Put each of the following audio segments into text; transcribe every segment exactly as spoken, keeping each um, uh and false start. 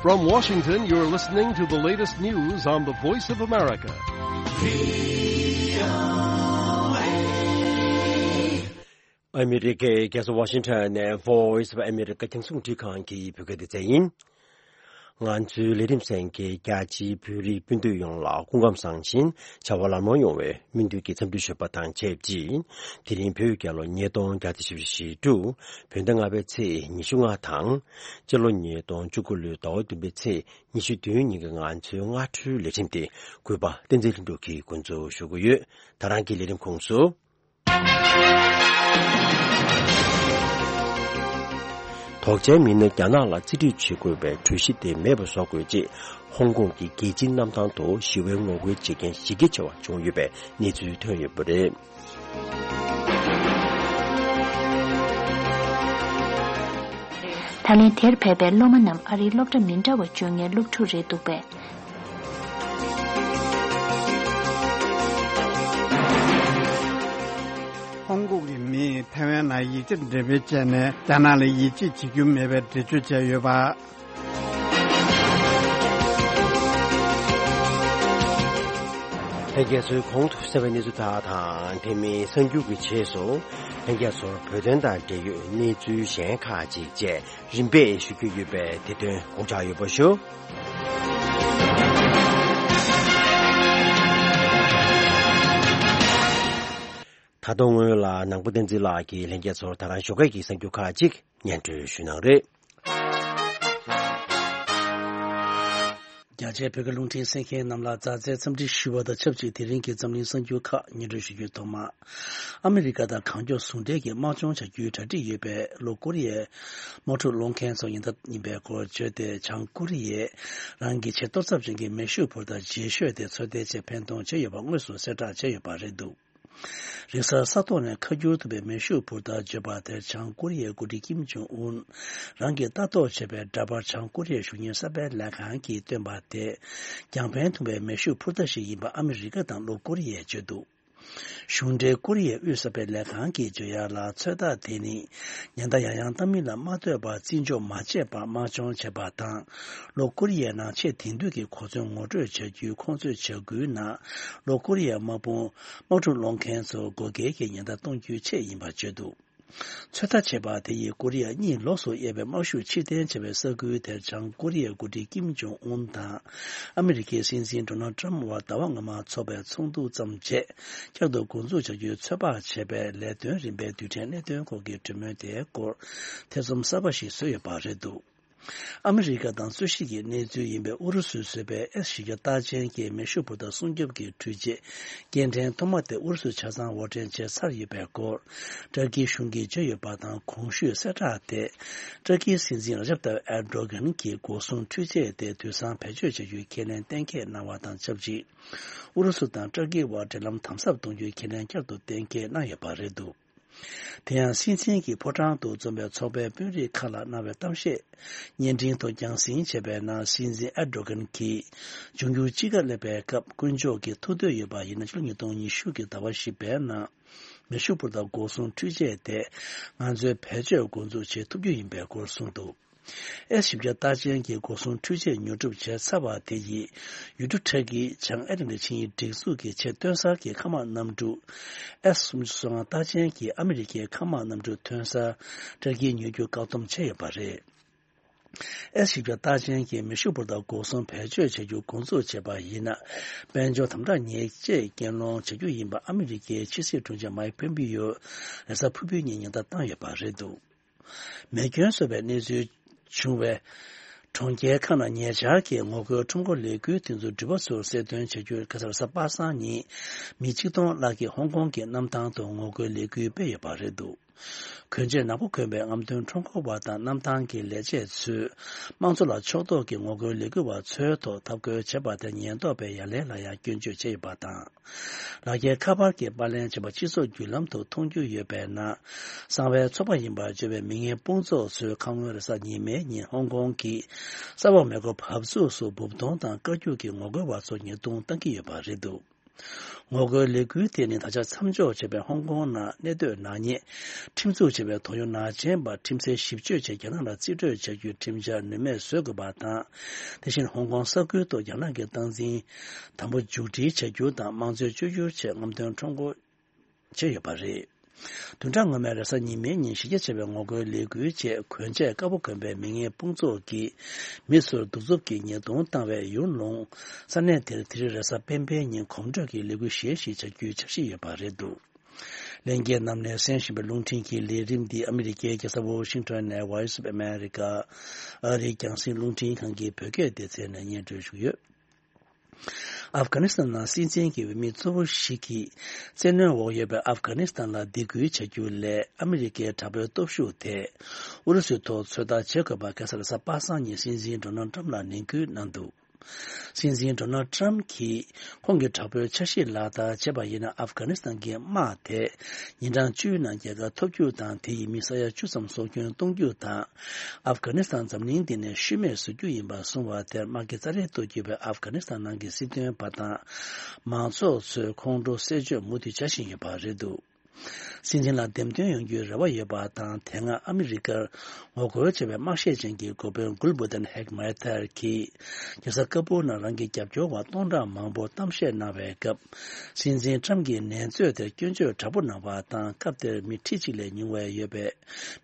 From Washington, you're listening to the latest news on the Voice of America. ཨ་མི་རི་ཀའི་རྒྱལ་ས་ཝ་ཤིང་ཊོན་ནས་Voice of America རྒྱང་སྲིང་རླུང་འཕྲིན་ཁང་གི་བོད་སྐད་སྡེ་ཚན་ཡིན། ང་ཚོའི་ལས་རིམ་གསན་མཁན་རྒྱ་ཆེའི་བོད་རིགས་སྤུན་ཟླ་ཡོངས་ལ་སྐུ་ཁམས་བཟང་ཞིང་བྱ་བ་ལམ་ལྷོང་ཡོང་བའི་སྨོན་འདུན་གྱི་འཚམས་འདྲི་ཞུ་བ་དང་ཆབས་ཅིག་དེ་རིང་བོད་རྒྱལ་ལོ་ཉིས་སྟོང་བརྒྱ་དང་བཞི་བཅུ་ཞེ་དྲུག་བོད་ཟླ་ལྔ་པའི་ཚེས་ཉི་ཤུ་ལྔ་དང་། སྤྱི་ལོ་ཉིས་སྟོང་བཅུ་དགུ་ལོའི་ཟླ་བ་བདུན་པའི་ཚེས་ཉི་ཤུ་བདུན་ཉིན་གྱི་ང་ཚོའི་སྔ་དྲོའི་ལས་རིམ་དེ་གུས་པ་བསྟན་འཛིན་ལྷུན་གྲུབ་ཀྱིས་འགོ་འཛུགས་ཞུ་གི་ཡོད། ད་རང་གི་ལས་རིམ་ཁོངས་སུ། དོགས་ཅན་མི་སྣ་རྒྱ་ནག་ལ་རྩིས་སྤྲོད་བྱེད་དགོས་པའི་གྲོས་གཞི་དེ་མེད་པ་བཟོ་དགོས་ཅེས་ཧོང་ཀོང་གི་རྒྱལ་སྤྱིའི་གནམ་ཐང་དུ་ཞི་བའི་ངོ་རྒོལ་བྱེད་མཁན་གཞི་རྒྱ་ཆེ་བ་བྱུང་ཡོད་པའི་གནས་ཚུལ་ཐོན་ཡོད་པ་རེད། ད་ལན་དེར་ཕེབས་པའི་སློབ་མ་རྣམས་ཨ་རིའི་སློབ་གྲྭ་མི་འདྲ་བ་བཅུག་མཁན་སློབ་ཕྲུག་རེད་འདུག་པས། ཧོང་ཀོང་གི་མིས་ཐའེ་ཝན་ནང་ཡིག་ཆ་འགྲེམས་སྤེལ་བྱས་ནས་རྒྱ་ནག་ལ་ཡིད་ཆེས་བྱེད་རྒྱུ་མེད་པའི་འགྲེལ་བརྗོད་བྱས་ཡོད་པ། ལྷན་རྒྱས་ཚོས་གོང་དུ་གསན་པའི་གནས་ཚུལ་དག་དང་དེ་མིན་གསར་འགྱུར་གྱི་རྗེས་སུ་ལྷན་རྒྱས་ཚོར་བོད་དོན་དང་འབྲེལ་ཡོད་གནས་ཚུལ་གཞན་ཁག་ཅིག་བཅས་རིམ་པས་ཞུ་རྒྱུ་ཡོད་པས་དེ་དོན་དགོངས་འཇགས་ཡོད་པ་ཞུ། ད་དུང་སྔོན་ལ་ནང་པ་བསྟན་འཛིན་ལགས་ཀྱིས་ལྷན་རྒྱས་ཚོར་ད་རང་ཞོགས་ཀས་ཀྱི་གསར་འགྱུར་ཁག་ཅིག་སྙན་སྒྲོན་ཞུ་གནང་རེད། རྒྱ་ཆེའི་བོད་ཀྱི་རླུང་འཕྲིན་གསན་མཁན་རྣམས་ལ་མཛའ་བརྩེའི་འཚམས་འདྲི་ཞུ་བ་དང་ཆབས་ཅིག་དེ་རིང་གི་འཛམ་གླིང་གསར་འགྱུར་ཁག་སྙན་སྒྲོན་ཞུ་རྒྱུའི་ཐོག་མ། ཨ་མི་རི་ཀ་དང་གང་མགྱོགས་ཟུང་འབྲེལ་གྱིས་དམག་སྦྱོང་བྱ་རྒྱུའི་གྲ་སྒྲིག་ཡོད་པའི་ལྷོ་ཀོ་རི་ཡའི་དམག་འཁྲུག་སློང་མཁན་ཚོ་ཉེན་བརྡ་ཡིན་པའི་སྐོར་བརྗོད་དེ། བྱང་ཀོ་རི་ཡས་རང་གི་ཆེས་གཏོར་ཚབས་ཅན་གྱི་མེ་ཤུགས་འཕུར་མདའ་རྗེས་ཤོས་དེ་ཚོད་ལྟའི་ཆེད་འཕེན་གཏོང་བྱས་ཡོད་པ་དངོས་སུ་གསལ་བསྒྲགས་བྱས་ཡོད་པ་རེད་འདུག་རེས་གཟའ་ས་ཐོག་ནས་ཁ་སྒྱུར་ཐུབ་པའི་མེ་ཤུགས་འཕུར་མདའ་བརྗོད་པ་དེར་བྱང་ཀོ་རི་ཡའི་འགོ་ཁྲིད་ཀིམ་ཇོང་ཨུན་རང་གིས་ལྟ་རྟོག་བྱས་པའི་འདྲ་པར་བྱང་ཀོ་རི་ཡའི་གཞུང་གཉེར་གསར་སྤེལ་ལས་ཁང་གིས་བཏོན་པ་དེ་རྒྱང་འཕེན་ཐུབ་པའི་མེ་ཤུགས་འཕུར་མདའ་ཞིག་ཡིན་པ་ཨ་མི་རི་ཀ་དང་ལྷོ་ཀོ་རི་ཡས་བརྗོད་འདུག་གཞུང་འབྲེལ་ཀོ་རི་ཡའི་དབུས་གསར་སྤེལ་ལས་ཁང་གིས་བརྗོད་ཡག་ལ། ཚོད་ལྟ་དེ་ནི་ཉེན་བརྡ་ཡང་ཡང་བཏང་མིན་ལ་མ་ལྟོས་པར་བརྩི་འཇོག་མ་བྱས་པར་དམག་སྦྱོང་བྱས་པ་དང་། ལྷོ་ཀོ་རི་ཡའི་ནང་ཆེས་དེང་དུས་ཀྱི་གོ་མཚོན་ངོ་སྤྲོད་བྱ་རྒྱུའི་ཁོང་ཚོའི་བྱ་འགུལ་ནང་། ལྷོ་ཀོ་རི་ཡའི་དམག་དཔུང་དམག་འཁྲུག་སློང་མཁན་ཚོར་བགོ་སྐལ་གྱི་ཉེན་བརྡ་གཏོང་རྒྱུའི་ཆེད་ཡིན་པར་བརྗོད་འདུག་ཚོད་ལྟ་བྱས་པ་དེ་ཡིས་ཀོ་རི་ཡ་གཉིས་ལོགས་སུ་དབྱེ་བའི་དམག་ཤུགས་ཕྱིར་འཐེན་བྱས་པའི་ས་ཁུལ་དེར་བྱང་ཀོ་རི་ཡའི་འགོ་ཁྲིད་ཀིམ་ཇོང་ཨུན་དང་ཨ་མི་རི་ཀའི་སྲིད་འཛིན་ཌོ་ནལ་ཊམ་དབར་ཟླ་བ་སྔོན་མ་འཚོགས་པའི་ཚོགས་འདུ་ཙམ་བྱས། བསྐྱར་དུ་འགོ་འཛུགས་བྱ་རྒྱུའི་ཚོད་དཔག་བྱས་པའི་ལས་དོན་རིམ་པའི་རྡུལ་ཕྲན་གནད་དོན་སྐོར་གྱི་གྲོས་མོལ་དེའི་སྐོར་ཐེ་ཚོམ་གསར་པ་ཞིག་བཟོས་ཡོད་པ་རེད་འདུག་ཨ་མི་རི་ཀ་དང་སུད་སི་གི་གནས་ཚུལ་ཡིན་པའི་ཨུ་རུ་སུས་བཟོས་པའི་ཨེས་བཞི་བརྒྱ་རྟགས་ཅན་གྱི་མེ་ཤུགས་འཕུར་མདའ་སྲུང་སྐྱོབ་ཀྱི་འཕྲུལ་ཆས་སྐྱེལ་འདྲེན་ཐོག་མ་དེ་ཨུ་རུ་སུས་ཆ་ཚང་དབོར་འདྲེན་བྱས་ཚར་ཡོད་པའི་སྐོར་ཏུར་ཀིའི་གཞུང་གིས་བརྗོད་ཡོད་པ་དང་། གོང་ཞུས་གསལ་བསྒྲགས་དེ་ཏུར་ཀིའི་སྲིད་འཛིན་ར་ཇབ་ཏཱ་ཡིབ་ཨེར་ཌོ་གྷན་གྱིས་སྒོ་སྲུང་འཕྲུལ་ཆས་དེ་དུས་སང་བེད་སྤྱོད་བྱ་རྒྱུའི་ཁས་ལེན་གཏན་འཁེལ་གནང་བ་དང་ཆབས་ཅིག་ཨུ་རུ་སུ་དང་ཏུར་ཀིའི་དབར་འབྲེལ་ལམ་དམ་ཟབ་གཏོང་རྒྱུའི་ཁས་ལེན་བསྐྱར་དུ་གཏན་འཁེལ་གནང་ཡོད་པ་རེད་འདུག་དེ་ཡང་སྲིད་འཛིན་གྱི་ཕོ་བྲང་དུ་འཛོམས་པའི་ཚོགས་པའི་དཔོན་རིགས་ཁག་ལ་གནང་བའི་གཏམ་བཤད་བརྙན་འཕྲིན་ཐོག་རྒྱང་སྲིང་བྱས་པའི་ནང་། སྲིད་འཛིན་ཨེར་ཌོ་གྷན་གྱིས་འབྱུང་འགྱུར་དཔྱིད་ཀ་སླེབས་པའི་སྐབས་དཀོན་མཆོག་གིས་ཐུགས་འདོད་ཡོད་པ་ཡིན་ན། ཕྱི་ལོ་ཉིས་སྟོང་ཉི་ཤུ་གི་ཟླ་བ་བཞི་པའི་ནང་མེ་ཤུགས་འཕུར་མདའ་འགོག་སྲུང་འཕྲུལ་ཆས་དེ་ང་ཚོས་བེད་སྤྱོད་འགོ་འཛུགས་བྱེད་ཐུབ་རྒྱུ་ཡིན་པའི་སྐོར་གསུངས་འདུག་ཨེས་བཞི་བརྒྱ་རྟགས་ཅན་གྱི་འགོག་སྲུང་འཕྲུལ་ཆས་ཉོ་སྒྲུབ་བྱས་ཚར་བ་དེ་ཡིས་ཡུལ་གྲུ་ཏུར་ཀིའི་བྱང་ཨེ་ཏི་ལན་ཏི་ཆིངས་ཡིག་སྒྲིག་འཛུགས་ཀྱི་ཆེས་ཐོན་གསར་གྱི་མཁའ་དམག་གནམ་གྲུ་ཨེས་སུམ་ཅུ་སོ་ལྔ་རྟགས་ཅན་གྱི་ཨ་མི་རི་ཀའི་མཁའ་དམག་གནམ་གྲུ་ཐོན་གསར་ཏུར་ཀིས་ཉོ་རྒྱུ་བཀག་སྡོམ་བྱས་ཡོད་པ་རེད། ཨེས་བཞི་བརྒྱ་རྟགས་ཅན་གྱི་མེ་ཤུགས་འཕུར་མདའ་འགོག་སྲུང་བེད་སྤྱོད་བྱ་རྒྱུ་འགོ་འཛུགས་བྱས་པ་ཡིན་ན། དཔལ་འབྱོར་དམ་དྲག་ཉེས་ཆད་རྐྱེན་སློང་བྱ་རྒྱུ་ཡིན་པ་ཨ་མི་རི་ཀའི་ཕྱི་སྲིད་དྲུང་ཆེ་མའིག་ཕོམ་པིའོ་རེས་གཟའ་ཕུར་བུའི་ཉིན་ཉེན་བརྡ་བཏང་ཡོད་པ་རེད་འདུག་མེ་སྐྱོན་གསོ་བའི་གནས་ཚུལ་བྱུང་བའི་གྲོང་ཁྱེར་ཁག་ནང་ཉེ་ཆར་གྱི་ངོ་རྒོལ་ཁྲོམ་སྐོར་ལས་འགུལ་དེ་ཚོའི་འགྲུལ་པ་ཚོར་གསལ་སྟོན་བྱ་རྒྱུར་ཁ་སང་རེས་གཟའ་པ་སངས་ཉིན་མི་ཆིག་སྟོང་ལྷག་གིས་ཧོང་ཀོང་གི་གནམ་ཐང་དུ་ངོ་རྒོལ་ལས་འགུལ་སྤེལ་ཡོད་པ་རེད་འདུག་གོན་ཆས་ནག་པོ་གོན་པའི་རྔམ་སྟོན་ཁྲོམ་སྐོར་བ་དང་གནམ་ཐང་གི་ལས་བྱེད་ཚོས་དམངས་གཙོ་ལ་ཕྱོགས་གཏོགས་ཀྱི་ངོ་རྒོལ་ལས་འགུལ་བ་ཚོའི་ཐོག་འཐབ་རྒོལ་བྱས་པ་དེར་ཉེན་རྟོག་པས་ཡ་ལན་ལ་ཡང་སྐྱོན་བརྗོད་བྱས་ཡོད་པ་དང་། ལག་འཁྱེར་ཁ་པར་གྱི་པར་ལེན་བྱས་པ་སྤྱི་ཚོགས་བརྒྱུད་ལམ་དུ་མཐོང་རྒྱུ་ཡོད་པའི་ནང་། གསང་བའི་ཚོགས་པ་ཡིན་པར་བརྗོད་པའི་མི་ངན་དཔུང་ཚོགས་ཚོས་ཁ་སྔོན་རེས་གཟའ་ཉི་མའི་ཉིན་ཧོང་ཀོང་གི་ས་འོག་མེ་འཁོར་བབས་ཚུགས་སུ་འབུབ་གཏོང་དང་བཀའ་བཀྱོག་གིས་ངོ་རྒོལ་བ་ཚོ་ཉེས་རྡུང་བཏང་གི་ཡོད་པ་རེད་འདུག་ངོ་རྒོལ་ལས་འགུལ་དེ་ནི་ད་ཆ་མཚམས་འཇོག་བྱས་པའི་ཧོང་ཀོང་ནང་གནས་སྡོད་ནག་ཉེས་ཁྲིམས་འཛུགས་བྱས་པའི་དོགས་ཡོད་ནག་ཅན་པ་ཁྲིམས་སའི་ཞིབ་དཔྱོད་ཆེད་རྒྱ་ནག་ལ་རྩིས་སྤྲོད་བྱ་རྒྱུའི་ཁྲིམས་འཆར་ནུས་མེད་བཟོ་དགོས་པ་དང་། དེ་བཞིན་ཧོང་ཀོང་ས་ཁུལ་དུ་རྒྱ་ནག་གི་སྟངས་འཛིན་དམ་པོ་མཇུག་སྒྲིལ་བྱ་རྒྱུ་དང་དམངས་གཙོའི་བཅོས་བསྒྱུར་ཆེད་རྔམ་སྟོན་ཁྲོམ་སྐོར་བྱས་ཡོད་པ་རེད། བདུན་ཕྲག་སྔོན་མའི་རེས་གཟའ་ཉི་མའི་ཉིན་གཞི་རྒྱ་ཆེ་བའི་ངོ་རྒོལ་ལས་འགུལ་བཅས་གོན་ཆས་དཀར་པོ་གོན་པའི་མི་ངན་དཔུང་ཚོགས་ཀྱིས་མི་ཚོར་གདུག་རྩུབ་ཀྱི་ཉེས་རྡུང་བཏང་བའི་ཡུལ་ལུང་ས་གནས་དེར་དེ་རིང་རེས་གཟའ་སྤེན་པའི་ཉིན་གོམ་བགྲོད་ཀྱི་ལས་འགུལ་གཞན་ཞིག་བྱ་རྒྱུའི་འཆར་གཞི་ཡོད་པ་རེད་འདུག་ལྷན་རྒྱས་རྣམས་ནས་གསན་བཞིན་པའི་རླུང་འཕྲིན་གྱི་ལས་རིམ་འདི་ཨ་མི་རི་ཀའི་རྒྱལ་ས་ཝོ་ཤིང་ཊོན་ནས་Voice of America ཨ་རིའི་རྒྱང་སྲིང་རླུང་འཕྲིན་ཁང་གི་བོད་སྐད་སྡེ་ཚན་ནས་སྙན་སྒྲོན་ཞུ་གི་ཡོད། ཨབ་གྷ་ནི་སི་ཐན་ནང་སྲིད་འཛིན་གྱི་འོས་མི་གཙོ་བོ་ཞིག་གིས་བཙན་གནོན་འོག་ཡོད་པའི་ཨབ་གྷ་ནི་སི་ཐན་ལ་སྡིགས་སྐུལ་བྱ་རྒྱུ་ལས་ཨ་མི་རི་ཀའི་དྲག་པོའི་སྟོབས་ཤུགས་དེ་ཨུ་རུ་སུའི་ཐོག་ཚོད་ལྟ་བྱེད་དགོས་པ་ཁ་སང་རེས་གཟའ་པ་སངས་ཉིན་སྲིད་འཛིན་ཌོ་ནལ་ཊམ་ལ་ནན་སྐུལ་གནང་འདུག་སྲིད་འཛིན་ཌོ་ནལ་ཊམ་གྱིས་ཁོང་གི་དྲག་པོའི་འཆར་གཞི་ལག་བསྟར་བྱས་པ་ཡིན་ན་ཨབ་གྷ་ནི་སི་ཐན་གྱི་དམག་དེ་ཉིན་གྲངས་བཅུའི་ནང་རྒྱལ་ཁ་ཐོབ་རྒྱུ་དང་དེ་ཡིས་མི་ས་ཡ་བཅུ་ཙམ་སྲོག་སྐྱོན་གཏོང་རྒྱུ་དང་། ཨབ་གྷ་ནི་སི་ཐན་འཛམ་གླིང་འདི་ནས་ཤུལ་མེད་བཟོ་རྒྱུ་ཡིན་པ་གསུངས་པ་དེར་དམག་གི་རྩ་ལས་གཏོར་གྱུར་པའི་ཨབ་གྷ་ནི་སི་ཐན་ནང་གི་སྲིད་དོན་པ་དང་མང་ཚོགས་ཚོས་ཁོང་ཁྲོ་སེལ་བྱེད་མུ་མཐུད་བྱ་བཞིན་ཡོད་པ་རེད་འདུག་སྲིད་འཛིན་ལ་འདེམས་ཐོན་ཡོང་རྒྱུའི་རེ་བ་ཡོད་པ་དང་། དེ་སྔ་ཨ་མི་རི་ཀར་ངོ་རྒོལ་བྱས་པའི་དམག་བཤེར་ཅན་གྱི་འགོ་དཔོན་གུལ་བུ་ཏན་ཧེག་མེ་ཐར་གྱིས་རྒྱལ་ས་ཀ་པུར་ནང་རང་གི་རྒྱབ་སྐྱོར་བ་སྟོང་ཕྲག་མང་པོ་གཏམ་བཤད་གནང་བའི་སྐབས། སྲིད་འཛིན་ཊམ་གྱིས་ནན་རྩོད་དེར་སྐྱོན་བརྗོད་དྲག་པོ་གནང་བ་དང་། སྐབས་དེར་མི་ཁྲི་གཅིག་ལས་ཉུང་བ་ཡོད་པའི་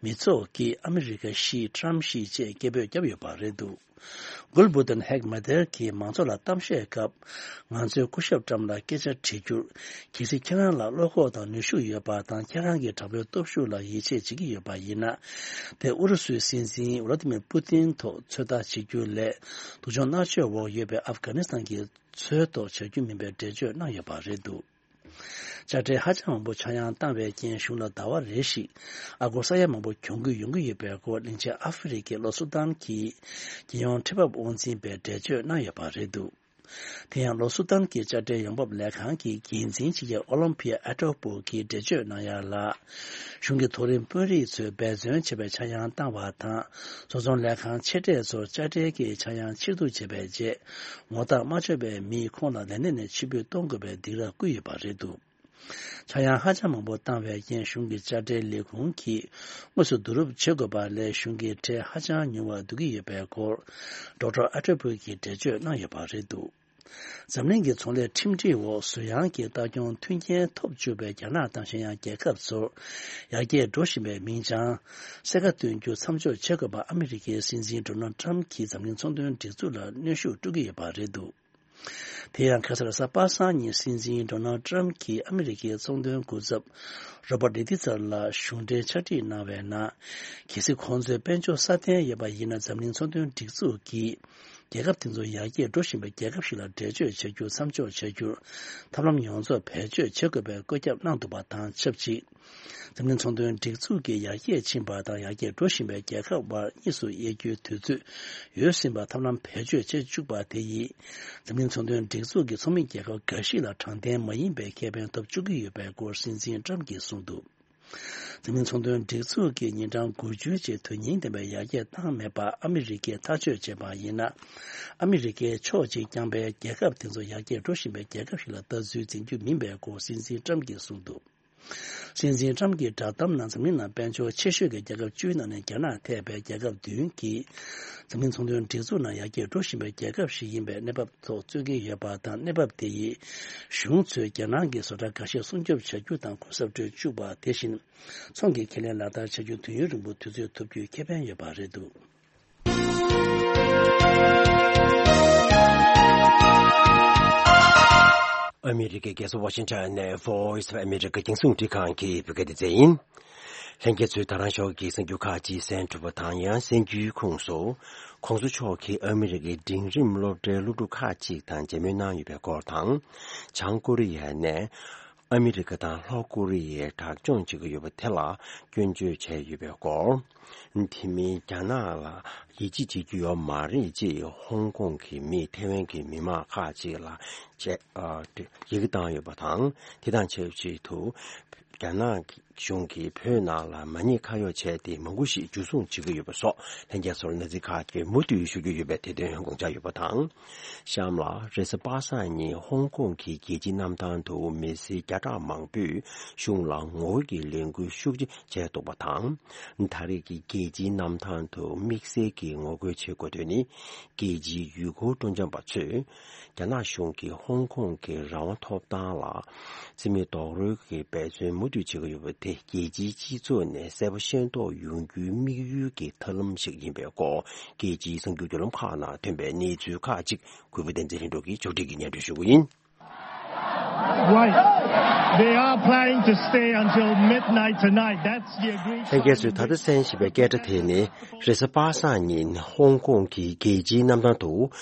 མི་ཚོགས་ཀྱིས་ཨ་མི་རི་ཀ་ཤི་ཊམ་ཤི་ཅེས་སྐད་འབོད་བརྒྱབ་ཡོད་པ་རེད་འདུག་གུལ་བུ་ཏན་ཧེག་མེ་ཐར་གྱིས་མང་ཚོགས་ལ་གཏམ་བཤད་སྐབས། ང་ཚོས་སྐུ་ཞབས་ཊམ་ལ་སྐད་ཆ་དྲི་རྒྱུར། གལ་སྲིད་ཁྱེད་རང་ལ་བློ་ཁོག་དང་ནུས་ཤུགས་ཡོད་པ་དང་། ཁྱེད་རང་གི་དྲག་པོའི་སྟོབས་ཤུགས་ལ་ཡིད་ཆེས་བྱེད་ཀྱི་ཡོད་པ་ཡིན་ན། དེ་ཨུ་རུ་སུའི་སྲིད་འཛིན་ཝ་ལ་ཏི་མིར་པུ་ཏིན་ཐོག་ཚོད་ལྟ་བྱེད་རྒྱུ་ལས། སྡུག་སྦྱོང་མནར་གཅོད་འོག་ཡོད་པའི་ཨབ་གྷ་ནི་སི་ཐན་གྱི་ཚོའི་ཐོག་བྱ་རྒྱུ་མིན་པའི་འགྲེལ་བརྗོད་གནང་ཡོད་པ་རེད་འདུག་དཔྱ་ཁྲལ་ཧ་ཅང་མང་པོ་ཆག་ཡང་བཏང་བའི་རྐྱེན། གཞུང་ལ་ཟླ་བ་རེ་བཞིན་ཨ་སྒོར་ས་ཡ་མང་པོ་གྱོང་གུན་ཡོང་གི་ཡོད་པའི་སྐོར། གླིང་ཆེན་ཨ་ཧྥེ་རི་ཁའི་ལྷོ་སུ་དཱན་གྱི་རྒྱལ་ཡོངས་ཁྲལ་འབབ་དབང་འཛིན་པས་འགྲེལ་བརྗོད་གནང་ཡོད་པ་རེད་འདུག་དེ་ཡང་ལྷོ་སུ་དཱན་གྱི་དཔྱ་ཁྲལ་ཡོང་འབབ་ལས་ཁང་གི་འགན་འཛིན་སྤྱི་ཁྱབ་ཨོ་ལིམ་པི་ཡ་ཨ་ཏོ་པོ་གིས་འགྲེལ་བརྗོད་གནང་ཡ་ལ། གཞུང་གི་མཐོ་རིམ་དཔོན་རིགས་ཚོས་འབད་བརྩོན་བྱས་པའི་ཆག་ཡང་བཏང་བ་དང་། བཟོ་ཚོང་ལས་ཁང་ཆེ་གྲས་ཚོར་དཔྱ་ཁྲལ་གྱི་ཆག་ཡང་ཕྱིར་བསྡུ་བྱས་པའི་རྗེས། ངོ་རྟགས་མ་ཆོད་པའི་མིས་ཁོང་ལ་ལས་གནས་ནས་ཕྱིར་འབུད་གཏོང་དགོས་པའི་སྡིགས་ར་བསྐུལ་ཡོད་པ་རེད་འདུག་ཆག་ཡང་ཧ་ཅང་མང་པོ་བཏང་བའི་རྐྱེན། གཞུང་གི་དཔྱ་ཁྲལ་ལས་ཁུངས་ཀྱིས་དངོས་སུ་བསྡུ་རུབ་བྱེད་དགོས་པ་ལས། གཞུང་གི་ཁྲལ་ཧ་ཅང་ཉུང་བར་བསྡུ་གི་ཡོད་པའི་སྐོར། ཌོག་ཊར་ཨ་ཏོ་པོ་གིས་འགྲེལ་བརྗོད་གནང་ཡོད་པ་རེད་འདུག་འཛམ་གླིང་གི་ཚོང་ལས་ཁྲིམས་སྒྲིག་འོག་ཟུར་ཡང་གི་ལྟ་སྐྱོང་མཐུན་རྐྱེན་ཐོབ་བཅུག་པའི་རྒྱ་ནག་དང་གཞན་ཡང་རྒྱལ་ཁབ་ཚོར་ཡར་རྒྱས་འགྲོ་བཞིན་པའི་མིང་བྱང་གསལ་ཁ་སྟོན་རྒྱུ་མཚམས་འཇོག་བྱེད་དགོས་པ་ཨ་མི་རི་ཀའི་སྲིད་འཛིན་ཌོ་ནལ་ཊམ་གྱིས་འཛམ་གླིང་ཚོང་དོན་སྒྲིག་འཛུགས་ལ་གནོན་ཤུགས་སྤྲོད་ཀྱི་ཡོད་པ་རེད་འདུག་དེ་ཡང་ཁ་སང་རེས་གཟའ་པ་སངས་ཉིན་སྲིད་འཛིན་ཌོ་ནལ་ཊམ་གྱིས་ཨ་མི་རི་ཀའི་ཚོང་དོན་སྐུ་ཚབ་རོ་བར་ལི་ཏི་ཚར་ལ་གཞུང་འབྲེལ་ཕྱག་བྲིས་གནང་བའི་ནང་། གལ་སྲིད་ཁོང་ཚོས་དཔལ་འབྱོར་སྲ་བརྟན་ཡོད་པ་ཡིན་ན། འཛམ་གླིང་ཚོང་དོན་སྒྲིག་འཛུགས་ཀྱིས་རྒྱལ་ཁབ་དེ་ཚོ་ཡར་རྒྱས་འགྲོ་བཞིན་པའི་རྒྱལ་ཁབ་ཞིག་ལ་འགྲེལ་བརྗོད་བྱ་རྒྱུ་མཚམས་འཇོག་བྱ་རྒྱུར་ཐབས་ལམ་ཡོངས་རྫོགས་བེད་སྤྱོད་བྱེད་དགོས་པའི་བཀོད་ཁྱབ་གནང་འདུག་པ་དང་ཆབས་ཅིག་འཛམ་གླིང་ཚོང་དོན་སྒྲིག་འཛུགས་ཀྱི་ཡར་རྒྱས་ཕྱིན་པ་དང་ཡར་རྒྱས་འགྲོ་བཞིན་པའི་རྒྱལ་ཁབ་དབར་གཉིས་སུ་དབྱེ་རྒྱུའི་དུས་ཚོད་ཡོལ་ཟིན་པར་ཐབས་ལམ་བེད་སྤྱོད་བྱེད་བཅུག་པ་དེ་ཡིས། འཛམ་གླིང་ཚོང་དོན་སྒྲིག་འཛུགས་ཀྱི་ཚོགས་མི་རྒྱལ་ཁབ་འགའ་ཞིག་ལ་དྲང་བདེན་མ་ཡིན་པའི་ཁེ་ཕན་ཐོབ་བཅུག་གི་ཡོད་པའི་སྐོར་སྲིད་འཛིན་ཊམ་གྱིས་གསུངས་འདུག་འཛམ་གླིང་ཚོང་དོན་སྒྲིག་འཛུགས་ཀྱིས་ཉིན་གྲངས་དགུ་བཅུའི་རྗེས་དོན་སྙིང་ལྡན་པའི་ཡར་རྒྱས་བཏང་མེད་པ་ཨ་མི་རི་ཀས་ཐག་གཅོད་བྱས་པ་ཡིན་ན། ཨ་མི་རི་ཀའི་ཕྱོགས་གཅིག་རྐྱང་པས་རྒྱལ་ཁབ་དེ་ཚོ་ཡར་རྒྱས་འགྲོ་བཞིན་པའི་རྒྱལ་ཁབ་ཞིག་ལ་ལྟ་ཚུལ་འཛིན་རྒྱུ་མིན་པའི་སྐོར་སྲིད་འཛིན་ཊམ་གྱིས་གསུངས་འདུག་སྲིད་འཛིན་ཊམ་གྱི་བསྒྲགས་གཏམ་ནང་འཛམ་གླིང་ནང་དཔལ་འབྱོར་ཆེ་ཤོས་ཀྱི་རྒྱལ་ཁབ་བཅུའི་ནང་ནས་རྒྱ་ནག་ཐེ་བའི་རྒྱལ་ཁབ་བདུན་གྱིས་འཛམ་གླིང་ཚོང་དོན་སྒྲིག་འཛུགས་ནང་ཡར་རྒྱས་འགྲོ་བཞིན་པའི་རྒྱལ་ཁབ་ཞིག་ཡིན་པའི་གནས་བབ་ཐོག་རྩོད་ཀྱི་ཡོད་པ་དང་། གནས་བབ་དེ་ཡིས་གཞུང་ཚོས་རྒྱ་ནག་གི་བཟོ་གྲྭ་འགའ་ཤས་སྲུང་སྐྱོབ་བྱ་རྒྱུ་དང་གུན་གསབ་སྤྲོད་བཅུག་པ། དེ་བཞིན་ཚོང་གི་ཁེ་ལས་ལག་བསྟར་བྱ་རྒྱུ་དུས་ཡུན་རིང་པོ་དུས་ཚོད་ཐོབ་རྒྱུའི་ཁེ་ཕན་ཡོད་པ་རེད་འདུག་ཨ་མི་རི་ཀའི་རྒྱལ་ས་ཝ་ཤིང་ཊོན་ནས་Voice of America རྒྱང་སྲིང་རླུང་འཕྲིན་ཁང་གི་བོད་སྐད་སྡེ་ཚན་ཡིན། ལྷན་རྒྱས་ཚོས་ད་རང་ཞོགས་ཀྱི་གསར་འགྱུར་ཁག་ཅིག་གསན་གྲུབ་པ་དང་། ཡང་གསར་འགྱུར་ཁོངས་སུ། ༸གོང་ས་མཆོག་གིས་ཨ་མི་རི་ཀའི་འབྲིང་རིམ་སློབ་གྲྭའི་སློབ་ཕྲུག་ཁག་ཅིག་དང་མཇལ་མོལ་གནང་ཡོད་པའི་སྐོར་དང་། བྱང་ཀོ་རི་ཡ་ནས་ཨ་མི་རི་ཀ་དང་ལྷོ་ཀོ་རི་ཡའི་དྲག་སྦྱོང་བྱེད་ཀྱི་ཡོད་པ་དེ་ལ་སྐྱོན་བརྗོད་བྱས་ཡོད་པའི་སྐོར། དེ་མིན་རྒྱ་ནག་ལ་ཡིད་ཆེས་བྱེད་རྒྱུ་ཡོད་མ་རེད་ཅེས་ཧོང་ཀོང་གི་མིས་ཐེ་ཝན་གྱི་མི་མང་ཁག་ཅིག་ལ་བཅས་ཨ་ཡི་གེ་བཏང་ཡོད་པ་དང་། དེ་དང་ཆབས་ཅིག་ཏུ་རྒྱ་ནག་གི་ གཞུང་གིས་བོད་ནང་ལ་མ་ཉེས་ཁ་གཡོག་བྱས་ཏེ་མང་པོ་ཞིག་འཇུ་བཟུང་བྱེད་ཀྱི་ཡོད་པ་སོགས་ལྷན་རྒྱས་ཚོར་གནས་ཚུལ་ཁག་ཅིག་མུ་མཐུད་ཞུ་རྒྱུ་ཡོད་པའི་དེ་དོན་དགོངས་འཇགས་ཡོད་པ་དང་། གཤམ་ལ་རེས་གཟའ་པ་སངས་ཉིན་ཧོང་ཀོང་གི་རྒྱལ་སྤྱིའི་གནམ་ཐང་དུ་མི་སེར་བརྒྱ་ཕྲག་མང་པོས་གཞུང་ལ་ངོ་རྒོལ་གྱི་ལས་འགུལ་ཤུགས་ཆེ་བྱས་འདུག་པ་དང་། ད་རེས་ཀྱི་རྒྱལ་སྤྱིའི་གནམ་ཐང་དུ་དམིགས་བསལ་གྱི་ངོ་རྒོལ་བྱེད་དགོས་དོན་ནི། རྒྱལ་སྤྱིའི་ཡུལ་སྐོར་སྤྲོ་འཆམ་པ་ཚོས། རྒྱ་ནག་གཞུང་གིས་ཧོང་ཀོང་གི་རང་དབང་ཐོབ་ཐང་ལ་རྩིས་མེད་རྡོག་རོལ་གྱི་འབད་བརྩོན་མུ་མཐུད་བྱེད་ཀྱི་ཡོད་པ་དེ་རྒྱལ་སྤྱིའི་སྤྱི་ཚོགས་ནས་གསལ་པོ་ཤེས་རྟོགས་ཡོང་རྒྱུའི་དམིགས་ཡུལ་གྱི་ཐབས་ལམ་ཞིག་ཡིན་པའི་སྐོར་རྒྱལ་སྤྱིའི་གསར་འགྱུར་བརྒྱུད་ལམ་ཁག་ནང་ཐོན་པའི་གནས་ཚུལ་ཁག་ཅིག་གུས་པ་བསྟན་འཛིན་ལྷུན་གྲུབ་ཀྱིས་ཕྱོགས་སྒྲིག་གིས་སྙན་སྒྲོན་ཞུ་གི་ཡིན། Right. They are planning to stay until midnight tonight. That's the agreed. ལྷན་རྒྱས་ཚོས་ད་ལྟ་གསན་བཞིན་པའི་སྐད་སྒྲ་དེ་ནི་རེས་གཟའ་པ་སངས་ཉིན་ཧོང་ཀོང་གི་རྒྱལ་སྤྱིའི་གནམ་ཐང་དུ་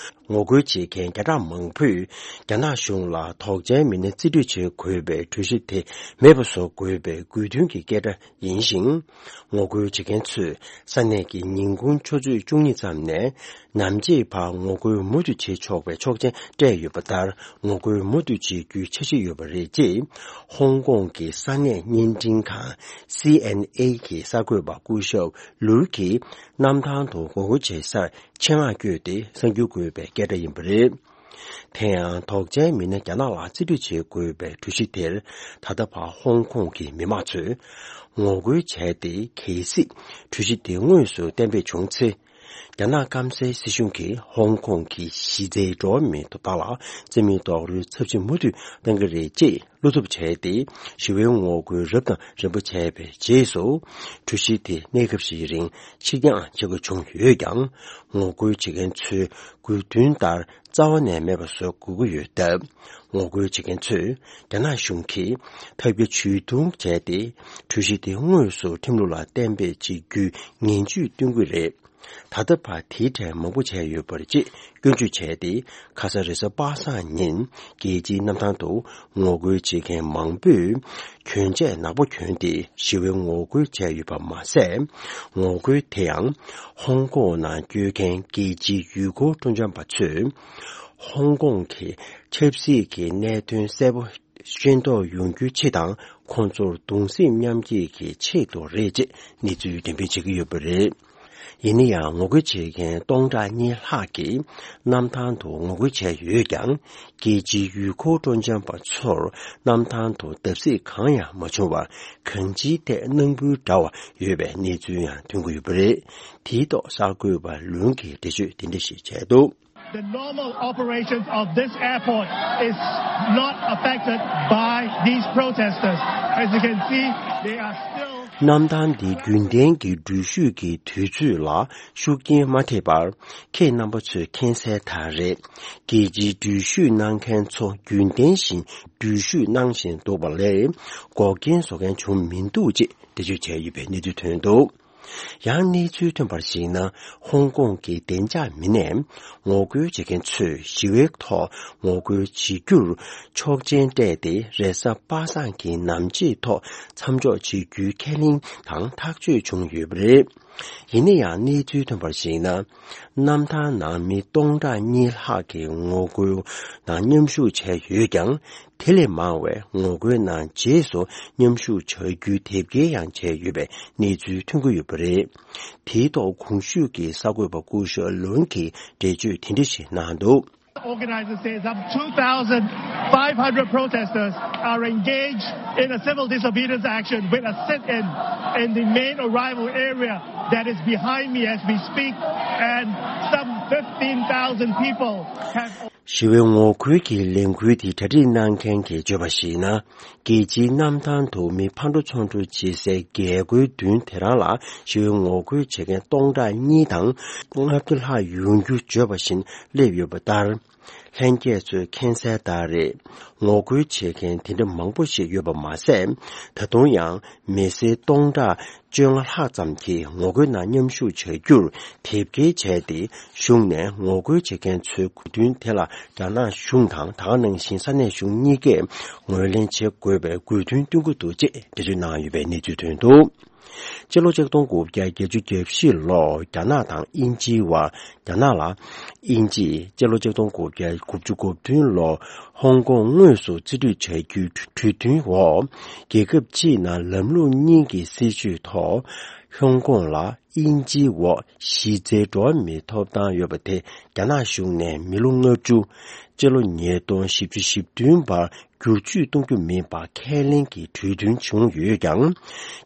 ངོ་རྒོལ་བྱེད་མཁན་བརྒྱ་ཕྲག་མང་པོས་རྒྱ་ནག་གཞུང་ལ་དོགས་ཅན་མི་སྣ་རྩིས་སྤྲོད་བྱེད་དགོས་པའི་གྲོས་གཞི་དེ་མེད་པ་བཟོ་དགོས་པའི་དགོས་འདུན་གྱི་སྐད་སྒྲ་ཡིན་ཞིང་། ངོ་རྒོལ་བྱེད་མཁན་ཚོས་ས་གནས་ཀྱི་ཉིན་གུང་ཆུ་ཚོད་བཅུ་གཉིས་ཙམ་ནས་ནམ་ཕྱེད་བར་ངོ་རྒོལ་མུ་མཐུད་བྱེད་ཆོག་པའི་ཆོག་མཆན་སྤྲད་ཡོད་པ་ལྟར། ངོ་རྒོལ་མུ་མཐུད་བྱེད་རྒྱུའི་འཆར་གཞི་ཡོད་པ་རེད་ཅེས་ཧོང་ཀོང་གི་ས་གནས་བརྙན་འཕྲིན་ཁང་སི་ཨེན་ཨེ་གི་གསར་འགོད་པ་སྐུ་ཞབས་ལུའུ་ཀྱིས་གནམ་ཐང་དུ་ངོ་རྒོལ་བྱེད་སར་ཆེད་མངགས་བསྐྱོད་དེ་གསར་འགྱུར་འགོད་པའི་སྐད་སྒྲ་ཡིན་པ་རེད། དེ་ཡང་དོགས་ཅན་མི་སྣ་རྒྱ་ནག་ལ་རྩིས་སྤྲོད་བྱེད་དགོས་པའི་གྲོས་གཞི་དེར་ད་ལྟ་བར་ཧོང་ཀོང་གི་མི་མང་ཚོས་ངོ་རྒོལ་བྱས་ཏེ། གལ་སྲིད་གྲོས་གཞི་དེ་དངོས་སུ་གཏན་འབེབས་བྱུང་ཚེ། རྒྱ་ནག་སྐམ་སའི་སྲིད་གཞུང་གིས་ཧོང་ཀོང་གི་གཞི་རྩའི་འགྲོ་བ་མིའི་ཐོབ་ཐང་ལ་རྩིས་མེད་རྡོག་རོལ་ཚབས་ཆེ་མུ་མཐུད་གཏང་གི་རེད་ཅེས་བློ་འཚབ་བྱས་ཏེ། ཞི་བའི་ངོ་རྒོལ་རབ་དང་རིམ་པ་བྱས་པའི་རྗེས་སུ། གྲོས་གཞི་དེ་གནས་སྐབས་ཤིག་རིང་ཕྱིར་འགྱངས་བྱེད་དགོས་བྱུང་ཡོད་ཀྱང་། ངོ་རྒོལ་བྱེད་མཁན་ཚོའི་དགོས་འདུན་ལྟར། རྩ་བ་ནས་མེད་པ་བཟོ་དགོས་ཀྱི་ཡོད་སྟབས། ངོ་རྒོལ་བྱེད་མཁན་ཚོས་རྒྱ་ནག་གཞུང་གིས་ཐབས་བརྒྱ་ཇུས་སྟོང་བྱས་ཏེ། གྲོས་གཞི་དེ་དངོས་སུ་ཁྲིམས་ལུགས་ལ་གཏན་འབེབས་བྱེད་རྒྱུའི་ངན་ཇུས་བསྟན་གྱི་རེད། ད་ལྟ་བར་དེའི་གྲས་མང་པོ་བྱས་ཡོད་པ་རེད་ཅེས་སྐྱོན་བརྗོད་བྱས་ཏེ། ཁ་ས་རེས་གཟའ་པ་སངས་ཉིན་རྒྱལ་སྤྱིའི་གནམ་ཐང་དུ་ངོ་རྒོལ་བྱེད་མཁན་མང་པོས་གྱོན་ཆས་ནག་པོ་གྱོན་ཏེ་ཞི་བའི་ངོ་རྒོལ་བྱས་ཡོད་པ་མ་ཟད། ངོ་རྒོལ་དེ་ཡང་ཧོང་ཀོང་ནང་བསྐྱོད་མཁན་རྒྱལ་སྤྱིའི་ཡུལ་སྐོར་སྤྲོ་འཆམ་པ་ཚོས། ཧོང་ཀོང་གི་ཆབ་སྲིད་ཀྱི་གནད་དོན་གསལ་པོ་ཤེས་རྟོགས་ཡོང་རྒྱུའི་ཆེད་དང་། ཁོང་ཚོར་གདུང་སེམས་མཉམ་སྐྱེད་ཀྱི་ཆེད་དུ་རེད་ཅེས་གནས་ཚུལ་འགྲེམས་སྤེལ་བྱེད་ཀྱི་ཡོད་པ་རེད། ཡིན་ན་ཡང་ངོ་རྒོལ་བྱེད་མཁན་སྟོང་ཕྲག་གཉིས་ལྷག་གིས་གནམ་ཐང་དུ་ངོ་རྒོལ་བྱས་ཡོད་ཀྱང་། རྒྱལ་སྤྱིའི་ཡུལ་སྐོར་སྤྲོ་འཆམ་པ་ཚོར་གནམ་ཐང་དུ་བརྡབ་གསིག་གང་ཡང་མ་བྱུང་བར། གང་ཅིའི་ཐད་སྣང་ཕུད་འདྲ་བ་ཡོད་པའི་གནས་ཚུལ་ཡང་ཐོན་གྱི་ཡོད་པ་རེད། དེའི་ཐོག་གསར་འགོད་པ་ལུན་གྱིས་འགྲེལ་བརྗོད་དེ་འདྲ་ཞིག་བྱས་འདུག། The normal operations of this airport is not affected by these protesters. As you can see, they are still གནམ་ཐང་འདི་རྒྱུན་ལྡན་གྱི་འགྲུལ་བཞུད་ཀྱི་དུས་ཚོད་ལ་ཤུགས་རྐྱེན་མ་ཐེབས་པར། ཁྱེད་རྣམ་པ་ཚོས་མཁྱེན་གསལ་ལྟར་རེད། རྒྱལ་སྤྱིའི་འགྲུལ་བཞུད་གནང་མཁན་ཚོ་རྒྱུན་ལྡན་བཞིན་འགྲུལ་བཞུད་གནང་བཞིན་འདུག་པ་ལས། འགོག་རྐྱེན་བཟོ་མཁན་བྱུང་མི་འདུག་ཅེས་འགྲེལ་བརྗོད་བྱས་ཡོད་པའི་གནས་ཚུལ་ཐོན་འདུག། ཡང་གནས་ཚུལ་ཐོན་པར་གཞིགས་ན། ཧོང་ཀོང་གི་བདེ་འཇགས་མི་སྣས་ངོ་རྒོལ་བྱེད་མཁན་ཚོས་ཞི་བའི་ཐོག་ངོ་རྒོལ་བྱེད་རྒྱུར་ཆོག་མཆན་སྤྲད་དེ། རེས་གཟའ་པ་སངས་ཀྱི་ནམ་ཕྱེད་ཐོག་མཚམས་འཇོག་བྱེད་རྒྱུའི་ཁས་ལེན་དང་ཐག་གཅོད་བྱུང་ཡོད་པ་རེད། ཡིན་ན་ཡང་གནས་ཚུལ་ཐོན་པར་གཞིགས་ན། གནམ་ཐང་ནང་མི་སྟོང་ཕྲག་གཉིས་ལྷག་གིས་ངོ་རྒོལ་ནང་མཉམ་ཞུགས་བྱས་ཡོད་ཀྱང་། དེ་ལས་མང་བས་ངོ་རྒོལ་ནང་རྗེས་སུ་མཉམ་ཞུགས་བྱ་རྒྱུའི་དེབ་སྐྱེལ་ཡང་བྱས་ཡོད་པའི་གནས་ཚུལ་ཐོན་གྱི་ཡོད་པ་རེད། དེའི་ཐོག་གོང་ཞུས་ཀྱི་གསར་འགོད་པ་སྐུ་ཞབས་ལུན་གྱིས་འགྲེལ་བརྗོད་དེ་འདྲ་ཞིག་གནང་འདུག། Organizers say some two thousand five hundred protesters are engaged in a civil disobedience action with a sit-in in the main arrival area that is behind me as we speak, and some fifteen thousand people have ཞི་བའི་ངོ་རྒོལ་གྱི་ལས་འགུལ་དེ་གྲ་སྒྲིག་གནང་མཁན་གྱིས་བརྗོད་པར་གཞིགས་ན། རྒྱལ་སྤྱིའི་གནམ་ཐང་དུ་མི་ཕར་འགྲོ་ཚུར་འགྲོ་བྱེད་སའི་རྒྱལ་སྒོའི་མདུན་དེ་རང་ལ་ཞི་བའི་ངོ་རྒོལ་བྱེད་མཁན་སྟོང་ཕྲག་གཉིས་དང་ལྔ་བཅུ་ལྷག་ཡོང་རྒྱུ་བརྗོད་པ་བཞིན་སླེབས་ཡོད་པ་ལྟར། ལྷན་རྒྱས་ཚོས་མཁྱེན་གསལ་ལྟར་རེད། ངོ་རྒོལ་བྱེད་མཁན་དེ་འདྲ་མང་པོ་ཞིག་ཡོད་པ་མ་ཟད། ད་དུང་ཡང་མི་སེར་སྟོང་ཕྲག་བཅོ་ལྔ་ལྷག་ཙམ་གྱིས་ངོ་རྒོལ་ནང་མཉམ་ཞུགས་བྱ་རྒྱུར་དེབ་སྐྱེལ་བྱས་ཏེ། གཞུང་ནས་ངོ་རྒོལ་བྱེད་མཁན་ཚོའི་དགོས་འདུན་དེ་ལ་རྒྱ་ནག་གཞུང་དང་། ད་ག་ནང་བཞིན་ས་གནས་གཞུང་གཉིས་ཀས་ངོས་ལེན་བྱེད་དགོས་པའི་དགོས་འདུན་བཏོན་གྱི་འདུག་ཅེས་འགྲེལ་བརྗོད་གནང་ཡོད་པའི་གནས་ཚུལ་ཐོན་འདུག། སྤྱི་ལོ་ཆིག་སྟོང་དགུ་བརྒྱ་བརྒྱད་ཅུ་གྱ་བཞི་ལོར་རྒྱ་ནག་དང་དབྱིན་ཇིའི་དབར། རྒྱ་ནག་ལ་དབྱིན་ཇིས་སྤྱི་ལོ་ཆིག་སྟོང་དགུ་བརྒྱ་དགུ་བཅུ་གོ་བདུན་ལོར་ཧོང་ཀོང་དངོས་སུ་རྩིས་སྤྲོད་བྱ་རྒྱུའི་གྲོས་མཐུན་འོག་རྒྱལ་ཁབ་གཅིག་ནང་ལམ་ལུགས་གཉིས་ཀྱི་སྲིད་བྱུས་ཐོག་ཧོང་ཀོང་ལ་དབྱིན་ཇིའི་འོག་གཞི་རྩའི་འགྲོ་བ་མིའི་ཐོབ་ཐང་ཡོད་པ་དེ་རྒྱ་ནག་གཞུང་ནས་མི་ལོ་ལྔ་བཅུ། སྤྱི་ལོ་ཉིས་སྟོང་བཞི་བཅུ་ཞེ་བདུན་བར་བསྒྱུར་བཅོས་གཏོང་རྒྱུ་མིན་པ་ཁས་ལེན་གྱི་གྲོས་མཐུན་བྱུང་ཡོད་ཀྱང་།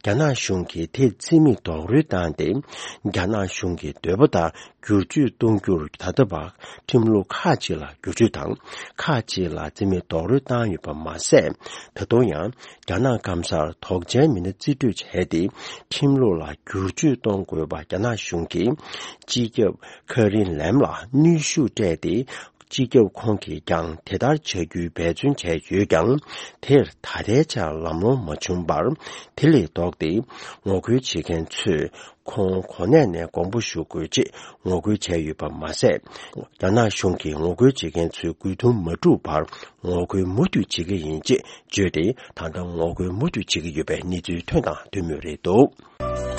རྒྱ་ནག་གཞུང་གིས་དེར་རྩིས་མེད་རྡོག་རོལ་བཏང་སྟེ། རྒྱ་ནག་གཞུང་གི་འདོད་པ་ལྟར་བསྒྱུར་བཅོས་གཏོང་རྒྱུར་ད་ལྟ་བར་ཁྲིམས་ལུགས་ཁག་ཅིག་ལ་བསྒྱུར་བཅོས་དང་ཁག་ཅིག་ལ་རྩིས་མེད་རྡོག་རོལ་བཏང་ཡོད་པ་མ་ཟད། ད་དུང་ཡང་རྒྱ་ནག་སྐམ་སར་དོགས་ཅན་མི་སྣ་རྩིས་སྤྲོད་བྱས་ཏེ། ཁྲིམས་ལུགས་ལ་བསྒྱུར་བཅོས་གཏོང་དགོས་པ་རྒྱ་ནག་གཞུང་གིས་སྤྱི་ཁྱབ་ཁ་རིན་ལེམ་ལ་གནོན་ཤུགས་སྤྲད་དེ། སྤྱི་ཁྱབ་ཁོང་གིས་ཀྱང་དེ་ལྟར་བྱ་རྒྱུའི་འབད་བརྩོན་བྱས་ཡོད་ཀྱང་། དེར་ད་ལྟའི་ཆར་ལམ་ལྷོང་མ་བྱུང་བར། དེ་ལས་ལྡོག་སྟེ་ངོ་རྒོལ་བྱེད་མཁན་ཚོས་ཁོང་གོ་གནས་ནས་དགོངས་པ་ཞུ་དགོས་ཅེས་ངོ་རྒོལ་བྱས་ཡོད་པ་མ་ཟད། རྒྱ་ནག་གཞུང་གིས་ངོ་རྒོལ་བྱེད་མཁན་ཚོའི་དགོས་འདུན་མ་འགྲུབ་བར་ངོ་རྒོལ་མུ་མཐུད་བྱེད་ཀྱི་ཡིན་ཅེས་བརྗོད་དེ། ད་ལྟ་ངོ་རྒོལ་མུ་མཐུད་བྱེད་ཀྱི་ཡོད་པའི་གནས་ཚུལ་ཐོན་དང་ཐོན་མུས་རེད་འདུག།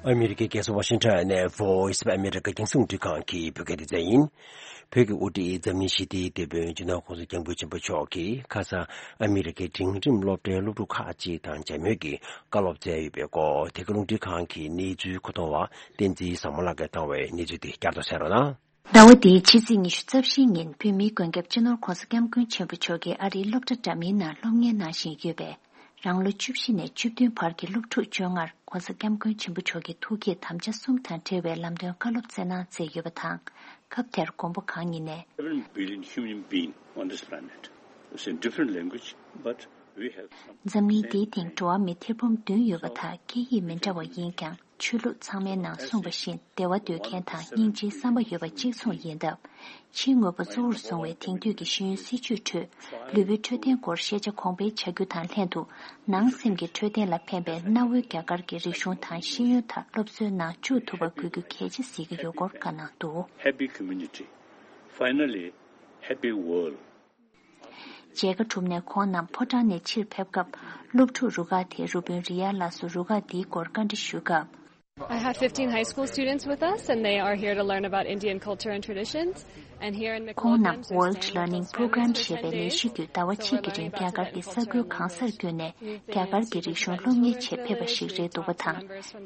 ཨ་མི་རི་ཀའི་རྒྱལ་ས་ཝ་ཤིང་ཊོན་ནས་Voice of America རྒྱང་སྲིང་རླུང་འཕྲིན་ཁང་གི་བོད་སྐད་སྡེ་ཚན་ཡིན། བོད་ཀྱི་དབུ་ཁྲིད་འཛམ་གླིང་ཞི་བདེའི་དེད་དཔོན་སྤྱི་ནོར་༸གོང་ས་༸སྐྱབས་མགོན་ཆེན་པོ་མཆོག་གིས་ཁ་སང་ཨ་མི་རི་ཀའི་འབྲིང་རིམ་སློབ་གྲྭའི་སློབ་ཕྲུག་ཁག་ཅིག་དང་མཇལ་མོལ་གྱིས་བཀའ་སློབ་སྩལ་ཡོད་པའི་སྐོར། དེ་ག་རླུང་འཕྲིན་ཁང་གི་གནས་ཚུལ་མཁོ་གཏོང་བ་བསྟན་འཛིན་བཟང་མོ་ལགས་ཀྱིས་བཏང་བའི་གནས་ཚུལ་དེ་བསྐྱར་དུ་གསན་རོགས་གནང་། ཟླ་བ་འདིའི་ཕྱི་ཚེས་ཉི་ཤུ་རྩ་བཞིའི་ཉིན་བོད་མིའི་མགོན་སྐྱབས་སྤྱི་ནོར་༸གོང་ས་༸སྐྱབས་མགོན་ཆེན་པོ་མཆོག་གིས་ཨ་རིའི་སློབ་གྲྭ་འདྲ་མིན་ནང་སློབ་གཉེར་གནང་བཞིན་ཡོད་པའི་རང་ལོ་བཅུ་བཞི་ནས་བཅུ་བདུན་བར་གྱི་སློབ་ཕྲུག་བཅོ་ལྔར་༸གོང་ས་༸སྐྱབས་མགོན་ཆེན་པོ་མཆོག་གི་ཐུགས་བསྐྱེད་དམ་བཅའ་གསུམ་དང་འབྲེལ་བའི་ལམ་སྟོན་བཀའ་སློབ་སྩལ་གནང་མཛད་ཡོད་པ་དང་། སྐབས་དེར་མགོན་པོ་གང་ཉིད་ནས། Seven billion human being on this planet. It's in different language, but we have some འཛམ་གླིང་འདིའི་སྟེང་འགྲོ་བ་མི་ཐེར་འབུམ་བདུན་ཡོད་པ་དག་སྐད་ཡིག་མི་འདྲ་བ་ཡིན་ཀྱང་། ཆོས་ལུགས་ཚང་མའི་ནང་གསུངས་པ་བཞིན་བདེ་བ་འདོད་མཁན་དང་སྙིང་རྗེའི་བསམ་པ་ཡོད་པ་གཅིག་མཚུངས་ཡིན་སྟབས། ཕྱིའི་དངོས་པོ་གཙོ་བོར་བཟུང་བའི་དེང་དུས་ཀྱི་ཤེས་ཡོན་སྲིད་བྱུས་ཁྲོད་ལུས་པོའི་འཕྲོད་བསྟེན་སྐོར་ཤེས་བྱ་གོང་འཕེལ་བྱ་རྒྱུ་དང་ལྷན་དུ། ནང་སེམས་ཀྱི་འཕྲོད་བསྟེན་ལ་ཕན་པའི་གནའ་བོའི་རྒྱ་གར་གྱི་རིག་གཞུང་དང་ཤེས་ཡོན་དག་སློབ་གསོའི་ནང་བཅུག་ཐུབ་པ་དགོས་རྒྱུ་གལ་ཆེ་གཟིགས་ཀྱི་ཡོད་སྐོར་བཀའ་གནང་འདུག། Happy community. Finally, happy world. མཇལ་ཁ་གྲུབ་ནས་ཁོང་རྣམས་ཕོ་བྲང་ནས་ཕྱིར་ཕེབས་སྐབས། སློབ་ཕྲུག་རུ་ཁག་དེའི་རུ་དཔོན་རི་ཡ་ལགས་སུ་རུ་ཁག་འདིའི་སྐོར་བཀའ་འདྲི་ཞུས་སྐབས། I have fifteen high school students with us, and they are here to learn about Indian culture and traditions. And here in ཁོང་རྣམས་World Learning Program ཞེས་པའི་ལས་གཞི་བརྒྱུད་ཟླ་བ་གཅིག་གི་རིང་རྒྱ་གར་གྱི་ས་ཁུལ་གང་སར་བསྐྱོད་ནས་རྒྱ་གར་གྱི་རིག་གཞུང་སློབ་གཉེར་ཆེད་ཕེབས་པ་ཞིག་རེད་འདུག་པ་དང་།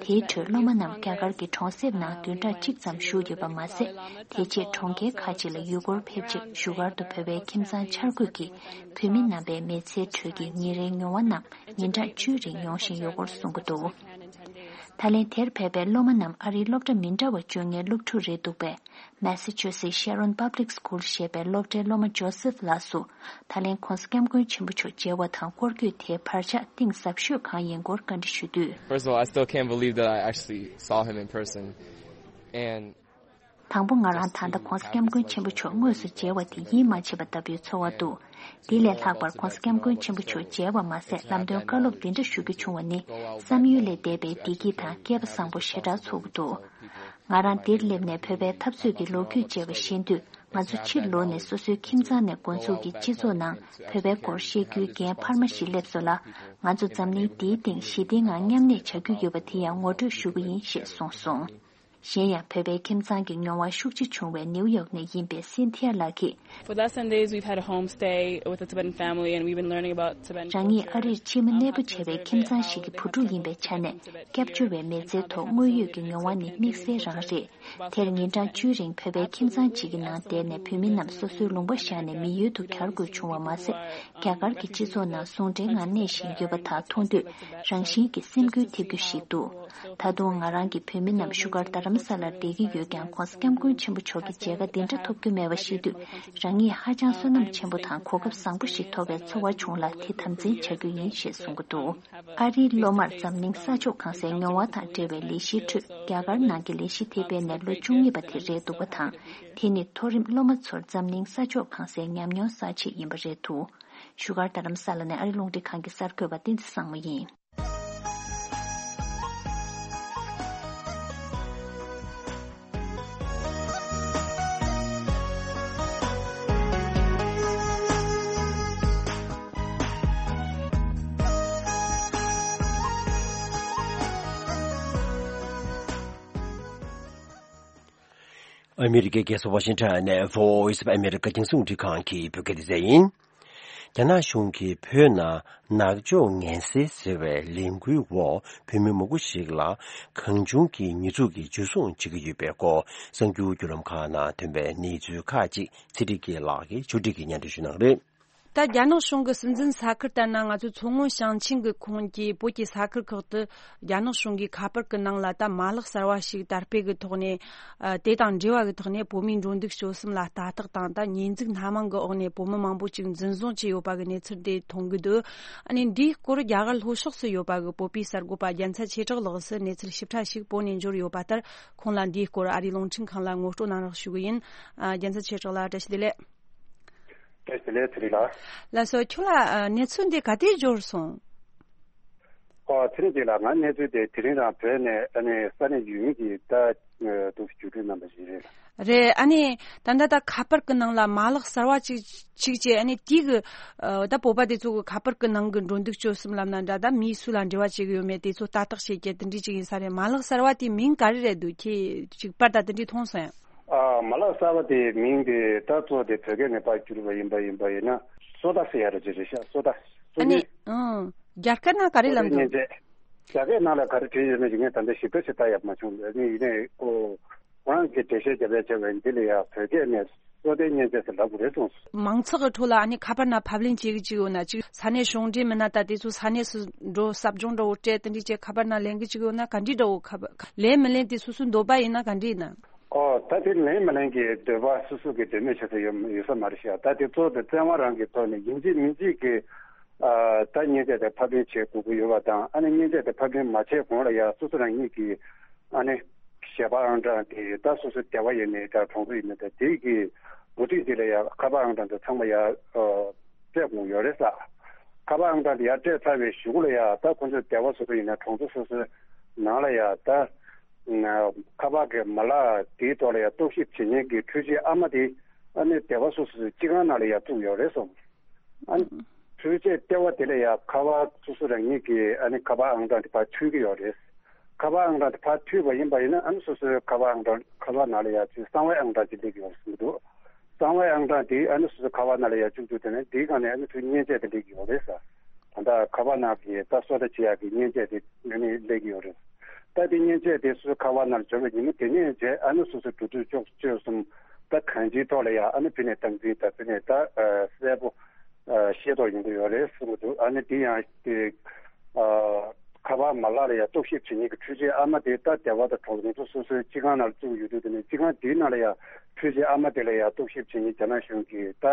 དེའི་ཁྲོད་སློབ་མ་རྣམས་རྒྱ་གར་གྱི་གྲོང་གསེབ་ནང་བདུན་ཕྲག་གཅིག་ཙམ་བཞུགས་ཡོད་པ་མ་ཟད། དེ་རྗེས་གྲོང་ཁྱེར་ཁག་ཅིག་ལ་ཡུལ་སྐོར་ཕེབས་རྗེས་བཞུགས་སྒར་དུ་བོད་པའི་ཁྱིམ་ཚང་འཆར་འགོད་ཀྱིས་བོད་མི་རྣམ་པའི་མི་ཚེའི་ཁྲོད་ཀྱི་ཉིན་རེའི་མྱོང་བ་རྣམས་ཉིན་གྲངས་བཅུའི་རིང་མྱོང་བཞིན་ཡོད་སྐོར་གསུངས་ཀྱི་འདུག། ད་ལན་དེར་ཕེབས་པའི་སློབ་མ་རྣམས་ཨ་རིའི་སློབ་གྲྭ་མི་འདྲ་བ་བཅོ་ལྔའི་སློབ་ཕྲུག་རེད་འདུག་པས། Massachusetts Sharon Public School ཞེས་པའི་སློབ་གྲྭའི་སློབ་མ་ཇོ་སེབ་ལགས་སུ། ད་ལན་༸གོང་ས་༸སྐྱབས་མགོན་ཆེན་པོ་མཆོག་མཇལ་བ་དང་སྐོར་སྐྱོད་དེའི་བར་ཆད་གཏིང་ཟབ་ཤོས་གང་ཡིན་སྐོར་བཀའ་འདྲི་ཞུས་དུས། First of all, I still can't believe that I actually saw him in person. And དང་པོ་ང་རང་ད་ལྟ་༸གོང་ས་༸སྐྱབས་མགོན་ཆེན་པོ་མཆོག་དངོས་སུ་མཇལ་བ་དེ་ཡིད་མ་ཆེས་པ་ལྟ་བུའི་ཚོར་བ་འདུག། དེ་ལས་ལྷག་པར་༸གོང་ས་༸སྐྱབས་མགོན་ཆེན་པོ་མཆོག་མཇལ་བ་མ་ཟད་ལམ་སྟོན་བཀའ་སློབ་འདི་འདྲ་ཞུ་རྒྱུ་བྱུང་བ་ནི་བསམ་ཡུལ་ལས་འདས་པའི་བདེ་སྐྱིད་དང་སྐལ་པ་བཟང་པོ་ཞེ་དྲག་ཚོར་གྱི་འདུག། ང་རང་འདིར་སླེབས་ནས་བོད་པའི་འཐབ་རྩོད་ཀྱི་ལོ་རྒྱུས་མཇལ་བ་ཤེས་དུས། ང་ཚོ་ཕྱིར་ལོག་ནས་སོ་སོའི་ཁྱིམ་ཚང་ནས་འགོ་འཛུགས་ཀྱིས་སྤྱི་ཚོགས་ནང་བོད་པའི་སྐོར་བཤད་རྒྱུའི་འགན་འཕར་མ་ཞིག་སླེབས་སོང་ལ། ང་ཚོ་འཛམ་གླིང་འདིའི་སྟེང་ཞི་བདེའི་ངང་མཉམ་གནས་བྱ་རྒྱུ་ཡོད་པ་དེ་ཡང་ངོ་སྤྲོད་ཞུ་གི་ཡིན་ཞེས་གསུངས་སོང་། གཞན་ཡང་བོད་པའི་ཁྱིམ་ཚང་གི་མྱོང་བ་ཤུགས་ཆེ་བྱུང་བའི་ནིའུ་ཡོག་ནས་ཡིན་པའི་སིན་ཐི་ཡ་ལགས་ཀྱིས། For the last ten days, we've had a home stay with a Tibetan family, and we've been learning about Tibetan རང་ཉིད་ཨ་རིར་ཕྱི་མི་གནས་སྤོ་བྱས་པའི་ཁྱིམ་ཚང་ཞིག་གི་བུ་ཕྲུག་ཡིན་པའི་ཆ་ནས། སྐྱབས་བཅོལ་བའི་མི་ཚེའི་ཐོག་དངོས་ཡོད་ཀྱི་མྱོང་བ་ནི་དམིགས་བསལ་རང་རེད། དེར་ཉིན་གྲངས་བཅུའི་རིང་བོད་པའི་ཁྱིམ་ཚང་གཅིག་གི་ནང་བསྡད་ནས་བོད་མི་རྣམས་སོ་སོའི་ལུང་པ་བཞག་ནས་མི་ཡུལ་དུ་གྱར་དགོས་བྱུང་བ་མ་ཟད། རྒྱ་གར་གྱི་སྤྱི་ཚོགས་ནང་ཟུང་འབྲེལ་ངང་གནས་བཞིན་ཡོད་པ་དག་མཐོང་དུས་རང་བཞིན་གྱིས་སེམས་འགུལ་ཐེབས་རྒྱུ་ཞིག་འདུག། ད་དུང་ང་རང་གི་བོད་མི་རྣམས་བཞུགས་སྒར་རྡ་རམ་ས་ལར་བསྡད་ཀྱི་ཡོད་ཀྱང་༸གོང་ས་༸སྐྱབས་མགོན་ཆེན་པོ་མཆོག་གི་མཇལ་ཁ་འདི་འདྲ་ཐོབ་རྒྱུ་མེད་པ་ཤེས་དུས་རང་ཉིད་ཧ་ཅང་བསོད་ནམས་ཆེན་པོ་དང་གོ་སྐབས་བཟང་པོ་ཞིག་ཐོབ་པའི་ཚོར་བ་བྱུང་ལ་དེ་དམ་འཛིན་བྱ་རྒྱུ་ཡིན་ཞེས་གསུང་གི་འདུག། ཨ་རིའི་སློབ་མར་འཛམ་གླིང་ས་ཕྱོགས་གང་སའི་མྱོང་བ་དང་འབྲེལ་བའི་ལས་གཞིའི་ཁྲོད་རྒྱ་གར་ནང་གི་ལས་གཞི་དེ་སྤེལ་ནས་ལོ་བཅུ་གཉིས་པ་དེ་རེད་འདུག་པ་དང་། དེ་ནི་མཐོ་རིམ་སློབ་མ་ཚོར་འཛམ་གླིང་ས་ཕྱོགས་གང་སའི་ཉམས་མྱོང་གསར་བརྗེ་ཡིན་པ་རེད་འདུག། བཞུགས་སྒར་རྡ་རམ་ས་ལ་ནས་ཨ་རི་རླུང་འཕྲིན་ཁང་གི་གསར་འགོད་པ་བསྟན་འཛིན་བཟང་མོ་ཡིན། ཨ་མི་རི་ཀའི་རྒྱལ་ས་ཝ་ཤིང་ཊོན་ནས་Voice of America་རྒྱང་སྲིང་རླུང་འཕྲིན་ཁང་གི་བོད་སྐད་སྡེ་ཚན་ཡིན། རྒྱ་ནག་གཞུང་གིས་བོད་ནང་ནག་ཕྱོགས་ངན་སེལ་ཟེར་བའི་ལས་འགུལ་འོག་བོད་མི་མང་པོ་ཞིག་ལ་གང་བྱུང་གི་ཉེས་འཛུགས་ཀྱིས་འཇུ་བཟུང་བྱེད་ཀྱི་ཡོད་པའི་སྐོར་གསར་འགྱུར་བརྒྱུད་ལམ་ཁག་ནང་ཐོན་པའི་གནས་ཚུལ་ཁག་ཅིག་ཚེ་རིང་སྐྱིད་ལགས་ཀྱིས་ཕྱོགས་སྒྲིག་གིས་སྙན་སྒྲོན་ཞུ་གནང་གི་རེད། ད་རྒྱ་ནག་གཞུང་གི་སྲིད་འཛིན་ས་ཁུལ་ལྟར་ན། ང་ཚོའི་མཚོ་སྔོན་ཞིང་ཆེན་གྱི་ཁོངས་ཀྱི་བོད་ཀྱི་ས་ཁུལ་ཁག་ཏུ་རྒྱ་ནག་གཞུང་གིས་ཁ་པར་གྱི་ནང་ལ་ད་མ་ལག་གསར་བ་ཞིག་དར་སྤེལ་གྱི་ཐོག་ནས། ཨ། དེ་དང་འབྲེལ་བ་གི་ཐོག་ནས་བོད་མིའི་འགྲོ་འདུག་སྤྱོད་གསུམ་ལ་ལྟ་རྟོག་དང་། ད་ཉེས་འཛུགས་སྣ་མང་གི་འོག་ནས་བོད་མི་མང་པོ་ཅིག་འཛིན་བཟུང་བྱས་ཡོད་པ་གི་གནས་ཚུལ་དེ་མཐོང་གི་འདུག་ཨ་ནི་འདིའི་སྐོར་རྒྱ་གར་ལྷོ་ཕྱོགས་སུ་ཡོད་པ་གི་བོད་པའི་གསར་འགོད་པ་རྒྱལ་མཚན་ཆོས་གྲགས་ལགས་སུ་གནས་ཚུལ་ཞིབ་ཕྲ་ཞིག་བོད་ནས་འབྱོར་ཡོད་པ་ལྟར། ཁོང་ལ་འདིའི་སྐོར་ཨ་རིའི་རླུང་འཕྲིན་ཁང་ལ་ངོ་སྤྲོད་གནང་རོགས་ཞུ་གི་ཡིན། ཨ། རྒྱལ་མཚན་ཆོས་གྲགས་ལགས། བཀྲ་ཤིས་བདེ་ལེགས། བཀྲ་ཤིས་བདེ་ལེགས། ཚེ་རིང་ལགས། ལགས་སོ། ཁྱོད་ལ་ཨ་གནས་ཚུལ་འདི་ག་དུས་འབྱོར་སོང་། ཨོ། ཚེ་རིང་སྐྱིད་ལགས། ང་གནས་ཚུལ་དེ་དེ་རིང་རང་བོད་ནས་ཨ་ནི་ས་གནས་ཡུལ་མི་གིས་ད་ཨ་འདུག་སེ་བརྒྱུད་སྤྲོད་གནང་བ་ཞིག་རེད། རེད། ཨ་ནི་ད་ལྟ་ད་ཁ་པར་གི་ནང་ལ་མ་ལག་གསར་བ་ཅིག་ཅིག་བྱས། ཨ་ནི་དེ་གི་ཨ་ད་བོད་པ་དེ་ཚོ་གི་ཁ་པར་གི་ནང་གི་འགྲོ་འདུག་སྤྱོད་གསུམ་ལབ་ན་འདྲ། ད་མི་སུ་ལ་འབྲེལ་བ་བྱེད་གི་ཡོད་མེད་དེ་ཚོ་ལྟ་རྟོག་བྱེད་ཀྱི་དེ་འདྲ་ཅིག་ཡིན་ས་རེད། མ་ལག་གསར་བ་དེའི་མིང་ག་རེ་རེད་འདུག་ཁྱེད་ཅིག་པར་དང་དེ་འདྲ་མཐོང་སོང་ཡང་། ཨ། མ་ལག་གསར་བ་དེའི་མིང་དེ་ད་གཙོ་དེ་བོད་སྐད་ནས་ཕར་བསྒྱུར་བ་ཡིན་པ་ཡིན་པ་ཡིན་ན་སོ་ད་ཟེར་ཡ་རེད། ཅི་རེད་ཤག་སོ་ད། སོ་ཨ་ནི་ནི། ཨང་། རྒྱ་སྐད་ནང་ག་རེ་ལབ་འདུག་སོ་ད་མཉེན་ཆས། རྒྱ་སྐད་ནང་ལ་ག་རེ་བྲིས་ཡོད་མེད་ཀྱི་ངས་ད་ལྟ་ཞིབ་ཕྲ་ཞིག་ལྟ་ཡག་མ་བྱུང་། ཨ་ནི་ཡིན་ནའི་ཁོ་ཁོ་རང་གིས་འགྲེལ་བཤད་རྒྱབ་ཡ་བྱས་པ་ཡིན། འདི་ལ་ཡ་བོད་སྐད་ནས་སོ་ད་མཉེན་ཆས་ཟེར་ལབ་དགོས་རེད་གསུངས་སོང་། མང་ཚོགས་ཀྱི་ཁྲོད་ལ་ཨ་ནི་ཁ་པར་ནང་ཕབ་ལེན་བྱེད་ཀྱི་ཅིག་ཡོད་ན། ཅིག་ས་གནས་གཞུང་འབྲེལ་མིན་ན་ད་དེ་ཚོ་ས་གནས་སུ་འགྲོ་ཟབ་སྦྱོང་འདྲ་བོ་སྤྲད། དེ་འདྲ་བྱས་ཁ་པར་ནང་ལེན་གྱི་ཅིག་ཡོད་ན་ག་འདྲ་འདྲ་བོ། ཁ་པར་ལེན་མི་ལེན་དེ་སོ་སོའི་འདོད་པ་ཡིན་ན་ག་འདྲ་ཡིན་ན། ཨོ། ད་དེ་ལེན་མི་ལེན་གྱི་འདོད་པ་སོ་སོ་གི་འདོད་མོས་བྱེད་ས་ཡོད་ཡོད་ས་མ་རེད་ཤག་ད་དེ་གཙོ་བོ་དེ་བཙན་དབང་རང་གི་ཐོག་ནས་ཡིན་གཅིག་མིན་གཅིག་གི་ཨ་ད་མཉེན་ཆས་དེ་ཕབ་ལེན་བྱེད་དགོས་ཀྱི་ཡོད་པ་དང་། ཨ་ནི་མཉེན་ཆས་དེ་ཕབ་ལེན་མ་བྱས་གོང་ལ་ཡ་སོ་སོ་རང་ཉིད་ཀྱི་ཨ་ནི་ཞལ་པར་ཨང་གྲངས་དེ་ད་སོ་སོ་སྡེ་བ་ཡིན་ནའི་འདྲ་གྲོང་ཚོ་ཡིན་ནའི་འདྲ་དེ་གི་འགོ་ཁྲིད་དེ་ལ་ཡ་ཁ་པར་ཨང་གྲངས་དེ་ཚང་མ་ཡ་ཨ་སྤྲད་དགོས་ཡོད་རེད་ས། ཁ་པར་ཨང་གྲངས་དེ་ཡར་སྤྲད་ཚར་བའི་གཞུག་ལ་ཡ་ད་ཁོ་ཚོའི་སྡེ་བ་སོ་སོ་ཡིན་ན་གྲོང་ཚོ་སོ་སོའི་ནང་ལ་ཡ་ད་ཁ་པར་གྱི་མ་ལག་དེའི་ཐོག་ལ་ཡ་རྟོག་ཞིབ་བྱེད་མཁན་གྱི་འཕྲུལ་ཆས་ཨ་མ་དེ་ཨ་ནི་སྡེ་བ་སོ་སོའི་སྤྱི་ཁང་ནང་ལ་ཡ་བཙུགས་ཡོད་རེད་སོང་། ཨ་ནི་འཕྲུལ་ཆས་ལྟེ་བ་དེ་ལ་ཡ་ཁ་པར་སོ་སོ་རང་ཉིད་ཀྱི་ཨ་ནི་ཁ་པར་ཨང་གྲངས་དེ་ཕར་མཐུད་ཀྱི་ཡོད་རེད། ཁ་པར་ཨང་གྲངས་དེ་ཕར་མཐུད་པ་ཡིན་པ་ཡིན་ན་ཨ་ནི་སོ་སོའི་ཁ་པར་ཨང་གྲངས་ཁ་པར་ནང་ལ་ཡ་ཅིག་གསང་བའི་ཨང་གྲངས་ཅིག་སླེབས་ཀྱི་ཡོད་རེད་གསུངས་འདུག་གསང་བའི་ཨང་གྲངས་དེ་ཨ་ནི་སོ་སོའི་ཁ་པར་ནང་ལ་ཡ་བཅུག་བཅུག་དེ་ནས་དེའི་སྒང་ནས་ཨ་ནི་ཚུར་མཉེན་ཆས་དེ་སླེབས་ཀྱི་ཡོད་རེད་ཟེར། ད་ལྟ་ཁ་པར་ནང་གི་ད་སོ་ད་བྱེད་ཡག་གི་མཉེན་ཆས་དེ་ཨ་ནི་སླེབས་ཀྱི་ཡོད་རེད། ད་དེ་མཉེན་ཆས་དེ་སོ་སོའི་ཁ་པར་ནང་ལ་འབྱོར་བའི་ཉིན་མོ་དེ་ནས་བྱས་ཨ་ནི་སོ་སོའི་འགྲོ་འདུག་སྤྱོད་སྤྱོད་གསུམ་ད་གང་ཅིའི་ཐོག་ལ་ཡ་ཨ་ནི་ཕི་ནས་སྟངས་འཛིན་དང་ཕི་ནས་ད་གསལ་པོ་ཤེས་རྟོགས་ཡོང་གི་ཡོད་རེད་གསུང་གི་འདུག་ཨ་ནི་དེ་ཡང་དེ་ཁ་པར་མ་ལག་ལ་ཡ་རྟོག་ཞིབ་བྱེད་མཁན་གྱི་འཕྲུལ་ཆས་ཨ་མ་དེ་ད་སྡེ་བ་དང་གྲོང་ཚོ་སོ་སོའི་སྤྱི་ཁང་ནང་ལ་བཙུགས་ཡོད་དུས་དེ་ནས་སྤྱི་ཁང་དེའི་ནང་ལ་ཡ་འཕྲུལ་ཆས་ཨ་མ་དེ་ལ་ཡ་རྟོག་ཞིབ་བྱེད་མཁན་རྒྱ་ནག་གཞུང་གིས་ད་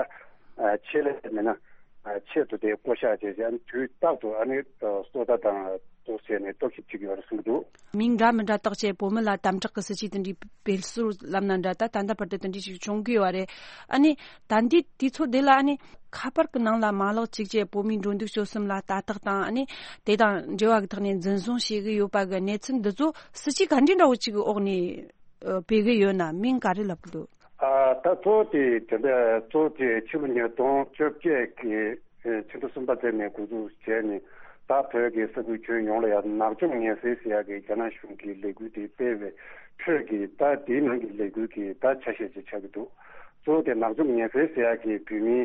ཆེད་ལས་མེད་ན་ཆེད་དུ་དེ་བསྐོ་བཞག་བྱས་བྱས་ཨ་ནི་དུས་རྟག་ཏུ་ཨ་ནི་སོ་ད་དང་དུ་བྱས་ནས་རྟོག་ཞིབ་བྱེད་ཀྱི་ཡོད་རེད་གསུངས་འདུག་མིང་འདྲ་མི་འདྲ་བཏགས་བྱས་བོད་མི་ལ་དམ་དྲག་གི་སྲིད་ཇུས་དེ་འདྲའི་སྤེལ་སྲོལ་ལབ་ན་འདྲ། ད་ད་ལྟ་བར་དུ་དེ་འདྲའི་ཞིག་བྱུང་གི་ཡོད་རེད། ཨ་ནི་ད་འདི་དུས་ཚོད་འདི་ལ་ཨ་ནི་ཁ་པར་གི་ནང་ལ་མ་ལག་ཅིག་བྱས་བོད་མིའི་འགྲོ་འདུག་སྤྱོད་གསུམ་ལ་ལྟ་རྟོག་དང་ཨ་ནི་དེ་དང་འབྲེལ་བ་གི་ཐོག་ནས་འཛིན་བཟུང་བྱེད་ཀྱི་ཡོད་པ་གི་གནས་ཚུལ་འདི་ཚོ་སྲིད་ཇུས་ག་འདྲའི་འདྲ་བོ་ཅིག་གི་འོག་ནས་ཨ་སྤེལ་གི་ཡོད་ན་མིང་ག་རེ་ལབ་གི་འདུག་ཨ་ད་གཙོ་བོ་དེ་དེ་འདྲ་གཙོ་བོ་དེ་ཕྱི་ལོ་ཉིས་སྟོང་བཅོ་བརྒྱད་ཀྱི་ཕྱི་ཟླ་གསུམ་པ་ཚེས་ནས་འགོ་འཛུགས་བྱས་ནས་ད་བོད་ཀྱི་ས་ཁུལ་ཁྱོན་ཡོངས་ལ་ཡང་ནག་འཇོམས་ངན་སེལ་ཟེར་ཡག་གི་རྒྱ་ནག་གཞུང་གི་ལས་འགུལ་དེ་སྤེལ་བའི་ཁྲོད་ཀྱི་ད་དེའི་ནང་གི་ལས་འགུལ་གྱི་ད་ཆ་ཤས་ཅིག་ཆགས་ཀྱི་འདུག་གཙོ་བོ་དེ་ནག་འཇོམས་ངན་སེལ་ཟེར་ཡག་གི་བོད་མིའི་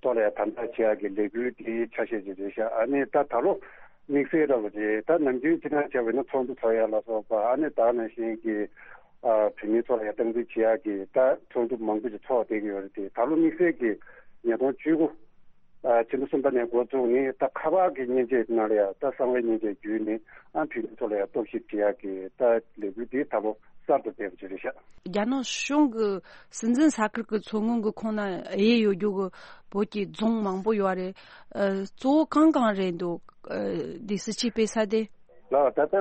ཐོག་ལ་ཡང་དམ་དྲག་བྱེད་ཡག་གི་ལས་འགུལ་དེའི་ཆ་ཤས་ཅིག་རེད་ཤག་ཨ་ནི་ད་ད་ལོ་དམིགས་བསལ་འདྲ་བོ་རེད། ད་ནམ་རྒྱུན་སྤྱིར་བཏང་བྱས་པ་ཡིན་ན་ཚོགས་འདུ་ཚོགས་ཡག་ལ་སོགས་པ་ཨ་ནི་ད་ནང་བཞིན་གྱི་ཨ་བོད་མིའི་ཐོག་ལ་ཡང་སྟངས་འཛིན་བྱེད་ཡག་གི་ད་ཚོགས་འདུ་མང་པོ་ཞིག་ཚོགས་བསྡད་ཀྱི་ཡོད་རེད་དེ། ད་ལོ་དམིགས་བསལ་གྱི་ཉིས་སྟོང་བཅུ་དགུ་ཨ་ཕྱི་ཟླ་གསུམ་པ་ནས་འགོ་བཙུགས་ནས་ད་ཁ་པར་གྱི་མཉེན་ཆས་ནང་ལ་ཡང་ད་གསང་བའི་མཉེན་ཆས་བརྒྱུད་ནས་ཨ་བོད་མིའི་ཐོག་ལ་ཡང་རྟོག་ཞིབ་བྱེད་ཡག་གི་ད་ལས་འགུལ་འདི་ད་ལོ་གསར་དུ་སྤེལ་བ་ཅིག་རེད་ཤག་རྒྱ་ནག་གཞུང་གི་སྲིད་འཛིན་ས་ཁུལ་གྱི་མཚོ་སྔོན་གྱི་ཁོངས་ན་དབྱེ་ཡོད་རྒྱུ་གི་བོད་ཀྱི་རྫོང་མང་པོ་ཡོད་རེད། ཨ་གཙོ་བོ་གང་གང་རེད་འདུག་ཨ་འདི་སྲིད་ཇུས་སྤེལ་ས་དེ། ལགས། ད་ལྟ་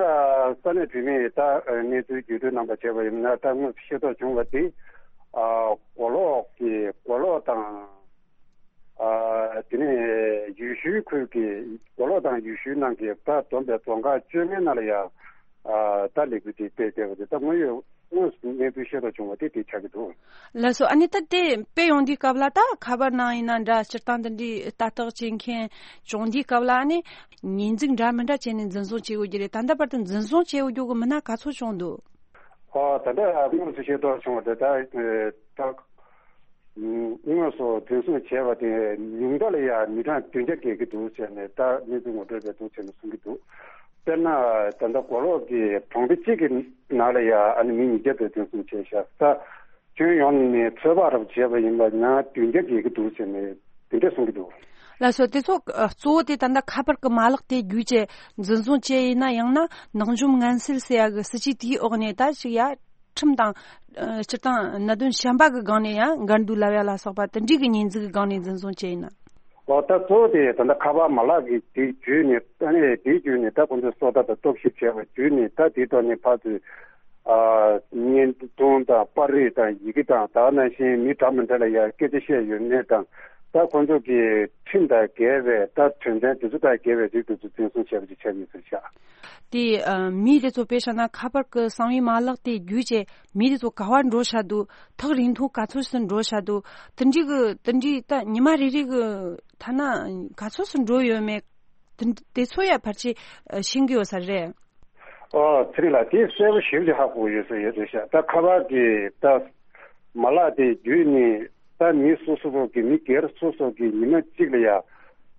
ས་གནས་བོད་མིས་ད་གནས་ཚུལ་བརྒྱུད་སྤྲོད་གནང་པ་བྱས་པ་ཡིན་ན་ད་དངོས་སུ་ཤེས་རྟོགས་བྱུང་བ་དེ་ཨ་མགོ་ལོག་གི་མགོ་ལོག་དང་ཨ་དེ་ནས་ཡུལ་ཤུལ་ཁུལ་གྱི་མགོ་ལོག་དང་ཡུལ་ཤུལ་ནང་གི་ད་བསྡོམས་པའི་རྫོང་ཁག་བཅོ་ལྔའི་ནང་ལ་ཡང་ཨ་ད་ལས་འགུལ་དེ་སྤེལ་བསྡད་པ་དེ་ད་དངོས་ཡོད་དངོས་སུ་གནས་ཚུལ་ཤེས་རྟོགས་བྱུང་བ་དེ་དེ་ཆགས་ཀྱི་འདུག་ལགས་སོ། ཨ་ནི་ད་དེ་དཔེ་ཡོང་དུས་སྐབས་ལ་ད་ཁ་པར་ནང་ཡིན་ན་འདྲ་སྤྱིར་བཏང་དེ་འདྲའི་ལྟ་རྟོག་བྱེད་མཁན་བྱུང་དུས་སྐབས་ལ་ཨ་ནི་ཉེས་འཛུགས་འདྲ་མི་འདྲ་བྱས་ནས་འཛིན་བཟུང་བྱེད་དགོས་ཀྱི་རེད། ད་ལྟ་བར་དུ་འཛིན་བཟུང་བྱེད་དགོས་རྒྱུ་གི་མི་སྣ་ག་ཚོད་བྱུང་འདུག་ཨོ་ད་ལྟ་དངོས་སུ་ཤེས་རྟོགས་བྱུང་བ་དེ་ད་ད་དངོས་སུ་འཛིན་བཟུང་བྱས་པ་དེ་ཉུང་མཐའ་ལ་ཡང་མི་གྲངས་བདུན་བརྒྱ་བརྒལ་གྱི་འདུག་ཟེར་ནས་ད་གནས་ཚུལ་ངོ་སྤྲོད་པས་འདུག་ཟེར་ནས་གསུང་གི་འདུག་དཔེར་ན་ད་ལྟ་མགོ་ལོག་གི་གྲོང་སྡེ་གཅིག་གི་ནང་ལ་ཡང་ཨ་ནི་མི་ཉིས་བརྒྱ་དེ་འཛིན་བཟུང་བྱས་ཤག་ད་ཁྱོན་ཡོངས་ནས་ཚོད་དཔག་རབ་བྱས་པ་ཡིན་པ་ན་བདུན་བརྒྱ་བརྒལ་གྱི་འདུག་ཟེར་ནས་དེ་འདྲ་གསུང་གི་འདུག་ལགས་སོ། དེ་ཚོ་གཙོ་བོ་དེ་ད་ལྟ་ཁ་པར་གྱི་མ་ལག་དེ་བརྒྱུད་བྱས་འཛིན་བཟུང་བྱས་ཡིན་ན་ཡང་ན་ནག་འཇོམས་ངན་སེལ་ཟེར་ཡ་གི་སྲིད་ཇུས་དེའི་འོག་ནས་ད་ཅིག་ཡ་ཁྲིམས་དང་སྤྱིར་བཏང་གནད་དོན་གཞན་པ་གི་སྒང་ནས་ཡང་འགལ་འདུ་ལབ་ཡ་ལ་སོགས་པ་དེ་འདྲའི་གི་ཉེས་འཛུགས་གི་སྒང་ནས་འཛིན་བཟུང་བྱས་ཡིན་ན། ཨོ་ད་གཙོ་བོ་དེ་ད་ལྟ་ཁ་པར་མ་ལག་གི་དེ་བརྒྱུད་ནས་ད་ནས་དེ་བརྒྱུད་ནས་ད་ཁོང་ཚོས་སོ་ད་དང་རྟོག་ཞིབ་བྱས་པ་བརྒྱུད་ནས་ད་དེ་ཐོག་ནས་ཕར་ཚུར་ཨ་བརྙན་ཐུང་དང་པར་རིས་དང་ཡི་གེ་དང་ད་ག་ནང་བཞིན་མི་འདྲ་མི་འདྲ་ལ་ཡང་སྐད་ཆ་བཤད་ཡོད་མེད་དང་ད་ཁོང་ཚོ་གི་ཁྲིམས་དང་འགལ་བའི་ད་དོན་ཚན་དེ་ཚོ་དང་འགལ་བའི་རིགས་དེ་ཚོ་འཛིན་བཟུང་བྱས་པ་ཅིག་ཆགས་ཡོད་ཟེར་ཤག་དེ་ཨ་མི་དེ་ཚོ་དཔེ་བཞག་ན་ཁ་པར་གྱི་གསང་བའི་མ་ལག་དེ་བརྒྱུད་བྱས་མི་དེ་ཚོ་ག་བར་འགྲོ་བཞག་འདུག་ཐག་རིང་ཐུང་ག་ཚོད་ཙམ་འགྲོ་བཞག་འདུག་དེ་འདྲའི་གི་དེ་འདྲའི་ད་ཉི་མ་རེ་རེ་གི་ཐ་ན་ག་ཚོད་ཙམ་འགྲོ་ཡོད་མེད་དེ་དེ་ཚོ་ཡ་ཕལ་ཆེར་ཤེས་ཀྱི་ཡོད་ས་རེད། ཨོ་ཚེ་རིང་ལགས་དེ་གསལ་པོ་ཞེ་པོ་ཅིག་ཧ་གོ་ཡོད་ས་ཡོད་རེད་ཤག་ད་ཁ་པར་གྱི་ད་མ་ལག་དེ་བརྒྱུད་ནས་ད་མི་སོ་སོ་སོ་གི་མི་སྒེར་སོ་སོ་གི་ཉི་མ་གཅིག་ལ་ཡ་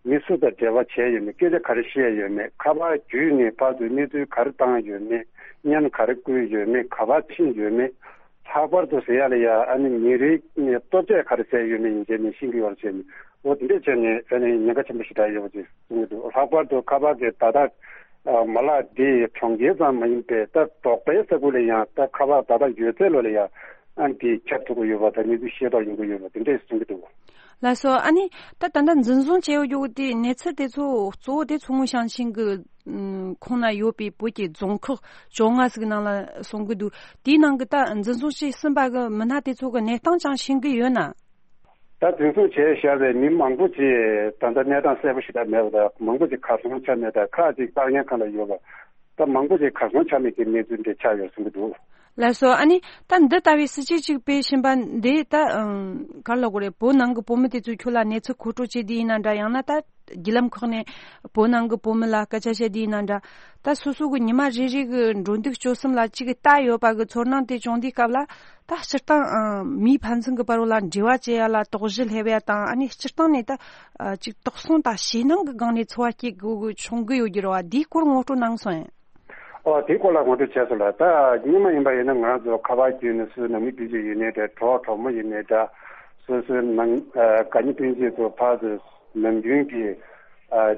མི་སུ་དང་འབྲེལ་བ་བྱས་ཡོད་མེད་སྐད་ཆ་ག་རེ་བཤད་ཡོད་མེད་ཁ་པར་བརྒྱུད་ནས་ཕར་ཚུར་གནས་ཚུལ་ག་རེ་བཏང་ཡོད་མེད་བརྙན་ག་རེ་བསྐུར་ཡོད་མེད་ག་པར་ཕྱིན་ཡོད་མེད། ལྷག་པར་དུ་ཟེར་ཡ་ལ་ཡ་ཨ་ནི་ཉིན་རེའི་ནས་ལྟོ་ཆས་ག་རེ་ཟས་ཡོད་མེད་ཡིན་བྱས་ནས་ཤེས་ཀྱི་ཡོད་རེད་བྱས་ནས་འོ་དེ་འདྲས་བྱས་ནས་ཨ་ནི་ཉེན་ཁ་ཆེན་པོ་ཞེ་དྲག་ཡོད་པ་ཅིག་གསུང་གི་འདུག་ལྷག་པར་དུ་ཁ་པར་གྱི་བརྡ་དག་མ་ལག་འདི་གྲོང་ཁྱེར་ཙམ་མ་ཡིན་པའི་ད་འབྲོག་པའི་ས་ཁུལ་ལ་ཡང་ད་ཁ་པར་བརྡ་དག་ཡོད་ཚད་ལོ་ལ་ཡང་ཨ་ནི་དེ་ཁྱབ་ཐུབ་ཀྱི་ཡོད་པ་དང་གནས་ཚུལ་ཤེས་རྟོགས་ཡོང་གི་ཡོད་པ་དེ་འདྲས་གསུང་གི་འདུག་ལགས་སོ། ཨ་ནི་ད་ད་ལྟ་འཛིན་བཟུང་བྱས་ཡོད་རྒྱུ་དེ་གནས་ཚུལ་དེ་ཚོ་གཙོ་བོ་དེ་མཚོ་སྔོན་ཞིང་ཆེན་གྱི་ཁོངས་ན་ཡོད་པའི་བོད་ཀྱི་རྫོང་ཁག་བཅོ་ལྔ་ཟིག་ནང་ལ་སོང་གི་འདུག་དེའི་ནང་གི་ད་འཛིན་བཟུང་བྱས་ཟིན་པ་གི་མི་སྣ་དེ་ཚོ་གི་གནས་སྟངས་ཀྱང་ཤེས་ཀྱི་ཡོད་ན། ད་འཛིན་བཟུང་བྱས་བཞག་པའི་མི་མང་པོ་ཅིག་ད་ལྟ་གནས་སྟངས་གསལ་པོ་ཞིག་ད་མེད་པ་དང་མང་པོ་ཅིག་གར་སོང་ཆ་མེད་དང་ཁག་ཅིག་བཀག་ཉར་ཁང་ལ་ཡོད་པ་ད་མང་པོ་ཅིག་གར་སོང་ཆ་མེད་ཀྱི་གནས་ཚུལ་འདི་ཆགས་ཡོད་གསུང་གི་འདུག་ལགས་སོ། ཨ་ནི་ད་འདི་ལྟ་བུའི་སྲིད་ཇུས་ཅིག་སྤེལ་བཞིན་པ་འདི་ད་ཨང་ག་རེ་ལབ་དགོས་རེད། བོད་ནང་གི་བོད་མི་དེ་ཚོས་ཁྱོད་ལ་གནས་ཚུལ་མཁོ་སྤྲོད་བྱེད་དུས་ཡིན་ན་འདྲ། ཡང་ན་ད་བརྒྱུད་ལམ་ཁག་ནས་བོད་ནང་གི་བོད་མི་ལ་སྐད་ཆ་བཤད་དུས་ཡིན་ན་འདྲ། ད་སོ་སོ་གི་ཉི་མ་རེ་རེ་གི་འགྲོ་འདུག་སྤྱོད་གསུམ་ལ་ཅིག་ལྟ་ཡོད་པ་གི་ཚོར་སྣང་དེ་བྱུང་དུས་སྐབས་ལ་ད་སྤྱིར་བཏང་ཨང་མིའི་ཕན་ཚུན་གི་བར་ལ་འབྲེལ་བ་བྱེད་ཡ་ལ་དོགས་གཞི་སླེབས་ཡ་དང་། ཨ་ནི་སྤྱིར་བཏང་ནས་ད་ཅིག་དོགས་ཟོན་དང་ཞེད་སྣང་གི་སྒང་ནས་འཚོ་བ་སྐྱེལ་དགོས་གི་བྱུང་གི་ཡོད་རྒྱུ་རེད་བ། འདིའི་སྐོར་ངོ་སྤྲོད་གནང་སོང་ཡིན། ཨོ་དེའི་སྐོར་ལ་ངོ་སྤྲོད་བྱས་སོང་ལ། ད་སྔོན་མ་ཡིན་པ་ཡིན་ན་ང་རང་ཚོ་ཁ་པར་བརྒྱུད་ནས་སོ་སོའི་ནང་མི་སྤུན་མཆེད་ཡིན་ནའི་འདྲ། གྲོགས་གྲོགས་མོ་ཡིན་ནའི་འདྲ། སོ་སོའི་ནང་དགའ་ཉེ་སྤུན་མཆེད་ཚོ་ཕར་ཚུར་ནམ་རྒྱུན་གྱི་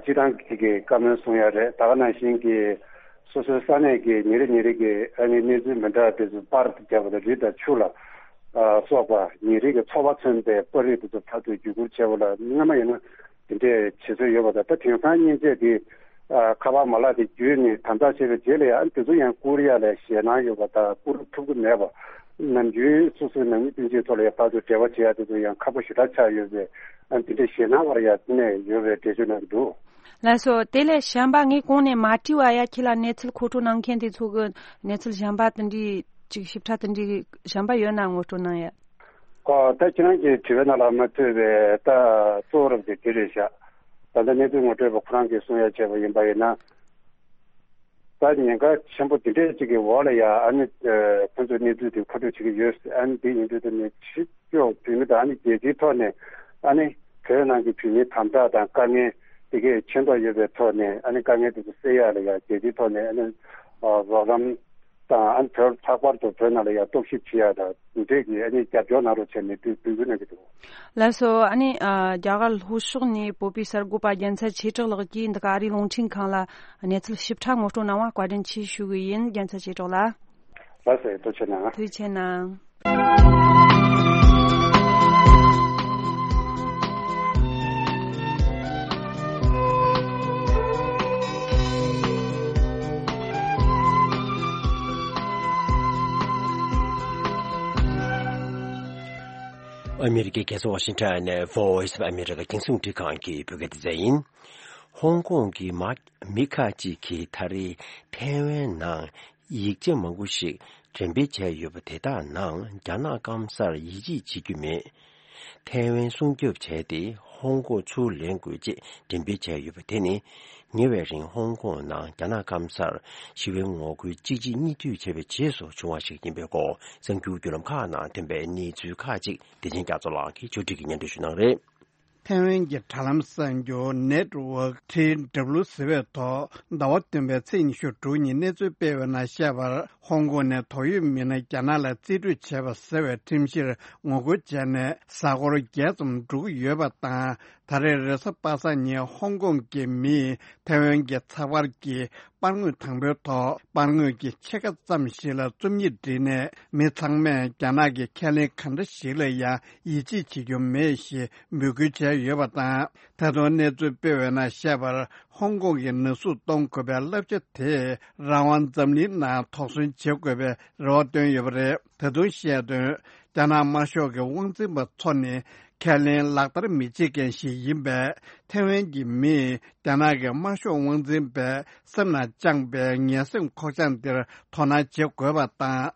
སྤྱི་བཏང་གི་བཀའ་མོལ་གསུང་ཡ་རེད། ད་ག་ནང་བཞིན་གྱི་སོ་སོའི་ས་གནས་ཀྱི་ཉིན་རེ་ཉིན་རེ་གི་ཨ་ནི་གནས་ཚུལ་མི་འདྲ་དེ་ཚོ་པར་དུ་བརྒྱབ་པ་དང་རི་དང་ཆུ་ལ་སོགས་པ་ཉིན་རེ་གི་འཚོ་བ་མཚོན་པའི་པར་རིས་དེ་ཚོ་ཕར་ཚུར་བརྒྱུད་བསྐུར་བྱས་པ་ལ་སྔོན་མ་ཡིན་ན། དེ་འདྲའི་བྱེད་སྲོལ་ཡོད་པ་དང་། ད་དེང་སང་མཉེན་ཆས་དེ་ཨ་ཁ་པར་མ་ལག་དེ་བརྒྱུད་ནས་དམ་དྲག་བྱས་པའི་རྗེས་ལ་ཡང་དེ་ཚོ་ཡང་བསྐུར་ཡ་ལ་ཞེད་སྣང་ཡོད་པ་དང་། བསྐུར་ཐུབ་ཀྱི་མེད་པ། ནམ་རྒྱུན་སོ་སོའི་ནང་མི་སྤུན་མཆེད་ཚོ་ལ་ཡང་ཕར་ཚུར་འབྲེལ་བ་བྱེད་ཡ་དེ་ཚོ་ཡང་ཁག་པོ་ཞེ་དྲག་ཆགས་ཡོད་པས། ཨ་དེ་འདྲའི་ཞེད་སྣང་བར་ཡང་གནས་ཡོད་པའི་འགྲེལ་བརྗོད་གནང་གི་འདུག་ལགས་སོ། དེ་ལས་གཞན་པ་ངས་གོང་ནས་མ་དྲིས་པ་ཡ་ཁྱེད་ལ་གནས་ཚུལ་མཁོ་སྤྲོད་གནང་མཁན་དེ་ཚོ་གི་གནས་ཚུལ་གཞན་པ་དེ་འདྲའི་ཅིག་ཞིབ་ཕྲ་དེ་འདྲའི་གཞན་པ་ཡོད་ན་ངོ་སྤྲོད་གནང་ཡ། ཨོ་ད་ཁྱེད་རང་གིས་དྲི་བའི་ནང་ལ་མ་ཐོས་པའི་ད་གཙོ་བོ་རབ་དེ་དེ་རེད་ཤག་ད་ལྟ་གནས་ཚུལ་ངོ་སྤྲོད་པ་ཁོ་རང་གིས་གསུང་ཡ་བྱས་པ་ཡིན་པ་ཡིན་ན། ད་ཉེན་ཁ་ཆེན་པོ་དེ་འདྲས་ཅིག་གི་འོག་ལ་ཡ་ཨ་ནི་ཁོ་ཚོས་གནས་ཚུལ་དེ་མཁོ་སྤྲོད་བྱེད་ཀྱི་ཡོད། ཨ་ནི་དེ་ཡིན་དུས་ད་ནི་ཕྱི་ཕྱོགས་བོད་མི་དང་ཨ་ནི་རྒྱལ་སྤྱིའི་ཐོག་ནས་ཨ་ནི་བོད་ནང་གི་བོད་མིའི་དམ་དྲག་དང་དཀའ་ངལ་དེ་གས་ཆེ་མདོག་ཡོད་པའི་ཐོག་ནས་ཨ་ནི་དཀའ་ངལ་དེ་ཚོ་སེལ་ཡ་ལ་ཡ་རྒྱལ་སྤྱིའི་ཐོག་ནས་ཨ་ནི་རོགས་རམ། དང་ཨ་ནི་བོད་ལྷག་པར་དུ་བོད་ནང་ལ་ཡང་རྟོག་ཞིབ་བྱེད་ཡ་དང་དེ་འདྲས་ཀྱི་ཨ་ནི་རྒྱབ་སྐྱོར་གནང་རོགས་བྱས་ནས་དུས་འབོད་སྐུལ་གནང་གི་འདུག་ལགས་སོ། ཨ་ནི་ཨ་རྒྱ་གར་ལྷོ་ཕྱོགས་ནས་བོད་པའི་གསར་འགོད་པ་རྒྱལ་མཚན་ཆོས་གྲགས་ལགས་ཀྱིས་འདི་ག་ཨ་རིའི་རླུང་འཕྲིན་ཁང་ལ་གནས་ཚུལ་ཞིབ་ཕྲ་ངོ་སྤྲོད་གནང་བར་བཀའ་དྲིན་ཆེ་ཞུ་གི་ཡིན། རྒྱལ་མཚན་ཆོས་གྲགས་ལགས། ལགས་སོ། ཐུགས་རྗེ་གནང་། ཐུགས་རྗེ་གནང་། ཨ་མི་རི་ཀའི་རྒྱལ་ས་ཝ་ཤིང་ཊོན་ནས་Voice of America རྒྱང་སྲིང་རླུང་འཕྲིན་ཁང་གི་བོད་སྐད་སྡེ་ཚན་ཡིན། ཧོང་ཀོང་གི་མ་མི་ཁག་ཅིག་གིས་ད་རེས་ཐའེ་ཝན་ནང་ཡིག་ཆ་མང་པོ་ཞིག་འགྲེམས་སྤེལ་བྱས་ཡོད་པ་དེ་དག་ནང་རྒྱ་ནག་སྐམ་སར་ཡིད་ཆེས་བྱེད་རྒྱུ་མེད། ཐའེ་ཝན་སྲུང་སྐྱོབ་བྱས་ཏེ་ ཧོང་ཀོང་ཚུར་ལེན་དགོས་ཅེས་འགྲེམས་སྤེལ་བྱས་ཡོད་པ་དེ་ནི། ཉེ་བའི་རིང་ཧོང་ཀོང་ནང་རྒྱ་ནག་སྐམ་སར་ཞི་བའི་ངོ་རྒོལ་གཅིག་རྗེས་གཉིས་མཐུད་བྱས་པའི་རྗེས་སུ་བྱུང་བ་ཞིག་ཡིན་པའི་སྐོར་གསར་འགྱུར་བརྒྱུད་ལམ་ཁག་ནང་ཐོན་པའི་གནས་ཚུལ་ཁག་ཅིག་བདེ་ཆེན་རྒྱ་མཚོ་ལགས་ཀྱིས་ཕྱོགས་སྒྲིག་གིས་སྙན་སྒྲོན་ཞུ་གནང་རེད། ཐའེ་ཝན་གྱི་དྲ་ལམ་གསར་འགྱུར་Network T W ཟེར་བའི་ཐོག་ཟླ་བ་བདུན་པའི་ཚེས་ཉི་ཤུ་དྲུག་ཉིན་གནས་ཚུལ་སྤེལ་བའི་ནང་བཤད་པར། ཧོང་ཀོང་ནས་དོགས་ཡོད་མི་སྣ་རྒྱ་ནག་ལ་རྩིས་སྤྲོད་བྱས་པ་ཟེར་བའི་ཁྲིམས་གཞིར་ངོ་རྒོལ་བྱས་ནས་གཟའ་འཁོར་བརྒྱད་ཙམ་འགྲོ་གི་ཡོད་པ་དང་། ད་རེས་རེས་གཟའ་པ་སངས་ཉིན་ཧོང་ཀོང་གི་མིས་ཐའེ་ཝན་གྱི་ཚགས་པར་གྱི་པར་ངོས་དང་པོའི་ཐོག་པར་ངོས་ཀྱི་ཕྱེད་ཀ་ཙམ་ཞིག་ལ་རྩོམ་ཡིག་བྲིས་ནས། མི་ཚང་མས་རྒྱ་ནག་གིས་ཁས་ལེན་གང་འདྲ་ཞིག་ལ་ཡང་ཡིད་ཆེས་བྱེད་རྒྱུ་མེད་ཞེས་འབོད་སྐུལ་བྱས་ཡོད་པ་དང་། ད་དུང་གནས་ཚུལ་སྤེལ་བའི་ནང་བཤད་པར། ཧོང་ཀོང་གི་ནག་གསུབ་གཏོང་དགོས་པའི་བསླབ་བྱ་དེས་རང་དབང་འཛམ་གླིང་ནང་དོགས་ཟོན་བྱེད་དགོས་པའི་རེ་བ་བཏོན་ཡོད་པ་རེད། ད་དུང་བཤད་དོན། རྒྱ་ནག་དམར་ཤོག་གི་དབང་འཛིན་པ་ཚོ་ནི་ཁས་ལེན་ལག་བསྟར་མི་བྱེད་མཁན་ཞིག་ཡིན་པས། ཐའེ་ཝན་གྱི་མིས་རྒྱ་ནག་གི་དམར་ཤོག་དབང་འཛིན་པའི་སེམས་ལ་བཅངས་པའི་ངན་སེམས་ཁོག་བཅངས་འདིར་དོ་སྣང་བྱེད་དགོས་པ་དང་།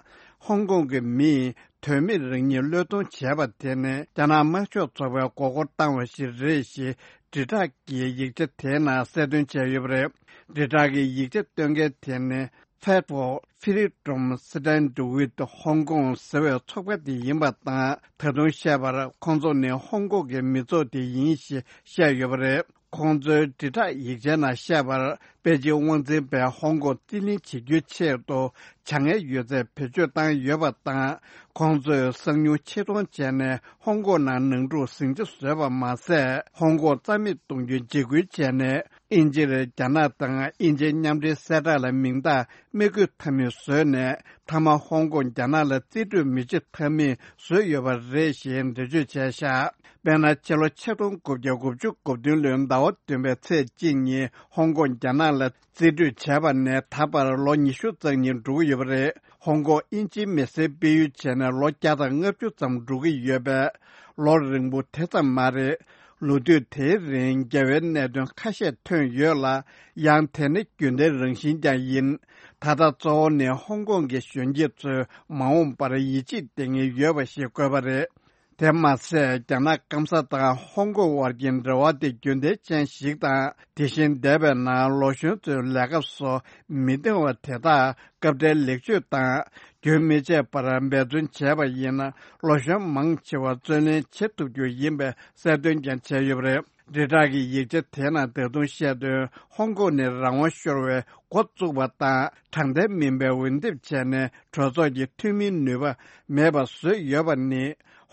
ཧོང་ཀོང་གི་མིས་དོན་མེད་རང་ཉིད་བློས་གཏོང་བྱས་པ་དེ་ནི་རྒྱ་ནག་དམར་ཤོག་ཚོགས་པའི་མགོ་སྐོར་བཏང་བ་ཞིག་རེད་ཞེས་དྲིལ་བསྒྲགས་ཀྱི་ཡིག་ཆ་དེའི་ནང་གསལ་སྟོན་བྱས་ཡོད་པ་རེད། དྲིལ་བསྒྲགས་ཀྱི་ཡིག་ཆ་སྟོན་མཁན་དེ་ནི། Fight for Freedom Stand with Hong Kong ཟེར་བའི་ཚོགས་པ་དེ་ཡིན་པ་དང་། ད་དུང་བཤད་པར། ཁོང་ཚོ་ནི་ཧོང་ཀོང་གི་མི་ཚོགས་དེ་ཡིན་ཞེས་བཤད་ཡོད་པ་རེད། ཁོང་ཚོའི་དྲིལ་བསྒྲགས་ཡིག་ཆའི་ནང་བཤད་པར། པེ་ཅིན་དབང་འཛིན་པས་ཧོང་ཀོང་རྩིས་ལེན་བྱེད་རྒྱུའི་ཆེད་དུ་བྱ་ངན་ཡོད་ཚད་བེད་སྤྱོད་བཏང་ཡོད་པ་དང་། ཁོང་ཚོས་གསང་མྱུལ་ཆེད་གཏོང་བྱས་ནས་ཧོང་ཀོང་ནང་ནང་འཁྲུག་ཟིང་ཆ་བཟོས་པ་མ་ཟད། ཧོང་ཀོང་རྩ་མེད་གཏོང་རྒྱུའི་འཇིགས་སྐུལ་བྱས་ནས། དབྱིན་ཇིར་རྒྱ་ནག་དང་དབྱིན་ཇིའི་མཉམ་འབྲེལ་གསལ་བསྒྲགས་ལ་མིང་རྟགས་མི་བཀོད་ཐབས་མེད་བཟོས་ནས། མཐའ་མ་ཧོང་ཀོང་རྒྱ་ནག་ལ་རྩིས་སྤྲོད་མི་བྱེད་ཐབས་མེད་བཟོས་ཡོད་པ་རེད་ཞེས་འགྲེལ་བརྗོད་བྱས་བཞག་དཔེར་ན། ཕྱི་ལོ་ཆིག་སྟོང་དགུ་བརྒྱ་དགུ་བཅུ་གོ་བདུན་ལོའི་ཟླ་བ་བདུན་པའི་ཚེས་གཅིག་ཉིན་ཧོང་ཀོང་རྒྱ་ནག་ལ་རྩིས་སྤྲོད་བྱས་པ་ནས་ད་བར་ལོ་ཉི་ཤུ་རྩ་གཉིས་འགྲོ་གི་ཡོད་པ་རེད། ཧོང་ཀོང་དབྱིན་ཇིའི་མི་སེར་སྤེལ་ཡུལ་བྱས་ནས་ལོ་བརྒྱ་དང་ལྔ་བཅུ་ཙམ་འགྲོ་གི་ཡོད་པས། ལོ་རིང་པོ་དེ་ཙམ་མ་རེད། ལོ་དུས་དེའི་རིང་འགལ་བའི་གནད་དོན་ཁ་ཤས་ཐོན་ཡོད་ལ། ཡང་དེ་ནི་རྒྱུན་ལྡན་རང་བཞིན་ཀྱང་ཡིན། ད་ལྟ་གཙོ་བོ་ནི་ཧོང་ཀོང་གི་གཞོན་སྐྱེས་ཚོས་མ་འོངས་པར་ཡིད་ཆེས་གཏད་ངེས་ཡོད་པ་ཞིག་བཀོད་པ་རེད། དེ་མ་ཟད། རྒྱ་ནག་སྐམ་ས་དང་ཧོང་ཀོང་དབར་གྱི་འབྲེལ་བ་དེ་རྒྱུན་ལྡན་ཅན་ཞིག་དང་། དེ་བཞིན་འདས་པའི་ནང་ལོ་གཞོན་ཚོའི་ལས་ཀ་སོགས་མི་བདེ་བ་དེ་དག་སྐབས་འཕྲལ་ལེགས་བཅོས་དང་། རྒྱུན་མི་ཆད་པར་འབད་བརྩོན་བྱས་པ་ཡིན་ན། ལོ་གཞོན་མང་ཆེ་བ་བརྩོན་ལེན་བྱེད་ཐུབ་རྒྱུ་ཡིན་པའི་གསལ་སྟོན་ཀྱང་བྱས་ཡོད་པ་རེད། དྲིལ་བསྒྲགས་ཀྱི་ཡིག་ཆ་དེ་ནང་ད་དུང་བཤད་དོན། ཧོང་ཀོང་ནི་རང་དབང་ཤོར་བའི་འགོ་བཙུགས་པ་དང་། དྲང་བདེན་མིན་པའི་འོས་འདེམས་བྱས་ནས་གྲོས་ཚོགས་ཀྱི་འཐུས་མིའི་ནུས་པ་མེད་པ་བཟོས་ཡོད་པ་ནི།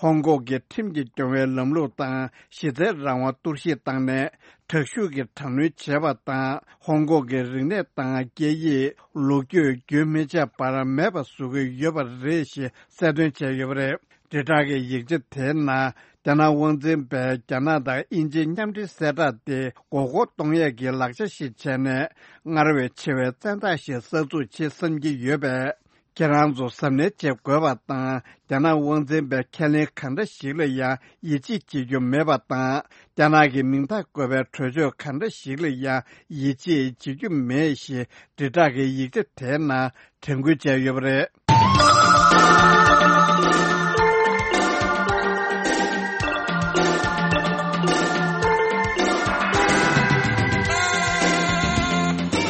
ཧོང་ཀོང་གི་ཁྲིམས་ཀྱིས་སྐྱོང་བའི་ལམ་ལུགས་དང་གཞི་རྩའི་རང་དབང་གཏོར་བཤིག་བཏང་ནས། དྲག་ཤུགས་ཀྱིས་དྲག་གནོན་བྱས་པ་དང་། ཧོང་ཀོང་གི་རིག་གནས་དང་སྐད་ཡིག་ལོ་རྒྱུས་རྒྱུན་མི་ཆད་པར་མེད་པ་བཟོ་གི་ཡོད་པ་རེད་ཞེས་གསལ་སྟོན་བྱས་ཡོད་པ་རེད། དྲིལ་བསྒྲགས་ཀྱི་ཡིག་ཆ་དེའི་ནང་། རྒྱ་ནག་དབང་འཛིན་པས་རྒྱ་ནག་དང་དབྱིན་ཇིའི་མཉམ་འབྲེལ་གསལ་བསྒྲགས་དེ་མགོ་སྐོར་གཏོང་ཡས་ཀྱི་ལག་ཆ་ཞིག་བྱས་ནས། སྔར་བས་ཆེ་བའི་བཙན་ཐབས་ཤིག་གསར་འཛུགས་བྱེད་བསམ་གྱི་ཡོད་པས། ཁྱེད་རང་ཚོ་གཟབ་ནན་བྱེད་དགོས་པ་དང་། རྒྱ་ནག་དབང་འཛིན་པའི་ཁས་ལེན་གང་འདྲ་ཞིག་ལ་ཡང་ཡིད་ཆེས་བྱེད་རྒྱུ་མེད་པ་དང་། རྒྱ་ནག་གི་མིང་རྟགས་བཀོད་པའི་གྲོས་ཆོད་གང་འདྲ་ཞིག་ལ་ཡང་ཡིད་ཆེས་བྱེད་རྒྱུ་མེད་ཞེས་དྲིལ་བསྒྲགས་ཀྱི་ཡིག་ཆ་དེའི་ནང་དྲན་སྐུལ་བྱས་ཡོད་པ་རེད།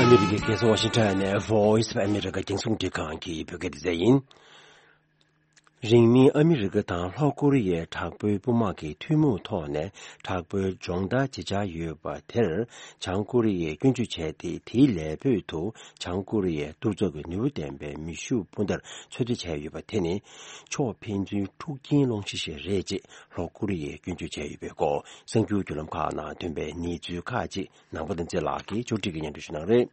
ཨ་མི་རི་ཀའི་རྒྱལ་ས་ཝ་ཤིང་ཊོན་ནས་Voice of America རྒྱང་སྲིང་རླུང་འཕྲིན་ཁང་གི་བོད་སྐད་སྡེ་ཚན་ཡིན། རིང་མིན་ཨ་མི་རི་ཀ་དང་ལྷོ་ཀོ་རི་ཡའི་དྲག་པོའི་དཔུང་དམག་གི་ཐུན་མོང་ཐོག་ནས་དྲག་པོའི་སྦྱོང་བརྡར་བྱེད་འཆར་ཡོད་པ་དེར་བྱང་ཀོ་རི་ཡས་སྐྱོན་བརྗོད་བྱས་ཏེ། དེའི་ལས་འབོད་དུ་བྱང་ཀོ་རི་ཡས་གཏོར་ཚོགས་ཀྱི་ནུས་པ་ལྡན་པའི་མེ་ཤུགས་འཕུར་མདའ་འཚོལ་བསྡུ་བྱས་ཡོད་པ་དེ་ནི། ཕྱོགས་ཕན་ཚུན་འཁྲུག་རྐྱེན་སློང་གཞི་ཞིག་རེད་ཅེས་ལྷོ་ཀོ་རི་ཡས་སྐྱོན་བརྗོད་བྱས་ཡོད་པའི་སྐོར་གསར་འགྱུར་བརྒྱུད་ལམ་ཁག་ནང་ཐོན་པའི་གནས་ཚུལ་ཁག་ཅིག་ནང་པ་དང་རྩེ་ལགས་ཀྱིས་ཕྱོགས་སྒྲིག་གིས་སྙན་སྒྲོན་ཞུ་གནང་རེད།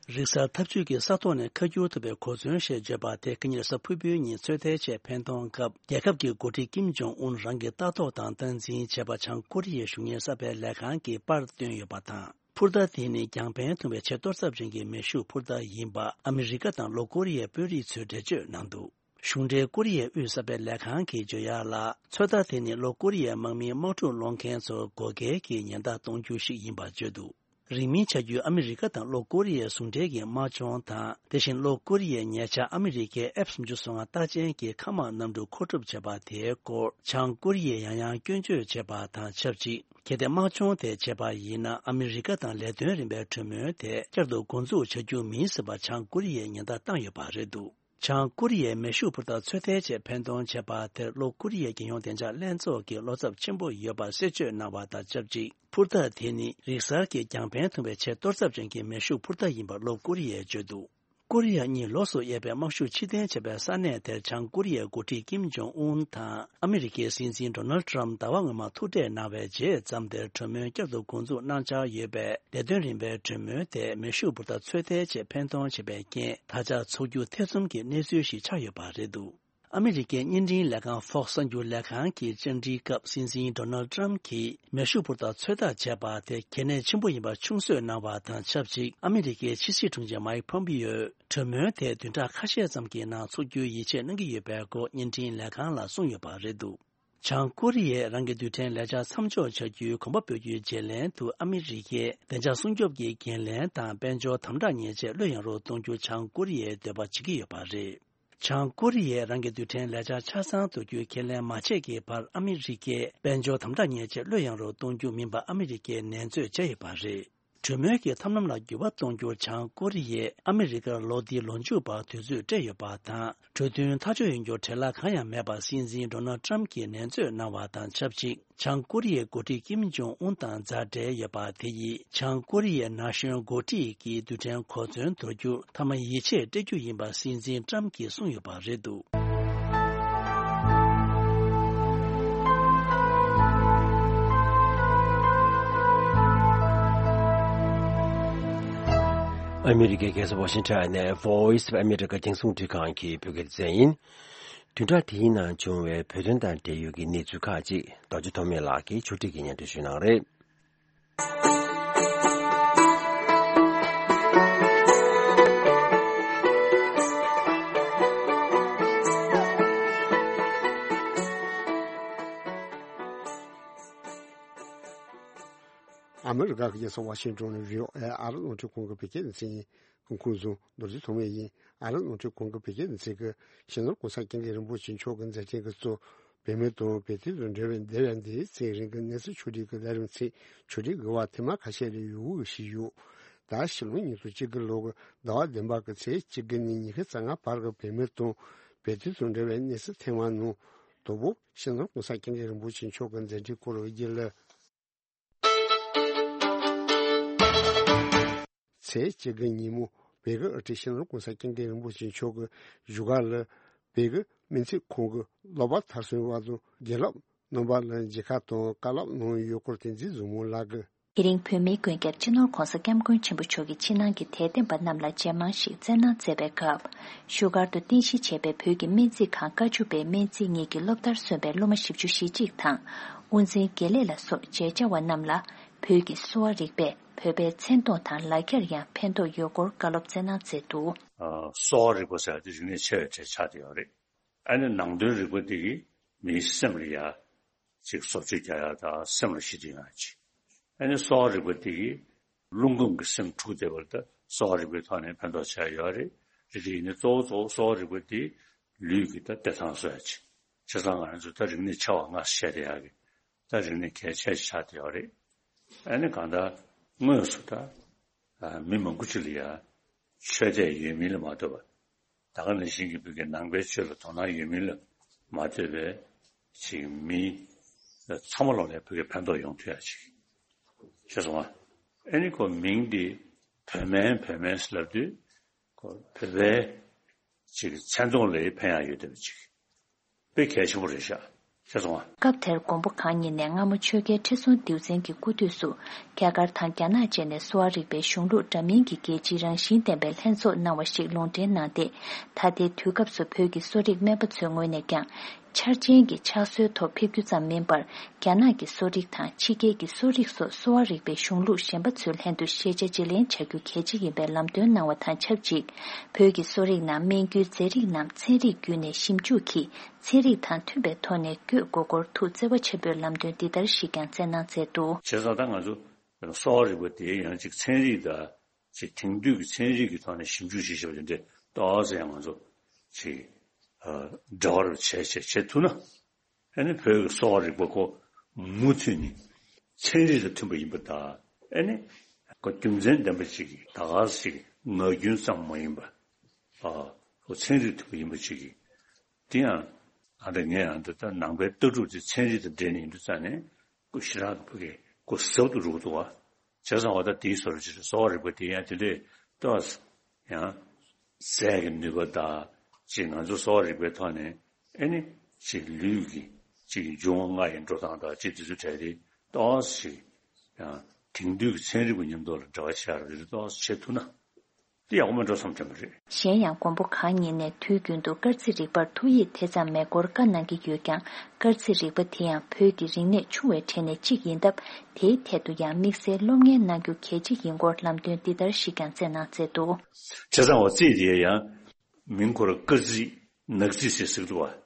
རིག་གསར་འཐབ་ཇུས་ཀྱི་ས་ཐོག་ནས་ཁ་བསྒྱུར་ཐུབ་པའི་གོ་མཚོན་ཞེས་བརྗོད་པ་དེ་ཁ་ཉིན་གཟའ་ཕུར་བུའི་ཉིན་ཚོད་ལྟའི་ཆེད་འཕེན་གཏོང་སྐབས། རྒྱལ་ཁབ་ཀྱི་འགོ་ཁྲིད་ཀིམ་ཇོང་ཨུན་རང་གི་ལྟ་རྟོག་དང་སྟངས་འཛིན་བྱས་པ་བྱང་ཀོ་རི་ཡའི་གཞུང་གཉེར་གསར་སྤེལ་ལས་ཁང་གིས་པར་བཏོན་ཡོད་པ་དང་། འཕུར་མདའ་དེ་ནི་རྒྱང་འཕེན་ཐུང་བའི་ཆེས་གཏོར་ཚབས་ཅན་གྱི་མེ་ཤུགས་འཕུར་མདའ་ཡིན་པ་ཨ་མི་རི་ཀ་དང་ལྷོ་ཀོ་རི་ཡའི་དཔོན་རིགས་ཚོས་འགྲེལ་བརྗོད་གནང་འདུག་གཞུང་འབྲེལ་ཀོ་རི་ཡའི་དབུས་གསར་སྤེལ་ལས་ཁང་གིས་བརྗོད་ཡག་ལ། ཚོད་ལྟ་དེ་ནི་ལྷོ་ཀོ་རི་ཡའི་དམག་མིའི་དམག་འཁྲུག་སློང་མཁན་ཚོར་བགོ་སྐལ་གྱི་ཉེན་བརྡ་གཏོང་རྒྱུ་ཞིག་ཡིན་པར་བརྗོད་འདུག་རིང་མིན་ཆ་རྒྱུས་ཨ་མི་རི་ཀ་དང་ལྷོ་ཀོ་རི་ཡའི་ཟུང་འབྲེལ་གྱི་དམག་སྦྱོང་དང་། དེ་བཞིན་ལྷོ་ཀོ་རི་ཡས་ཉེ་ཆར་ཨ་མི་རི་ཀའི་ཨེཕ་སུམ་ཅུ་སོ་ལྔ་རྟགས་ཅན་གྱི་མཁའ་དམག་གནམ་གྲུ་མཁོ་སྒྲུབ་བྱས་པ་དེའི་སྐོར་བྱང་ཀོ་རི་ཡས་ཡང་ཡང་སྐྱོན་བརྗོད་བྱས་པ་དང་ཆབས་ཅིག་གལ་ཏེ་དམག་སྦྱོང་དེ་བྱས་པ་ཡིན་ན། ཨ་མི་རི་ཀ་དང་ལས་དོན་རིམ་པའི་གྲོས་མོལ་དེ་བསྐྱར་དུ་འགོ་འཛུགས་བྱ་རྒྱུ་མིན་ཟེར་བ་བྱང་ཀོ་རི་ཡས་ཉེན་བརྡ་བཏང་ཡོད་པ་རེད་འདུག་བྱང་ཀོ་རི་ཡས་མེ་ཤུགས་འཕུར་མདའ་ཚོད་ལྟའི་ཆེད་འཕེན་གཏོང་བྱས་པ་དེར་ལྷོ་ཀོ་རི་ཡའི་རྒྱལ་ཡོངས་བདེ་འཇགས་ལྷན་ཚོགས་ཀྱིས་བློ་འཚབ་ཆེན་པོ་ཡོད་པ་གསལ་བརྗོད་གནང་བ་དང་ཆབས་ཅིག་འཕུར་མདའ་དེ་ནི་རིག་གསར་གྱི་རྒྱང་འཕེན་ཐུང་བའི་ཆེས་གཏོར་ཚབས་ཅན་གྱི་མེ་ཤུགས་འཕུར་མདའ་ཡིན་པར་ལྷོ་ཀོ་རི་ཡས་བརྗོད་འདུག་ཀོ་རི་ཡ་གཉིས་ལོགས་སུ་གཡས་པའི་དམག་ཤུགས་ཕྱིར་འཐེན་བྱས་པའི་ས་གནས་དེར་བྱང་ཀོ་རི་ཡའི་འགོ་ཁྲིད་ཀིམ་ཇོང་ཨུན་དང་ཨ་མི་རི་ཀའི་སྲིད་འཛིན་ཌོ་ནལ་ཏྲམ་ཟླ་བ་སྔོན་མ་ཐུག་འཕྲད་གནང་བའི་རྗེས་མཚམས་དེར་གྲོས་མོལ་བསྐྱར་དུ་འགོ་འཛུགས་གནང་འཆར་ཡོད་པས། ལས་དོན་རིམ་པའི་གྲོས་མོལ་དེ་མེ་ཤུགས་འཕུར་མདའ་ཚོད་ལྟའི་ཆེད་འཕེན་གཏོང་བྱས་པའི་རྐྱེན། ད་ཆ་འཚོགས་རྒྱུ་ཐེ་ཚོམ་གྱི་གནས་ཚུལ་ཞིག་ཆགས་ཡོད་པ་རེད་འདུག་ཨ་མི་རི་ཀའི་བརྙན་འཕྲིན་ལས་ཁང་Fox གསར་འགྱུར་ལས་ཁང་གི་བཅར་འདྲིའི་སྐབས། སྲིད་འཛིན་ཌོ་ནལ་ཏྲམ་གྱིས་མེ་ཤུགས་འཕུར་མདའ་ཚོད་ལྟ་བྱས་པ་དེ་གལ་གནད་ཆེན་པོ་ཡིན་པ་ཆུང་གསོས་གནང་བ་དང་ཆབས་ཅིག་ཨ་མི་རི་ཀའི་ཕྱི་སྲིད་དྲུང་ཆེ་མའིག་ཕོམ་པིའོས་གྲོས་མོལ་དེ་བདུན་ཕྲག་ཁ་ཤས་ཙམ་གྱི་ནང་འཚོགས་རྒྱུའི་ཡིད་ཆེས་གནང་གི་ཡོད་པའི་སྐོར་བརྙན་འཕྲིན་ལས་ཁང་ལ་གསུངས་ཡོད་པ་རེད་འདུག་བྱང་ཀོ་རི་ཡས་རང་གི་རྡུལ་ཕྲན་ལས་འཆར་མཚམས་འཇོག་བྱ་རྒྱུའི་གོམ་པ་སྤོ་རྒྱུའི་བརྗེ་ལེན་དུ། ཨ་མི་རི་ཀས་བདེ་འཇགས་སྲུང་སྐྱོབ་ཀྱི་འགན་ལེན་དང་དཔལ་འབྱོར་དམ་དྲག་ཉེས་ཆད་བློས་ཡངས་རུ་གཏོང་རྒྱུ་བྱང་ཀོ་རི་ཡས་འདོད་པ་བྱེད་ཀྱི་ཡོད་པ་རེད། བྱང་ཀོ་རི་ཡས་རང་གི་རྡུལ་ཕྲན་ལས་འཆར་ཆ་ཚང་བསྡུ་རྒྱུའི་ཁས་ལེན་མ་བྱས་ཀྱི་བར། ཨ་མི་རི་ཀས་དཔལ་འབྱོར་དམ་དྲག་ཉེས་ཆད་བློས་ཡངས་རུ་གཏོང་རྒྱུ་མིན་པ་ཨ་མི་རི་ཀས་ནན་བརྗོད་བྱས་ཡོད་པ་རེད། གྲོས་མོལ་གྱི་ཐབས་ལམ་ལ་འགྱུར་བ་གཏོང་རྒྱུར་བྱང་ཀོ་རི་ཡས་ཨ་མི་རི་ཀར་ལོ་འདིའི་ལོ་མཇུག་བར་དུས་ཚོད་སྤྲད་ཡོད་པ་དང་། གྲོས་མཐུན་ཐག་གཅོད་ཡོང་རྒྱུར་བྲེལ་བ་གང་ཡང་མེད་པ་སྲིད་འཛིན་ཌོ་ནལ་ཏྲམ་གྱིས་ནན་བརྗོད་གནང་བ་དང་ཆབས་ཅིག་བྱང་ཀོ་རི་ཡའི་འགོ་ཁྲིད་ཀིམ་ཇོང་ཨུན་དང་མཛའ་འབྲེལ་ཡོད་པ་དེ་ཡིས། བྱང་ཀོ་རི་ཡའི་ན་གཞོན་འགོ་ཁྲིད་ཀྱི་རྡུལ་ཕྲན་གོ་མཚོན་དོར་རྒྱུར་མཐའ་མ་ཡིད་ཆེས་སྤྲད་རྒྱུ་ཡིན་པ་སྲིད་འཛིན་ཏྲམ་གྱིས་གསུངས་ཡོད་པ་རེད་འདུག་ཨ་མི་རི་ཀའི་རྒྱལ་ས་ཝ་ཤིང་ཊོན་ནས་Voice of America རྒྱང་སྲིང་རླུང་འཕྲིན་ཁང་གི་བོད་སྐད་སྡེ་ཚན་ཡིན། བདུན་ཕྲག་འདིའི་ནང་བྱུང་བའི་བོད་དོན་དང་འབྲེལ་ཡོད་ཀྱི་གནས་ཚུལ་ཁག་ཅིག་རྡོ་རྗེ་ཐོགས་མེད་ལགས་ཀྱིས་ཕྱོགས་སྒྲིག་གིས་སྙན་སྒྲོན་ཞུ་གནང་རེད། ཨ་མི་རི་ཀ་གི་རྒྱལ་ས་ཝ་ཤིང་ཊོན་ནས་བྷི་ཨོ་ཨེ་ཨ་རི་རླུང་འཕྲིན་ཁང་གི་བོད་སྐད་སྡེ་ཚན་ཡིན། སྐུ་ཁམས་བཟང་། རྡོ་རྗེ་ཐོགས་མེད་ཡིན། ཨ་རི་རླུང་འཕྲིན་ཁང་གི་བོད་སྐད་སྡེ་ཚན་གྱིས་སྤྱི་ནོར་༸གོང་ས་༸སྐྱབས་མགོན་རིན་པོ་ཆེ་མཆོག་གི་མཛད་འཕྲིན་གྱི་གཙོ། བོད་མི་དང་བོད་དོན་དང་འབྲེལ་བའི་འདས་པའི་འདིའི་ཚེ་རིང་གི་གནས་ཚུལ་ཕྱོགས་སྒྲིག་གི་ལས་རིམ་ཚིག་ཕྱོགས་སྒྲིག་གི་བར་ཐེངས་མ་ཁ་ཤས་ལས་ཡོད་འོས་ཤིག་ཡོད། ད་ཕྱི་ལོ་ཉིས་སྟོང་ཉི་ཤུ་རྩ་དགུ་ལོ་གི་ཟླ་བ་བདུན་པ་གི་ཚེས་བཅུ་དགུ་ནས་ཉི་ཤུ་རྩ་ལྔ་བར་གྱི་བོད་མི་དང་བོད་དོན་དང་འབྲེལ་བའི་གནས་ཚུལ་ཐེངས་མ་ནང་། དང་པོ་སྤྱི་ནོར་༸གོང་ས་༸སྐྱབས་མགོན་རིན་པོ་ཆེ་མཆོག་གི་མཛད་འཕྲིན་སྐོར་བརྗོད་ལ། ཚེས་བཅུ་དགུ་ཉིན་མོ་བོད་ཀྱི་དབུ་ཁྲིད་སྤྱི་ནོར་༸གོང་ས་༸སྐྱབས་མགོན་རིན་པོ་ཆེ་མཆོག་གིས་བཞུགས་སྒར་ལ་བོད་ཀྱི་སྨན་རྩིས་ཁང་གི་ལོག་པར་མཐར་སོན་པ་དང་དགེ་སློབ་རྣམ་པ་ལ་མཇལ་ཁ་དང་བཀའ་སློབ་གནང་ཡོད་སྐོར་བསྟན་འཛིན་བཟང་མོ་ལགས་ཀྱིས། དེ་རིང་བོད་མིའི་མགོན་སྐྱབས་སྤྱི་ནོར་༸གོང་ས་༸སྐྱབས་མགོན་ཆེན་པོ་མཆོག་གི་ཕྱི་ནང་གི་དད་ལྡན་པ་རྣམས་ལ་མཇལ་མང་ཞིག་སྩལ་གནང་མཛད་པའི་སྐབས། བཞུགས་སྒར་དུ་རྟེན་གཞི་བྱས་པའི་བོད་ཀྱི་སྨན་རྩིས་ཁང་བཀའ་བཅུ་པའི་སྨན་རྩིས་གཉིས་ཀྱི་སློབ་མཐར་སོན་པའི་སློབ་མ་བཞི་བཅུ་ཞེ་གཅིག་དང་། དབུ་འཛིན་དགེ་ལས་ལ་སོགས་མཇལ་བཅར་བ་རྣམས་ལ། བོད་ཀྱི་གསོ་བ་རིག་པས་བོད་པའི་མཚན་མཐོང་དང་ལག་འཁྱེར་ཡང་ཕན་ཐོགས་ཡོད་སྐོར་བཀའ་སློབ་སྩལ་གནང་མཛད་འདུག་ཨ། གསོ་བ་རིག་པ་ཟེར་ཡ་དེ་རིག་གནས་ཆེ་བའི་གྲས་ཆགས་བསྡད་ཡོད་རེད། ཨ་ནི་ནང་དོན་རིག་པ་དེ་གིས་མིའི་སེམས་ལ་ཡ་ཅིག་བཟོ་བཅོས་རྒྱག་ཡ་དང་སེམས་ལ་ཞི་བདེ་ཡོང་ཡ་ཅིག་ཨ་ནི་གསོ་བ་རིག་པ་དེ་གིས་རླུང་ཁམས་ཀྱི་སེམས་འཁྲུགས་བསྡད་པ་ལ་ད་གསོ་བ་རིག་པའི་ཐོག་ནས་ཕན་ཐོགས་ཆེ་བ་ཡོད་རེད། རེད་དེ་ཡིན་ནའི་གཙོ་བོ་གཙོ་བོ་གསོ་བ་རིག་པ་དེ་ལུས་ཀྱི་ད་བདེ་ཐང་བཟོ་ཡ་ཅིག་བྱས་ཙང་ང་རང་ཚོ་ད་རིག་གནས་ཆེ་བ་ལྔ་བཤད་བསྡད་ཡ་གི་ད་རིག་གནས་གལ་ཆེ་ཆགས་བསྡད་ཡོད་རེད། ཨ་ནི་གང་ལྟར་དངོས་སུ་ད་ཨ་མི་མང་པོ་ཅིག་ལ་ཡ་ཆོས་དད་ཡོད་མིན་ལ་མ་ལྟོས་པར། ད་ག་ནང་བཞིན་གྱི་བོད་ཀྱི་ནང་པའི་ཆོས་ལ་དོ་སྣང་ཡོད་མིན་ལ་མ་ལྟོས་པའི་ཅིག་མི་ཚང་མ་ལོག་ནས་བོད་ཀྱི་ཕན་ཐོགས་ཡོང་ཐུབ་ཡ་ཅིག་ཤེས་སོང་ང་། ཨ་ནི་ཁོ་མིང་འདི་བོད་སྨན་བོད་སྨན་ཟེར་ལབ་དུས་ཁོ་བོད་པའི་ཅིག་མཚན་མཐོང་ལ་ཕན་ཡ་ཡོད་བསྡད་པ་ཅིག་དཔེ་གལ་ཆེན་པོ་རེད་ཤག་ཤེས་སོང་ང་། སྐབས་དེར་མགོན་པོ་གང་ཉིད་ནས་སྔ་མོ་ཆོས་རྒྱལ་ཁྲི་སྲོང་ལྡེའུ་བཙན་གྱི་སྐུ་དུས་སུ་རྒྱ་གར་དང་རྒྱ་ནག་བཅས་ནས་གསོ་བ་རིག་པའི་གཞུང་ལུགས་འདྲ་མིན་གྱི་རྒྱལ་སྤྱིའི་རང་བཞིན་ལྡན་པའི་ལྷན་ཚོགས་གནང་བ་ཞིག་ལུང་འདྲེན་གནང་སྟེ། ད་ལྟའི་དུས་སྐབས་སུ་བོད་ཀྱི་གསོ་རིག་སྨན་པ་ཚོའི་ངོས་ནས་ཀྱང་འཆར་ཅན་གྱི་ཕྱག་སྲོལ་ཐོག་ཕེབས་རྒྱུ་ཙམ་མིན་པར། རྒྱ་ནག་གི་གསོ་རིག་དང་ཕྱི་རྒྱལ་གྱི་གསོ་རིག་སོགས་གསོ་བ་རིག་པའི་གཞུང་ལུགས་གཞན་པ་ཚོའི་ལྷན་དུ་ཤེས་བྱ་བརྗེ་ལེན་བྱ་རྒྱུ་གལ་ཆེ་ཡིན་པའི་ལམ་སྟོན་གནང་བ་དང་ཆབས་ཅིག་བོད་ཀྱི་གསོ་རིག་ནང་སྨན་རྒྱུའི་རྫས་རིགས་རྣམས་ཚན་རིག་བརྒྱུད་ནས་ཞིབ་འཇུག་གིས། ཚན་རིག་དང་མཐུན་པའི་ཐོག་ནས་བསྐྱོད་དགོས་སྐོར་ཐུགས་བརྩེ་བ་ཆེན་པོས་ལམ་སྟོན་འདི་ལྟར་ཞིག་ཀྱང་སྩལ་གནང་མཛད་འདུག་བྱས་ཙང་ད་ང་ཚོ་གསོ་བ་རིག་པ་དེ་ཡང་ཅིག་ཚན་རིག་དང་ཅིག་དེང་དུས་ཀྱི་ཚན་རིག་གི་ཐོག་ནས་ཞིབ་འཇུག་བྱེད་བྱེད་པ་དེ་འདྲའི་ཏོག་ཙམ་ཡང་ང་ཚོ་ཅིག་ཨ་འབྲེལ་བ་རུ་བྱས་བྱས་བྱེད་ཐུབ་ན། ཨ་ནི་བོད་ཀྱི་གསོ་བ་རིག་པ་ཁོ་མུ་མཐུད་ནས་ ཚན་རིག་དང་མཐུན་པ་ཡིན་པ་དང་། ཨེ་ནི། ཁོ་རྒྱུ་མཚན་ལྡན་པ་ཅིག་གིས་ད་ག་ཟེ་ཅིག་ངག་རྒྱུན་ཙམ་མ་ཡིན་པ། ཨ། ཁོ་ཚན་རིག་མཐུན་པ་ཡིན་པ་ཅིག་གིས། དེ་ཡང་། ཨ་འདྲ་ངས་ཨ་འདྲ་ད་ནང་པའི་ལྟ་གྲུབ་དེ་ཚན་རིག་དང་འབྲེལ་ནས་ཡིན་དུས་ཙང་ནས་ཁོ་ཞེ་དྲག་ཕ་གི་ཁོ་ཟབ་ཏུ་རུ་གི་འདུག་བ། བྱས་ཙང་བ་ད་དེའི་བཟོ་འདྲ་ཅིག་རེད། གསོ་བ་རིག་པ་དེ་ཡང་དེ་འདྲས་ཏོག་ཙམ་ཡང་ཟས་ཀྱི་ནུས་པ་དང་ཅིག་ང་ཚོ་གསོ་བ་རིག་པའི་ཐོག་ནས་ཨེ་ནི་ཅིག་ལུས་ཀྱི་ཅིག་འབྱུང་བ་ལྔ་ཡི་འགྲོ་སྟངས་དང་ཅིག་དེ་ཚོ་གྲས་དེ་ཏོག་ཙམ་ཅིག་ཡང་དེང་དུས་ཀྱི་ཚན་རིག་པ་མཉམ་དུ་ལ་འབྲེལ་བ་བྱེད་ཡག་རེ་རེ་ཏོག་ཙམ་བྱེད་ཐུབ་ན། དེ་ཡག་པོ་མེད་འགྲོ་བསམ་དྲན་པ་རེད། གཞན་ཡང་མགོན་པོ་གང་ཉིད་ནས་དུས་རྒྱུན་དུ་སྐར་རྩིས་རིག་པར་ཐུགས་ཡིད་དེ་ཙམ་མེད་སྐོར་བཀའ་གནང་གི་ཡོད་ཀྱང་། སྐར་རྩིས་རིག་པ་དེ་ཡང་བོད་ཀྱི་རིག་གནས་ཆུང་བའི་གྲས་ནས་གཅིག་ཡིན་སྟབས། དེའི་ཐད་དུ་ཡང་དམིགས་བསལ་སློབ་གཉེར་གནང་རྒྱུ་གལ་ཆེ་ཡིན་སྐོར་ལམ་སྟོན་འདི་ལྟར་ཞིག་ཀྱང་སྩལ་གནང་མཛད་འདུག། བྱས་ཙང་བ་རྩིས་དེ་ཡང་མིང་ཁོ་ར་སྐར་རྩིས་ནག་རྩིས་ཟེར་ཟེར་གི་འདུག་བ།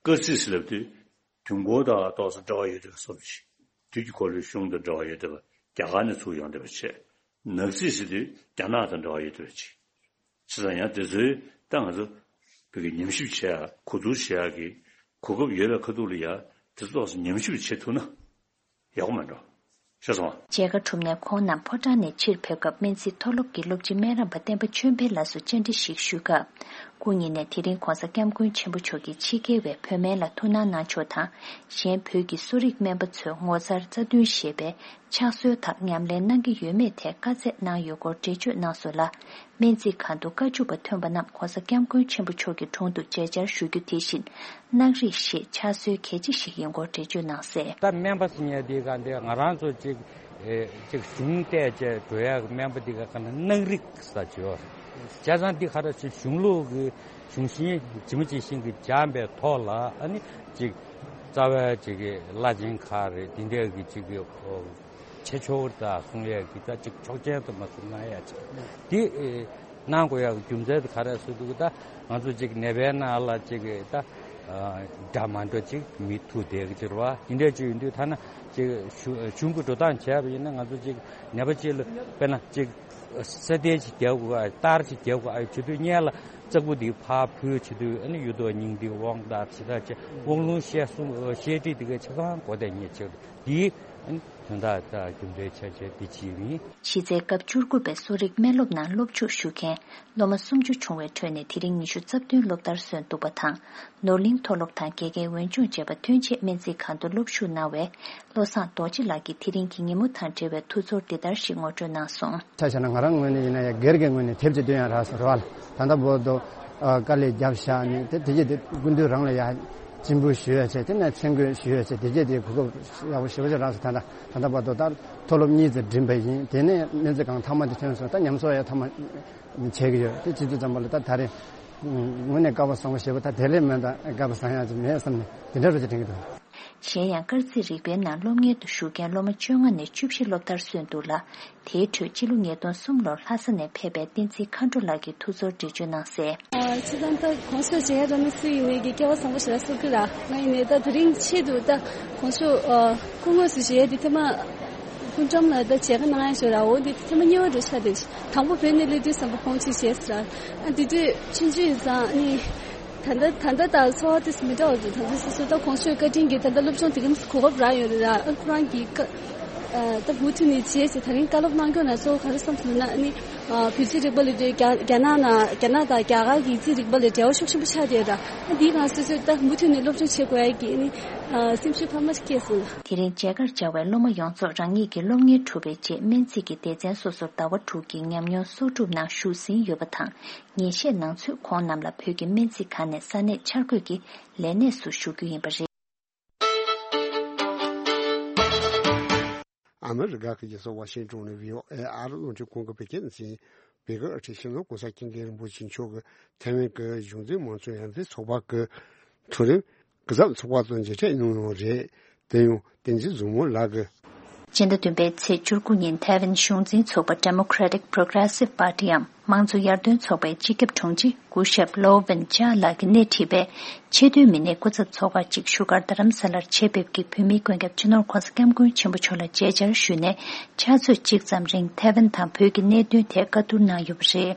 སྐར་རྩིས་ཟེར་ལབ་དུས་དུས་འཁོར་དང་ཏོག་ཙམ་འབྲེལ་བ་ཡོད་པའི་བཟོ་འདྲ་ཞིག། དུས་ཀྱི་འཁོར་ལོའི་གཞུང་དང་འབྲེལ་བ་ཡོད་པ་རྒྱ་གར་ནས་ཚུར་ཡོང་བསྡད་པ་བྱས། ནག་རྩིས་ཟེར་དུས་རྒྱ་ནག་དང་འབྲེལ་བ་ཡོད་པ་ཅིག། བྱས་ཙང་ཡང་དེ་ཚོའི་ད་ང་ཚོ་བོད་ཀྱི་ཉམས་ཞིབ་བྱེད་ཡ་གོ་བསྡུར་བྱེད་ཡ་གི་གོ་སྐབས་ཡོད་པའི་ཁ་ཐུག་ལ་ཡ་དེ་ཚོ་ཏོག་ཙམ་ཉམས་ཞིབ་བྱེད་ཐུབ་ན་ཡག་པོ་མེད་འགྲོ། ཤེས་སོང་ང་། མཇལ་ཁ་གྲུབ་ནས་ཁོང་རྣམས་ཕོ་བྲང་ནས་ཕྱིར་ཕེབས་སྐབས་སྨན་རྩིས་མཐོ་སློབ་ཀྱི་སློབ་སྤྱི་སྨན་རམས་པ་བསྟན་པ་ཆོས་འཕེལ་ལགས་སུ་བཅར་འདྲི་ཞིག་ཞུས་སྐབས། སྐུ་ཉིད་ནས་དེ་རིང་༸གོང་ས་༸སྐྱབས་མགོན་ཆེན་པོ་མཆོག་གིས་ཕྱི་རྒྱལ་བའི་བོད་སྨན་ལ་ཐུགས་སྣང་གནང་ཕྱོགས་དང་། གཞན་བོད་ཀྱི་གསོ་རིག་སྨན་པ་ཚོས་ངོ་མཚར་རྩ་འདོན་ཞེས་པའི་ཕྱག་སྲོལ་དག་ཉམས་ལེན་གནང་གི་ཡོད་མེད་ཐད་བཀའ་སྩལ་གནང་ཡོད་སྐོར་འགྲེལ་བརྗོད་གནང་སོང་ལ། སྨན་རྩིས་ཁང་དུ་བཀའ་བཅུ་པ་ཐོན་པ་རྣམས་༸གོང་ས་༸སྐྱབས་མགོན་ཆེན་པོ་མཆོག་གི་དྲུང་དུ་མཇལ་བཅར་ཞུ་རྒྱུ་དེ་བཞིན་གནང་རིགས་ཤེས་ཕྱག་སྲོལ་གལ་ཆེ་ཞིག་ཡིན་སྐོར་འགྲེལ་བརྗོད་གནང་གསལ། ད་སྨན་པ་ཟེར་མཁན་དེ་ག་འདི་ང་རང་ཚོ་ཅིག་ཨེ་ཅིག་གཞུང་བལྟས་བྱས་འགྲོ་ཡག་སྨན་པ་དེ་ག་ག་ན་གནང་རིགས་ས་བྱོས། བྱས་ཙང་འདི་ག་ར་ཅིག་གཞུང་ལུགས་ཀྱི་གཞུང་ཤིང་ཇི་མ་ཇི་བཞིན་གྱི་སྦྱངས་པའི་ཐོག་ལ་ཨ་ནི་ཅིག་རྩ་བའི་ཅིག་གི་བླ་ཆེན་ཁག་རེད། དེ་འདྲ་གི་ཅིག་གི་ཨོ། བྱེད་ཆོག་གི་རེད་ད་གསུང་ཡས་ཀྱི་ད་ཅིག་ཆོག་མཆན་དུ་མ་གསུང་ན་ཡ་ཅིག་འདི་ཨེ་གནང་དགོས་ཡག་གི་རྒྱུ་མཚན་དེ་ག་རེ་ཟེར་འདུག་གི་ད་ང་ཚོ་ཅིག་ནད་པའི་ནང་ལ་ཅིག་གི་ད་འདྲ་མ་འདྲ་ཅིག་མི་ཐུག་བསྡད་གི་ཅིག་རེད་བ། དེ་འདྲ་ཅིག་ཡིན་དུས་ཐ་ན་ཅིག་གཞུང་གཞུང་གི་འགྲོ་སྟངས་བྱས་པ་ཡིན་ན་ང་ཚོ་ཅིག་ནད་པ་ཅིག་ལ་དཔེར་ན་ཅིག་ས་གཏེར་ཅིག་རྒྱག་དགོས་ཨ་གཏར་ཅིག་རྒྱག་དགོས་ཨ་བྱེད་དུས་སྔོན་ལ་ལྕགས་པོ་འདི་ཕར་ཕུལ་བྱེད་དུས་ཨ་ནི་གཡུ་ཐོག་སྙིང་ཐིག་དབང་རྟགས་ཇི་ལྟར་བྱེད་དབང་ལུང་བཤད་གསུང་བཤད་ཁྲིད་འདི་གའི་ཆ་ཚང་གོ་བདེ་ཉེ་ཆེ་འདི་ཨ་ནི། དོན་དག་དང་རྒྱུ་འབྲས་ཆ་ཆ་འདི་ཅིའི་མིན། གཞི་རྩའི་སྐབས་བཅུ་དགུ་པའི་གསོ་རིག་སྨན་སློབ་ནང་སློབ་ཞུགས་ཞུ་མཁན་སློབ་མ་སུམ་ཅུ་བྱུང་བའི་ཁྲོད་ནས་དེ་རིང་ཉི་ཤུ་རྩ་བདུན་སློབ་མཐར་སོན་འདུག་པ་དང་། ནོར་གླིང་མཐོ་སློབ་དང་དགེ་རྒན་འོས་སྦྱོང་བྱས་པ་ཐོན་རྗེས་སྨན་རྩིས་ཁང་དུ་སློབ་ཞུགས་གནང་བའི་བློ་བཟང་རྡོ་རྗེ་ལགས་ཀྱིས་དེ་རིང་གི་ཉིན་མོ་དང་འབྲེལ་བའི་ཐུགས་ཚོར་འདི་ལྟར་ཞིག་ངོ་སྤྲོད་གནང་སོང་། ཆ་བཞག་ན་ང་རང་ངོས་ནས་ཡིན་ན་ཡང་སྒེར་གྱི་ངོས་ནས་དེབ་ཅིག་བཏོན་ཡང་རག་སོང་རེད་བ། ད་ལྟ་བར་དུ་དཀའ་ལས་བརྒྱབ་བཞག་ནས་དེ་དེ་རྗེས་དེ་སྐུ་མདུན་རང་ལ་ཡང་སྤྱན་འབུལ་ཞུ་ཡ་བྱས། དེ་ནས་མཚན་བཀོད་ཞུ་ཡ་བྱས། དེ་རྗེས་དེ་གོ་སྐབས་ཡག་པོ་ཞེ་པོ་ཅིག་རག་སོང་། ད་ལྟ་ད་ལྟ་བར་དུ་ད་མཐོ་སློབ་གཉིས་ཙམ་འགྲིམས་པ་ཡིན། དེ་ནས་སྨན་རྩིས་ཁང་མཐའ་མ་དེ་ཐོན་སོང་། ད་ཉམས་གསོ་ཡང་མཐའ་མ་བྱེད་ཀྱི་ཡོད། དེ་བྱེད་དུས་ཙམ་པ་ལ་ད་ད་རེས་དངོས་གནས་སྐལ་བ་བཟང་པོ་ཞེ་པོ། ད་དེ་ལས་མེད་ད་སྐལ་བ་བཟང་ཡག་ཅིག་མེད་བསམ་ནས་དེ་འདྲ་རོ་ཅིག་དྲན་གྱི་འདུག། གཞན་ཡང་སྐར་རྩིས་རིག་པའི་ནང་སློབ་གཉེར་དུ་ཞུགས་མཁན་སློབ་མ་བཅོ་ལྔ་ནས་བཅུ་བཞི་སློབ་མཐར་སོན་འདུག་ལ། དེའི་ཁྲོད་སྤྱི་ལོ་ཉིས་སྟོང་གསུམ་ལོར་ལྷ་ས་ནས་ཕེབས་པའི་བསྟན་འཛིན་མཁའ་འགྲོ་ལགས་ཀྱིས་ཐུགས་ཚོར་འགྲེལ་བརྗོད་གནང་གསལ། ཨ་སྤྱིར་བཏང་ད་གོང་ས་མཆོག་མཇལ་ཡ་རག་མི་སུ་ཡིན་ནའི་གི་སྐལ་བ་བཟང་པོ་ཞེ་དྲག་གསོ་གི་ར། ང་ཡིན་ནའི་ད་དེ་རིང་ཆེད་དུ་ད་གོང་ས་མཆོག་ཨ་སྐུ་དངོས་སུ་མཇལ་ཡ་དེ་ཐེངས་མ་སྐུ་མགྲོན་ལ་ད་མཇལ་ཁ་གནང་ཡ་ཞོར་ར། འོ་དེ་ཐེངས་མ་གཉིས་པ་འདྲ་ཆགས་བསྡད། དང་པོ་བོད་ནས་སླེབས་དུས་ཙམ་པ་ཁོང་ཅིག་བྱས་ཟེར་ར། ཨ་དེ་དུས་ཆུང་ཆུང་ཡིན་ཙང་ཨ་ནི། ད་ལྟ་ད་ལྟ་དང་ཚོར་བ་དེ་མི་འདྲ་བ་འདུག། ད་ལྟ་སོ་སོ་ད་གོང་ཞུས་བཀའ་དྲིན་གྱིས་ད་ལྟ་སློབ་སྦྱོང་དེ་ག་གོ་སྐབས་རག་ཡོད་རེད་ར། ཨ་ཁོ་རང་གིས་བཀའ་ཨ་ད་མུ་མཐུད་ནས་བྱས་ཟེར། ད་རིང་བཀའ་སློབ་གནང་སྐྱོང་ན་གཙོ་བོ་ག་རེ་བསམ་སོང་ན་ཨ་ནི་ཨ་བོད་རྩིས་རིག་པ་ལབ་དུས་རྒྱ་རྒྱ་ནག་ནང་རྒྱ་ནག་དང་རྒྱ་གར་གྱི་རྩིས་རིག་པ་ལ་འབྲེལ་བ་ཤུགས་ཆེན་པོ་ཆགས་བསྡད་ར། ཨ་འདིའི་སྒང་སོ་སོས་ད་མུ་མཐུད་ནས་སློབ་སྦྱོང་བྱེད་དགོས་ཡ་གི་ཨ་ནི་ཨ་སེམས་ཤུགས་འཕར་མ་ཞིག་སྐྱེས་སོང་ལ། དེ་རིང་མཇལ་ཁར་བཅར་བའི་སློབ་མ་ཡོངས་རྫོགས་རང་ཉིད་ཀྱི་སློབ་གཉེར་གྲུབ་པའི་རྗེས་སྨན་རྩིས་ཀྱི་སྡེ་ཚན་སོ་སོར་ཟླ་བ་དྲུག་གི་ཉམས་མྱོང་གསོག་སྒྲུབ་ནང་ཞུགས་ཟིན་ཡོད་པ་དང་། ཉིན་ཤས་ནང་ཚུད་ཁོང་རྣམས་ལ་བོད་ཀྱི་སྨན་རྩིས་ཁང་ནས་ས་གནས་འཆར་འགོད་ཀྱི་ལས་གནས་སུ་ཞུགས་རྒྱུ་ཡིན་པ་རེད། ཨ་མི་རི་ཀ་གི་རྒྱལ་ས་ཝ་ཤིང་ཏོན་ནས་བྷི་ཨོ་ཨེ་ཨ་རི་རླུང་འཕྲིན་ཁང་གི་བོད་སྐད་སྡེ་ཚན། བོད་ཀྱི་ཨ་ཁྲིད་སྤྱི་ནོར་༸གོང་ས་༸སྐྱབས་མགོན་རིན་པོ་ཆེ་མཆོག་གིས་ཐའེ་ཝན་གྱི་གཞུང་འཛིན་དམངས་གཙོ་ཡར་འཛིན་ཚོགས་པ་གི་མཐོ་རིམ་སྐུ་ཚབ་ཚོགས་པ་དང་མཇལ་འཕྲད་གནང་ཡོད་རེད། དེ་ཡང་བསྟན་འཛིན་བཟང་མོ་ལགས་ཀྱིས། སྤྱི་ཟླ་བདུན་པའི་ཚེས་བཅུ་དགུ་ཉིན་ཐའེ་ཝན་གཞུང་འཛིན་ཚོགས་པ་Democratic Progressive Partyའམ་ དམངས་གཙོ་ཡར་ཐོན་ཚོགས་པའི་སྤྱི་ཁྱབ་དྲུང་ཆེ་སྐུ་ཞབས་ལོ་ཝེན་ཅཱ་ལགས་ཀྱིས་སྣེ་ཁྲིད་པའི་ཆེས་མཐོའི་མི་སྣའི་སྐུ་ཚབ་ཚོགས་ཁག་ཅིག་བཞུགས་སྒར་རྡ་རམ་ས་ལར་ཆེད་ཕེབས་ཀྱིས་བོད་མིའི་མགོན་སྐྱབས་སྤྱི་ནོར་༸གོང་ས་༸སྐྱབས་མགོན་ཆེན་པོ་མཆོག་ལ་མཇལ་བཅར་ཞུས་ནས་ཕྱག་ཚོད་གཅིག་ཙམ་རིང་ཐའེ་ཝན་དང་བོད་ཀྱི་གནད་དོན་ཐད་བཀའ་བསྡུར་གནང་ཡོད་པ་རེད།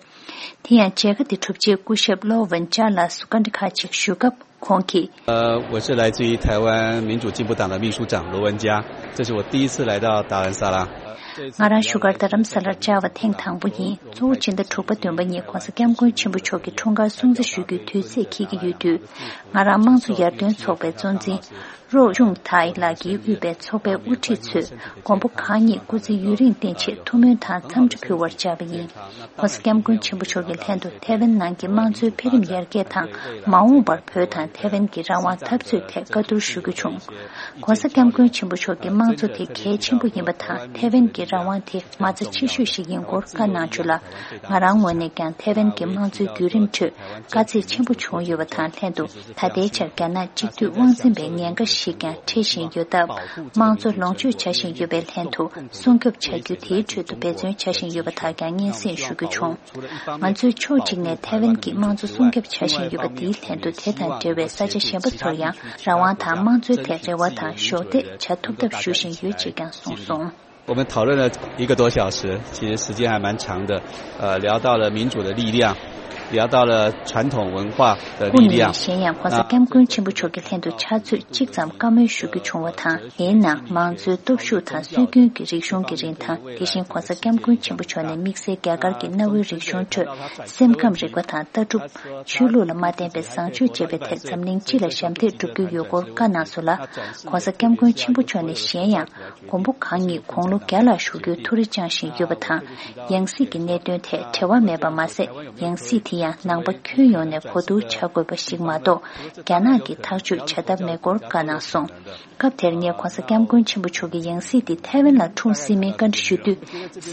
དེ་ཡང་མཇལ་ཁ་དེ་གྲུབ་རྗེས་སྐུ་ཞབས་ལོ་ཝེན་ཅཱ་ལགས་སུ་བཀའ་འདྲི་ཁག་ཅིག་ཞུས་སྐབས། ཁོང་གིས།呃，我是来自于台湾民主进步党的秘书长罗文嘉，这是我第一次来到达兰萨拉。ང་རང་བཞུགས་སྒར་རྡ་རམ་ས་ལར་བཅར་བ་ཐེངས་དང་པོ་ཡིན། གཙོ་བོ་སྤྱི་ཟླ་དྲུག་པ་བདུན་པ་ཉིན་༸གོང་ས་༸སྐྱབས་མགོན་ཆེན་པོ་མཆོག་གི་འཁྲུངས་སྐར་སྲུང་བརྩི་ཞུ་རྒྱུའི་དུས་ཚེས་འཁེལ་གྱི་ཡོད་དུས། ང་རང་དམངས་གཙོ་ཡར་ཐོན་ཚོགས་པའི་གཙོ་འཛིན་རོ་ཅུང་ཐའི་ལགས་ཀྱིས་དབུས་པའི་ཚོགས་པའི་དབུ་ཁྲིད་ཚོས་མགོན་པོ་གང་ཉིད་སྐུ་ཚེ་ཡུན་རིང་བརྟན་ཆེད་ཐུགས་སྨོན་དང་འཚམས་འདྲི་ཕུལ་བར་བཅར་བ་ཡིན། ༸གོང་ས་༸སྐྱབས་མགོན་ཆེན་པོ་མཆོག་གི་ལྷན་དུ་ཐའེ་ཝན་ནང་གི་དམངས་གཙོའི་འཕེལ་རིམ་ཡར་རྒྱས་དང་། མ་འོངས་པར་བོད་དང་ཐའེ་ཝན་གྱི་རང་དབང་འཐབ་རྩོད་ཐད་བཀའ་བསྡུར་ཞུ་རྒྱུ་བྱུང་། ༸གོང་ས་༸སྐྱབས་མགོན་ཆེན་པོ་མཆོག་གིས་དམངས་གཙོ་དེ་གལ་ཆེན་པོ་ཡིན་པ་དང་། ཐའེ་ཝན་གྱི་རང་དབང་དེ་མ་རྩ་ཆེ་ཤོས་ཤིག་ཡིན་སྐོར་བཀའ་གནང་བྱུང་ལ། ང་རང་ངོས་ནས་ཀྱང་ཐའེ་ཝན་གྱི་དམངས་གཙོའི་བརྒྱུད་རིམ་ཁྲོད་དཀའ་ཚེགས་ཆེན་པོ་བྱུང་ཡོད་པ་དང་ལྷན་དུ། ད་ལྟའི་ཆར་རྒྱ་ནག་གཅིག་སྡུད་དབང་འཛིན་པའི་ཉེན་ཁ་ཞིག་ཀྱང་འཕྲད་བཞིན་ཡོད་སྟབས། དམངས་གཙོ་ལོངས་སྤྱོད་བྱ་བཞིན་ཡོད་པའི་ལྷན་དུ། སྲུང་སྐྱོབ་བྱ་རྒྱུ་དེའི་ཁྲོད་དུ་འབད་བརྩོན་བྱ་བཞིན་ཡོད་པ་དག་ཀྱང་སྙན་སེང་ཞུ་རྒྱུ་བྱུང་། ང་ཚོས་ཕྱོགས་གཅིག་ནས་ཐའེ་ཝན་གྱི་དམངས་གཙོ་སྲུང་སྐྱོབ་བྱ་བཞིན་ཡོད་པ་དེའི་ལྷན་དུ། དེ་དང་འབྲེལ་བའི་ས་ཆ་གཞན་པ་ཚོར་ཡང་རང་དབང་དང་དམངས་གཙོའི་ཐད་རེ་བ་དང་གཞོགས་འདེགས་བྱ་ཐུབ་ཐབས་ཞུ་བཞིན་ཡོད་ཅེས་ཀྱང་གསུངས་སོང་། 我们讨论了一个多小时，其实时间还蛮长的，呃，聊到了民主的力量，聊到了传统文化的力量。སྐུ་ཉིད་ནས་གཞན་ཡང་༸གོང་ས་༸སྐྱབས་མགོན་ཆེན་པོ་མཆོག་གི་ལྷན་དུ་ཕྱག་ཚོད་གཅིག་ཙམ་བཀའ་མོལ་ཞུ་རྒྱུ་བྱུང་བ་དང་། དེའི་ནང་དམངས་གཙོའི་སྟོབས་ཤུགས་དང་སྲོལ་རྒྱུན་གྱི་རིག་གཞུང་གི་རིན་ཐང་། དེ་བཞིན་༸གོང་ས་༸སྐྱབས་མགོན་ཆེན་པོ་མཆོག་ནས་དམིགས་བསལ་རྒྱ་གར་གྱི་གནའ་བོའི་རིག་གཞུང་ཁྲོད་སེམས་ཁམས་རིག་པ་དང་ལྟ་གྲུབ། ཆོས་ལུགས་ལ་མ་བརྟེན་པའི་བཟང་སྤྱོད་ཅེས་པའི་ཐད་འཛམ་གླིང་སྤྱི་ལ་ཞབས་འདེགས་སྒྲུབ་རྒྱུ་ཡོད་སྐོར་བཀའ་གནང་སོང་ལ། ༸གོང་ས་༸སྐྱབས་མགོན་ཆེན་པོ་མཆོག་ནས་གཞན་ཡང་མགོན་པོ་གང་ཉིད་དགུང་ལོ་བརྒྱ་ལ་བཞུགས་རྒྱུའི་ཐུགས་རེ་བཅངས་བཞིན་ཡོད་པ་དང་། ཡང་སྲིད་ཀྱི་གནད་དོན་ཐད་བྲེལ་བ་མེད་པ་མ་ཟད། ཡང་སྲིད་དེ་ཡང་ནང་པ་ཁྱོན་ཡོངས་ནས་གོ་བསྡུར་བྱ་དགོས་པ་ཞིག་མ་གཏོགས། རྒྱ་ནག་གིས་ཐག་གཅོད་བྱ་ཐབས་མེད་སྐོར་བཀའ་གནང་སོང་། སྐབས་དེར་ངས་༸གོང་ས་༸སྐྱབས་མགོན་ཆེན་པོ་མཆོག་གིས་ཡང་སྲིད་དེ་ཐའེ་ཝན་ལ་འཁྲུངས་སྲིད་མིན་བཀའ་འདྲི་ཞུ་དུས།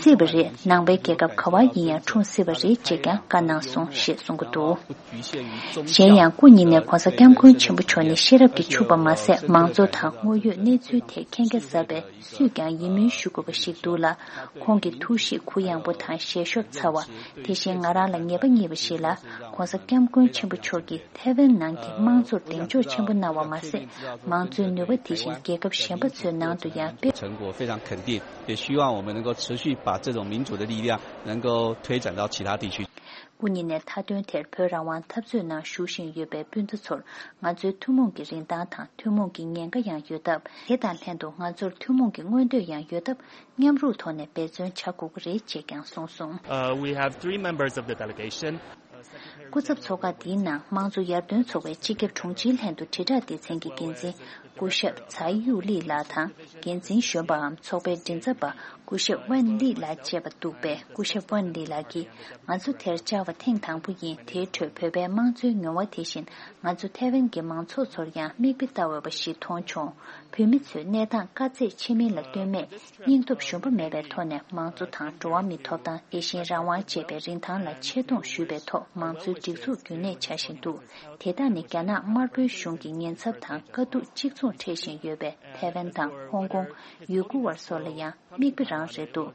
སྲིད་པ་རེད། ནང་པའི་རྒྱལ་ཁབ་ག་བ་ཡིན་ཡང་འཁྲུངས་སྲིད་པ་རེད་ཅེས་ཀྱང་བཀའ་གནང་སོང་ཞེས་གསུང་གི་འདུག་གཞན་ཡང་སྐུ་ཉིད་ནས་༸གོང་ས་༸སྐྱབས་མགོན་ཆེན་པོ་མཆོག་ནི་ཤེས་རབ་ཀྱིས་ཕྱུག་པ་མ་ཟད། མང་གཙོ་དང་དངོས་ཡོད་གནས་ཚུལ་ཐད་མཁྱེན་རྒྱ་ཟབ་པའི་སུས་ཀྱང་ཡིད་སྨོན་ཞུ་དགོས་པ་ཞིག་འདུག་ལ། ཁོང་གི་ཐུགས་གཤིས་གུ་ཡངས་པོ་དང་ཞལ་ཤོབ་ཚ་བ། དེ་བཞིན་ང་རང་ལ་ངེས་པ་རྙེད་པ་ཞིག་ལ། ༸གོང་ས་༸སྐྱབས་མགོན་ཆེན་པོ་མཆོག་གིས་ཐའེ་ཝན་ནང་གི་དམངས་གཙོར་གདེང་འཇོག་ཆེན་པོ་གནང་བ་མ་ཟད། མང་གཙོའི་ནུས་པ་དེ་བཞིན་རྒྱལ་ཁབ་གཞན་པ་ཚོའི་ནང་དུ་ཡང་སྤེལ། 成果非常肯定，也希望我们能够持续把这种民主的力量能够推展到其他地区。 སྐུ་ཉིད་ནས་མཐའ་དོན་དེར་བོད་རང་དབང་འཐབ་རྩོད་ནང་ཞུགས་བཞིན་ཡོད་པའི་སྤུན་ཟླ་ཚོར། ང་ཚོའི་ཐུན་མོང་གི་རིན་ཐང་དང་ཐུན་མོང་གི་ཉེན་ཁ་ཡང་ཡོད་སྟབས། དེ་དང་ལྷན་དུ་ང་ཚོར་ཐུན་མོང་གི་མངོན་འདོད་ཡང་ཡོད་སྟབས། མཉམ་རུབ་ཐོག་ནས་འབད་བརྩོན་བྱ་དགོས་ཀྱི་རེད་ཅེས་ཀྱང་གསུངས་སོང་། Uh, we have three members of the delegation. སྐུ་ཚབ་ཚོགས་ཁག་འདིའི་ནང་དམངས་གཙོ་ཡར་ཐོན་ཚོགས་པའི་སྤྱི་ཁྱབ་དྲུང་ཆེའི་ལྷན་དུ་དྲིལ་བསྒྲགས་སྡེ་ཚན་གྱི་འགན་འཛིན་སྐུ་ཞབས་ཚའི་ཡུའུ་ལི་ལགས་དང་། འགན་འཛིན་གཞོན་པའམ་ཚོགས་པའི་མགྲིན་ཚབ་པ་སྐུ་ཞབས་ཝན་ལི་ལགས་བཅས་པ་འདུག་པས། སྐུ་ཞབས་ཝན་ལི་ལགས་ཀྱིས། ང་ཚོ་དེར་བཅར་བ་ཐེངས་དང་པོ་ཡིན། དེའི་ཁྲོད་བོད་པའི་དམངས་གཙོའི་མྱོང་བ་དེ་བཞིན། ང་ཚོ་ཐའེ་ཝན་གྱི་མང་ཚོགས་ཚོར་ཡང་མིག་དཔེ་ལྟ་འོས་པ་ཞིག་མཐོང་བྱུང་། བོད་མི་ཚོས་གནས་སྟངས་དཀའ་ཚེགས་ཆེ་མིན་ལ་ལྟོས་མེད། སྙིང་སྟོབས་ཞུམ་པ་མེད་པའི་ཐོག་ནས་དམངས་གཙོ་དང་འགྲོ་བ་མིའི་ཐོབ་ཐང་། དེ་བཞིན་རང་དབང་ཅེས་པའི་རིན་ཐང་ལ་ཆེ་མཐོང་ཞུས་པའི་ཐོག་མང་གཙོའི་སྒྲིག་འཛུགས་རྒྱུན་གནས་བྱ་བཞིན་འདུག་དེ་དག་ནི་རྒྱ་ནག་དམར་པོའི་གཞུང་གི་ཉེན་ཚབས་དང་དཀའ་སྡུག་གཅིག་མཚུངས་འཕྲད་བཞིན་ཡོད་པའི་ཐའེ་ཝན་དང་ཧོང་ཀོང་། ཡུ་གུར་བ་སོགས་ལ་ཡང་མིག་དཔེ་རང་རེད་འདུག་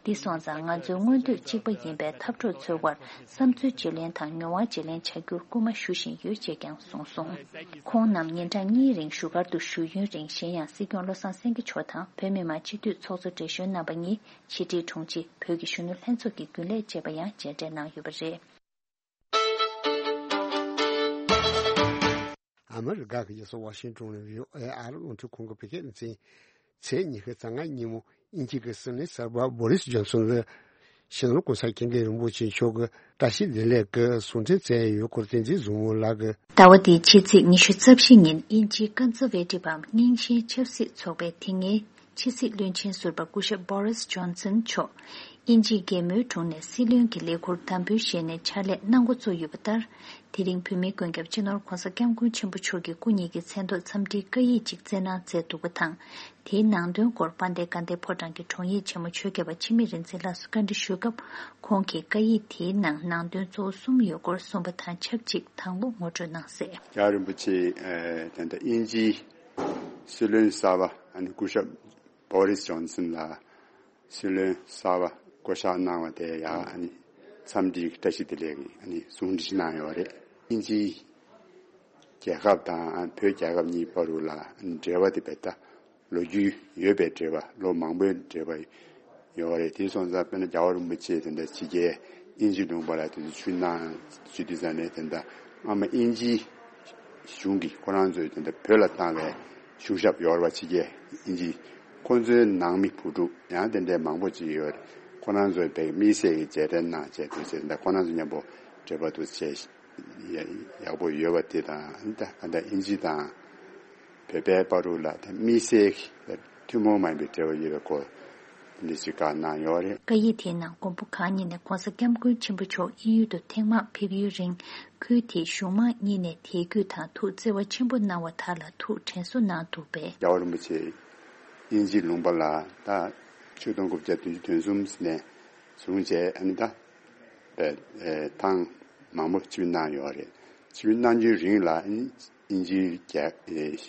འདི་སོང་ཙང་ང་ཚོའི་མངོན་འདོད་གཅིག་པ་ཡིན་པའི་འཐབ་གྲོགས་ཚོའི་དབར་བསམ་ཚུལ་བརྗེ་ལེན་དང་མྱོང་བ་བརྗེ་ལེན་བྱ་རྒྱུར་སྐུལ་མ་ཞུ་བཞིན་ཡོད་ཅེས་ཀྱང་གསུངས་སོང་། ཁོང་རྣམས་ཉིན་གྲངས་གཉིས་རིང་བཞུགས་སྒར་དུ་བཞུགས་ཡུན་རིང་གཞན་ཡང་སྲིད་སྐྱོང་བློ་བཟང་སེང་གེ་མཆོག་དང་བོད་མི་མང་སྤྱི་འཐུས་ཚོགས་གཙོ་བགྲེས་གཞོན་རྣམ་པ་གཉིས། ཕྱི་དྲིལ་དྲུང་ཆེ། བོད་ཀྱི་གཞོན་ནུ་ལྷན་ཚོགས་ཀྱི་རྒྱུན་ལས་བཅས་པ་ཡང་མཇལ་འཕྲད་གནང་ཡོད་པ་རེད། ཨ་མི་རི་ཀ་གི་རྒྱལ་ས་ཝ་ཤིང་ཏོན་ནས་བྷི་ཨོ་ཨེ་ཨ་རི་རླུང་འཕྲིན་ཁང་གི་བོད་སྐད་སྡེ་ཚན། ཚེས་ཉི་ཤུ་རྩ་ལྔ་ཉིན་མོ་དབྱིན་ཇི་གི་སྲིད་བློན་གསར་པ་བོ་རིས་ཇོན་སོན་ལ་སྤྱི་ནོར་༸གོང་ས་༸སྐྱབས་མགོན་རིན་པོ་ཆེ་མཆོག་གིས་བཀྲ་ཤིས་བདེ་ལེགས་ཀྱི་གསུང་འཕྲིན་བསྩལ་ཡོད་སྐོར་བསྟན་འཛིན་བཟང་མོ་ལགས་ཀྱིས། ཟླ་བ་འདིའི་ཕྱི་ཚེས་ཉི་ཤུ་རྩ་བཞི་ཉིན་དབྱིན་ཇིའི་ཀན་ཛར་ཝེ་ཏི་བམ་རྙིང་ཞེན་ཆབ་སྲིད་ཚོགས་པའི་དེ་སྔའི་ཕྱི་སྲིད་བློན་ཆེན་ཟུར་པ་སྐུ་ཞབས་བོ་རིས་ཇོན་སན་མཆོག་དབྱིན་ཇིའི་རྒྱལ་མོའི་དྲུང་ནས་སྲིད་བློན་གྱི་ལས་འཁུར་དམ་འབུལ་བཞེས་ནས་ཕྱག་ལས་གནང་འགོ་བཙུགས་ཡོད་པ་ལྟར། དེ་རིང་བོད་མིའི་མགོན་སྐྱབས་སྤྱི་ནོར་༸གོང་ས་༸སྐྱབས་མགོན་ཆེན་པོ་མཆོག་གིས་སྐུ་ཉིད་ཀྱི་མཚན་ཐོག་འཚམས་འདྲིའི་བཀའ་ཡིག་ཅིག་བསྩལ་གནང་མཛད་འདུག་པ་དང་། དེའི་ནང་དོན་སྐོར་དཔལ་ལྡན་དགའ་ལྡན་ཕོ་བྲང་གི་དྲུང་ཡིག་ཆེན་མོ་ཆོས་རྒྱལ་བ་འཆི་མེད་རིག་འཛིན་ལགས་སུ་བཀའ་འདྲི་ཞུས་སྐབས། ཁོང་གིས་བཀའ་ཡིག་དེའི་ནང་ནང་དོན་གཙོ་བོ་གསུམ་ཡོད་སྐོར་གསུངས་པ་དང་ཆབས་ཅིག་དང་པོ་ངོ་སྤྲོད་གནང་གསལ། རྒྱལ་བ་རིན་པོ་ཆེ་ཨ་ད་ལྟ་དབྱིན་ཇིའི་སྲིད་བློན་གསར་པ་ཨ་ནི་སྐུ་ཞབས་བོ་རིས་ཇོན་སན་ལགས་སྲིད་བློན་གསར་པ་བསྐོ་གཞག་གནང་བ་དེ་ཡང་ཨ་ནི་ འཚམས་འདྲིའི་བཀྲ་ཤིས་བདེ་ལེགས་ཀྱི་ཨ་ནི་གསུང་འཕྲིན་ཞིག་གནང་ཡོད་རེད། དབྱིན་ཇིའི་རྒྱལ་ཁབ་དང་བོད་རྒྱལ་ཁབ་གཉིས་བར་དུ་ལ་འབྲེལ་བ་དེ་བས་ད་ལོ་རྒྱུས་ཡོད་པའི་འབྲེལ་བ། ལོ་མང་པོའི་འབྲེལ་བ་ཡོད་རེད། དེ་སོང་ཙང་དཔེར་ན་རྒྱལ་བ་རིན་པོ་ཆེ་དེ་འདྲ་ཕྱི་རྒྱལ་དབྱིན་ཇི་ལུང་པ་ལ་དེ་ཚོ་ཆུ་ནང་ཆུ་དུས་ཙམ་ནས་དེ་འདྲ་སྔ་མ་དབྱིན་ཇིའི་གཞུང་གིས་ཁོ་རང་ཚོའི་དེ་འདྲ་བོད་ལ་བཏང་བའི་གཞུང་ཞབས་ཡོད་རེད་པ། ཕྱི་རྒྱལ་དབྱིན་ཇི། ཁོ་ཚོའི་ནང་མི་བུ་ཕྲུག་ཡང་དེ་འདྲའི་མང་པོ་ཅིག་ཡོད་རེད། ཁོ་རང་ཚོའི་བོད་དམིགས་བསལ་གྱི་རྗེས་དྲན་གནང་བྱས་དེ་བྱས་ད་ཁོ་རང་ཚོ་མཉམ་པོ་འབྲེལ་བ་འདུག་བྱས། ཡག་པོ་ཡོད་པ་དེ་དང་། ད་ག་འདྲ་དབྱིན་ཇི་དང་བོད་པའི་བར་དུ་ལ་ད་དམིགས་བསལ་གྱི་ཐུན་མོང་མ་ཡིན་པའི་འབྲེལ་བ་ཡོད་པའི་སྐོར་འདི་ཞིག་བཀའ་གནང་ཡོད་རེད། བཀའ་ཡིག་དེའི་ནང་མགོན་པོ་གང་ཉིད་ནས་༧གོང་ས་༧སྐྱབས་མགོན་ཆེན་པོ་མཆོག་དབྱིན་ཡུལ་དུ་ཐེངས་མང་ཕེབས་ཡུན་རིང་། ཁུལ་དེའི་གཞུང་མང་གཉིས་ནས་དད་གུས་དང་ཐུགས་བརྩེ་བ་ཆེན་པོ་གནང་བ་དག་ལ་ཐུགས་དྲན་གསོ་གནང་འདུག་པས། རྒྱལ་བ་རིན་པོ་ཆེ་དབྱིན་ཇི་ལུང་པ་ལ་ད་ཆིག་སྟོང་དགུ་བརྒྱ་བདུན་ཅུ་དོན་གསུམ་ནས་བཟུང་བྱས་ཨ་ནི་ད་བས་ཐེངས་མང་པོ་ཆིབས་གནང་ཡོད་རེད། ཆིབས་གནང་རྒྱུའི་རིང་ལ་ཨ་ནི་དབྱིན་ཇིའི་རྒྱལ་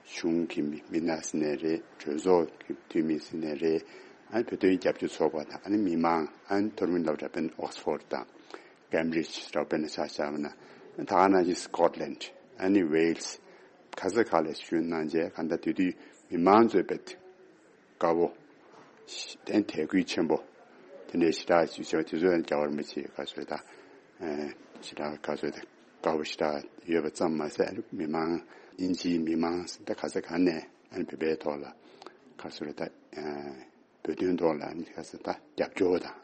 གཞུང་གི་མི་མི་སྣ་ཟེར་ནའི་རེད། གྲོས་ཚོགས་ཀྱི་འཐུས་མི་ཟེར་ནའི་རེད། ཨ་ནི་བོད་དོན་རྒྱབ་སྐྱོར་ཚོགས་པ་དང་ཨ་ནི་མི་མང་། ཨ་ནི་མཐོ་རིམ་སློབ་གྲྭ་དཔེར་ན་ཨོག་སི་ཕོར་ཌི་དང་། ཀེམ་བྷྲིཇ་རེད་པ། དཔེར་ན་ཆ་བཞག་པ་ན་ད་ག་ནང་བཞིན་སི་ཀོཊ་ལེན་ཌི། ཨ་ནི་ཝེལ་སི། ག་ས་ག་ལ་ཞུ་གནང་བྱས། གང་ལྟར་དེ་དུས་མི་མང་ཚོས་དཔེ་དགའ་པོ་དང་དད་གུས་ཆེན་པོ་དེ་འདྲའི་ཞེ་དྲག་ཞིག་བྱས་པ་དེ་ཚོ་ཡང་རྒྱལ་བ་རིན་པོ་ཆེ་ག་ཚོད་ད་ཞེ་དྲག་ག་ཚོད་ད་དགའ་པོ་ཞེ་དྲག་ཡོད་པ་ཙམ་མ་ཟད། མི་མང་དབྱིན་ཇིའི་མི་མང་ད་ག་ས་ག་ནས་ཨ་ནི་བོད་པའི་ཐོག་ལ་ག་ཚོད་ད། བོད་དོན་ཐོག་ལ་ནི་ཁ་སང་ད་རྒྱབ་སྐྱོར་དང་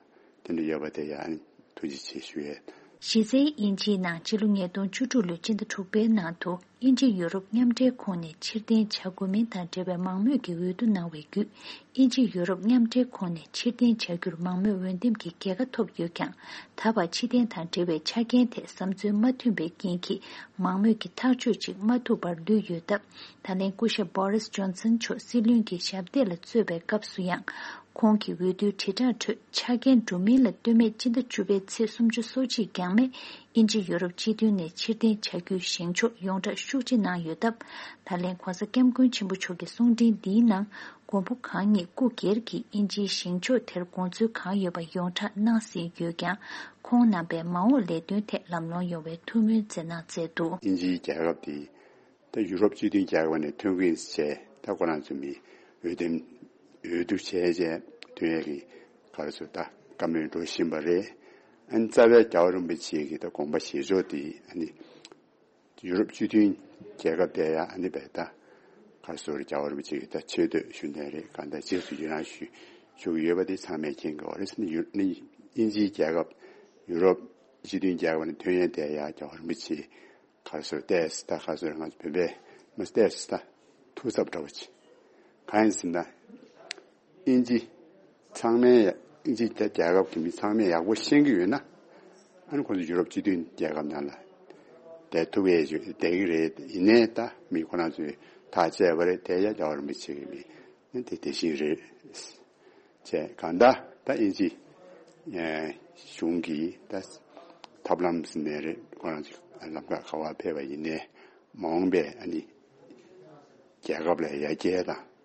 དེ་འདྲ་ཡོད་པ་དེ་ཡང་ཐུགས་རྗེ་ཆེ་ཞུ་ཡས། གཞི་རྩའི་དབྱིན་ཇིའི་ནང་ཕྱི་ལོ་ཉིས་སྟོང་བཅུ་དྲུག་ལོའི་སྤྱི་ཟླ་དྲུག་པའི་ནང་དུ་དབྱིན་ཇི་ཡུ་རོབ་མཉམ་འབྲེལ་ཁོངས་ནས་ཕྱིར་འཐེན་བྱ་དགོས་མིན་དང་འབྲེལ་བའི་མང་མོས་ཀྱི་འོས་བསྡུ་གནང་བའི་བརྒྱུད། དབྱིན་ཇི་ཡུ་རོབ་མཉམ་འབྲེལ་ཁོངས་ནས་ཕྱིར་འཐེན་བྱ་རྒྱུར་མང་མོས་འོས་འདེམས་ཀྱི་རྒྱལ་ཁ་ཐོབ་ཡོད་ཀྱང་། ད་བར་ཕྱིར་འཐེན་དང་འབྲེལ་བའི་ཆ་རྐྱེན་ཐད་བསམ་ཚུལ་མ་མཐུན་པའི་རྐྱེན་གྱིས་མང་མོས་ཀྱི་ཐག་གཅོད་ཅིག་མ་ཐུབ་པར་ལུས་ཡོད་སྟབས། ད་ལན་སྐུ་ཞབས་བྷོ་རིས་ཇོན་སན་མཆོག་སྲིད་བློན་གྱི་ཞབས་སྟེགས་ལ་གཙོས་པའི་སྐབས་སུ་ཡང་། ཁོང་གི་འོས་བསྡུའི་དྲིལ་བསྒྲགས་ཁྲོད་ཆ་རྐྱེན་འགྲོ་མིན་ལ་ལྟོས་མེད་སྤྱི་ཟླ་བཅུ་པའི་ཚེས་སུམ་ཅུ་སོ་གཅིག་འགྱངས་མེད་དབྱིན་ཇི་ཡུ་རོབ་སྤྱི་མཐུན་ནས་ཕྱིར་འཐེན་བྱ་རྒྱུའི་བཞེངས་ཕྱོགས་ཡོངས་གྲགས་ཤུགས་ཆེ་གནང་ཡོད་སྟབས། ད་ལན་༧གོང་ས་༧སྐྱབས་མགོན་ཆེན་པོ་མཆོག་གི་གསུང་འཕྲིན་འདིའི་ནང་མགོན་པོ་གང་ཉིད་སྐུ་སྒེར་གྱིས་དབྱིན་ཇིའི་བཞེངས་ཕྱོགས་དེར་དགོངས་ཚུལ་གང་ཡོད་པ་ཡོངས་གྲགས་གནང་ཟིན་ཡོད་ཀྱང་། ཁོང་རྣམ་པའི་མ་འོངས་ལས་དོན་ཐད་ལམ་ལྷོང་ཡོང་བའི་ཐུགས་སྨོན་བསྩལ་གནང་མཛད་འདུག་དབྱིན་ཇིའི་རྒྱལ་ཁབ་དེ། ད་ཡུ་རོབ་སྤྱི་མཐུན་རྒྱལ་ཁབ་ནས་ཐོན་གྱི་ཡིན་ཟེར་བྱས། ད་ཁོ་རང་ཚོ་མི་འོས་འདེམས་འོས་བསྡུ་བྱས་བྱས་ཐོན་ཡས་ཀྱི་ག་རེ་ཟེར་ད་བཀའ་མོལ་འགྲོ་བཞིན་པ་རེད། ཨ་ནི་རྩ་བའི་རྒྱལ་བ་རིན་པོ་ཆེ་གི་ད་དགོངས་པ་བཞེས་ཕྱོགས་དེ་ཨ་ནི་ཡུ་རོབ་སྤྱི་མཐུན་རྒྱལ་ཁབ་དེ་ཡང་ཨ་ནི་བས་ད་ག་རེ་ཟེར་རྒྱལ་བ་རིན་པོ་ཆེ་གི་ད་ཆེ་བསྟོད་ཞུ་མཁན་རེད། གང་ལྟར་རྗེས་སུ་ཡི་རང་ཞུ་ཞུ་གི་ཡོད་པ་དེ་ཚང་མས་མཁྱེན་གྱི་ཡོད་རེད། ཨ་ནི་ཡུ་ཨ་ནི་དབྱིན་ཇིའི་རྒྱལ་ཁབ་ཡུ་རོབ་སྤྱི་མཐུན་རྒྱལ་ཁབ་ནས་ཐོན་ཡས་དེ་ཡང་རྒྱལ་བ་རིན་པོ་ཆེ་ག་རེ་ཟེར་ཏེས་ད་ག་རེ་ཟེར་ང་ཚོ་བོད་པས་མ་ཏེས་ད་ཐུགས་འཚབ་འདྲ་བོ་ཅིག་གང་ཡིན་ཟེར་ན། དབྱིན་ཇི་ཚང་མས་ཡ་དབྱིན་ཇི་རྒྱལ་ཁབ་ཀྱི་མི་ཚང་མས་ཡག་པོ་ཤེས་ཀྱི་ཡོད་ན། ཨ་ནི་ཁོ་ཚོ་ཡུ་རོབ་སྤྱི་མཐུན་རྒྱལ་ཁབ་ནང་ལ་བསྡད་ཐུབ་ཡས་ཅིག་བསྡད་ཀྱི་རེད། ཡིན་ནའི་ད་མི་ཁོ་རང་ཚོས་ཐག་བཅད་པ་རེད། དེ་ཡ་རྒྱལ་བ་རིན་པོ་ཆེ་གི་མི་ནི་དེ་དེ་བཞིན་རེད། བྱས་གང་ལྟར་ད་དབྱིན་ཇི་ཨེ་གཞུང་གིས་ད་ཐབས་ལམ་ཟིན་ནས་རེད། ཁོ་རང་ཚོ་ལམ་ཁ་ག་བར་ཕེབས་པ་ཡིན་ནའི་མ་འོངས་པའི་ཨ་ནི་རྒྱལ་ཁབ་ལ་ཡར་རྒྱས་དང་།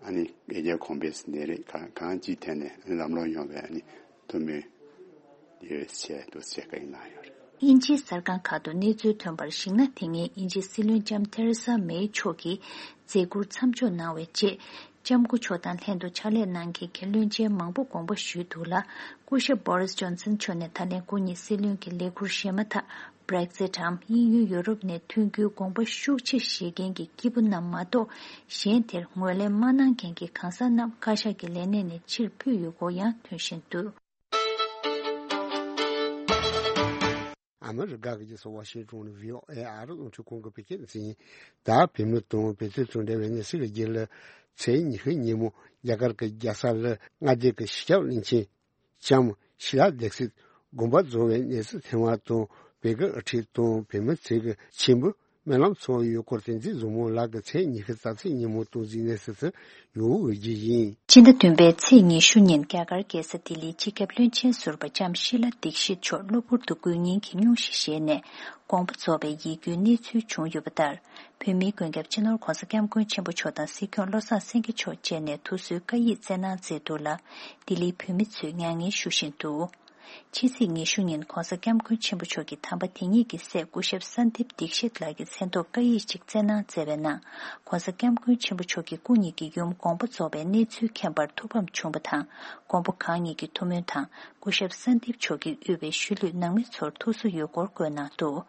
ཨ་ནི་འཕེལ་རྒྱས་གོང་འཕེལ་ཟིན་ནས་རེད། གང་གང་ཅིའི་ཐད་ནས་ཨ་ནི་ལམ་ལྷོང་ཡོང་བའི་ཨ་ནི་ཐུགས་སྨོན་ཡོད་ཟེར་འདུག་ཟེར་བཀའ་ཡིག་གནང་ཡོད་རེད། དབྱིན་ཇིའི་གསར་ཁང་ཁག་ཏུ་གནས་ཚུལ་ཐོན་པར་གཞིགས་ན། དེ་སྔའི་དབྱིན་ཇིའི་སྲིད་བློན་ལྕམ་ཐེ་རེ་ས་མེ་མཆོག་གིས་མཛད་ཁུར་མཚམས་འཇོག་གནང་བའི་རྗེས། ལྕམ་སྐུ་མཆོག་དང་ལྷན་དུ་ཕྱག་ལས་གནང་མཁན་གྱི་བློན་ཆེན་མང་པོ་དགོངས་པ་ཞུས་འདུག་ལ། སྐུ་ཞབས་བྷོ་རིས་ཇོན་སན་མཆོག་ནས་ད་ལན་སྐུ་ཉིད་སྲིད་བློན་གྱི་ལས་ཁུར་བཞེས་མ་ཐག་Brexit་འམ་དབྱིན་ཡུལ་ཡུ་རོབ་ནས་ཐོན་རྒྱུའི་དགོངས་པ་ཤུགས་ཆེ་བཞེས་མཁན་གྱི་སྐྱེས་བུ་རྣམས་མ་གཏོགས། གཞན་དེར་ངོས་ལེན་མ་གནང་མཁན་གྱི་གང་ཟག་རྣམས་བཀའ་ཤག་གི་ལས་གནས་ནས་ཕྱིར་འབུད་ཡོད་སྐོར་ཡང་ཐོན་བཞིན་འདུག་ཨ་མི་རི་ཀ་གི་རྒྱལ་ས་ཝ་ཤིང་ཏོན་ནས་བྷི་ཨོ་ཨེ་ཨ་རི་རླུང་འཕྲིན་ཁང་གི་བོད་སྐད་སྡེ་ཚན་ཡིན། ད་བོད་མི་དང་བོད་དོན་དང་འབྲེལ་བའི་གནས་ཚུལ་ལ་རྒྱུས་ལ། ཚེས་ཉི་ཤུ་ཉིན་མོ་རྒྱ་གར་གྱི་རྒྱལ་ས་ལ་མངའ་སྡེ་གི་སྤྱི་ཁྱབ་བློན་ཆེན་ལྕམ་ཤི་ལ་དྷེག་སིད་དགོངས་པ་རྫོགས་པའི་གནས་ཚུལ་ཐོན་པ་དང་། བོད་ཀྱི་དབུ་ཁྲིད་དང་བོད་མི་ཚོས་ཀྱི་མཆིམས་ཕུ་སྨོན་ལམ་ཚོགས་ཡོད་སྐོར་བསྟན་འཛིན་བཟང་མོ་ལགས་ཀྱིས་ཚེས་ཉི་ཤུ་རྩ་ཚེས་ཉིན་མོ་སྟོང་འཛིན་གནས་ཚུལ་དུ་ཡོང་འོས་ཀྱི་ཡིན། སྤྱི་ཟླ་བདུན་པའི་ཚེས་ཉི་ཤུ་ཉིན་རྒྱ་གར་རྒྱལ་ས་ལྡི་ལིའི་སྤྱི་ཁྱབ་བློན་ཆེན་ཟུར་པ་ལྕམ་ཤི་ལ་དྷིག་ཤིད་མཆོག་གློ་བུར་དུ་མགོ་རྙིང་གི་སྙུང་གཞི་བཞེས་ནས་དགོངས་པ་རྫོགས་པའི་ཡིད་སྐྱོའི་གནས་ཚུལ་བྱུང་ཡོད་པ་ལྟར། བོད་མིའི་མགོན་སྐྱབས་སྤྱི་ནོར་༧གོང་ས་༧སྐྱབས་མགོན་ཆེན་པོ་མཆོག་དང་སྲིད་སྐྱོང་བློ་བཟང་སེང་གེ་མཆོག་བཅས་ནས་ཐུགས་གསོའི་བཀའ་ཡིག་བསྩལ་གནང་མཛད་འདུག་ལ། ལྡི་ལིའི་བོད་མི་ཚོས་མྱ་ངན་ཞུ་བཞིན་འདུག་ཕྱི་ཚེས་ཉི་ཤུ་ཉིན་༧གོང་ས་༧སྐྱབས་མགོན་ཆེན་པོ་མཆོག་གིས་དམ་པ་དེ་ཉིད་ཀྱི་སྲས་སྐུ་ཞབས་སན་དིབ་དིག་ཤིད་ལགས་ཀྱི་མཚན་ཐོག་བཀའ་ཡིག་ཅིག་བསྩལ་གནང་མཛད་པའི་ནང་༧གོང་ས་༧སྐྱབས་མགོན་ཆེན་པོ་མཆོག་གིས་སྐུ་ཉིད་ཀྱི་ཡུམ་དགོངས་པ་རྫོགས་པའི་གནས་ཚུལ་མཁྱེན་པར་ཐུགས་ཕམ་བྱུང་བ་དང་། མགོན་པོ་གང་ཉིད་ཀྱི་ཐུགས་སྨོན་དང་སྐུ་ཞབས་སན་དིབ་མཆོག་གིས་དབུས་པའི་ཤུལ་ལུས་ནང་མི་ཚོར་ཐུགས་གསོ་ཡོད་སྐོར་བཀོད་གནང་འདུག།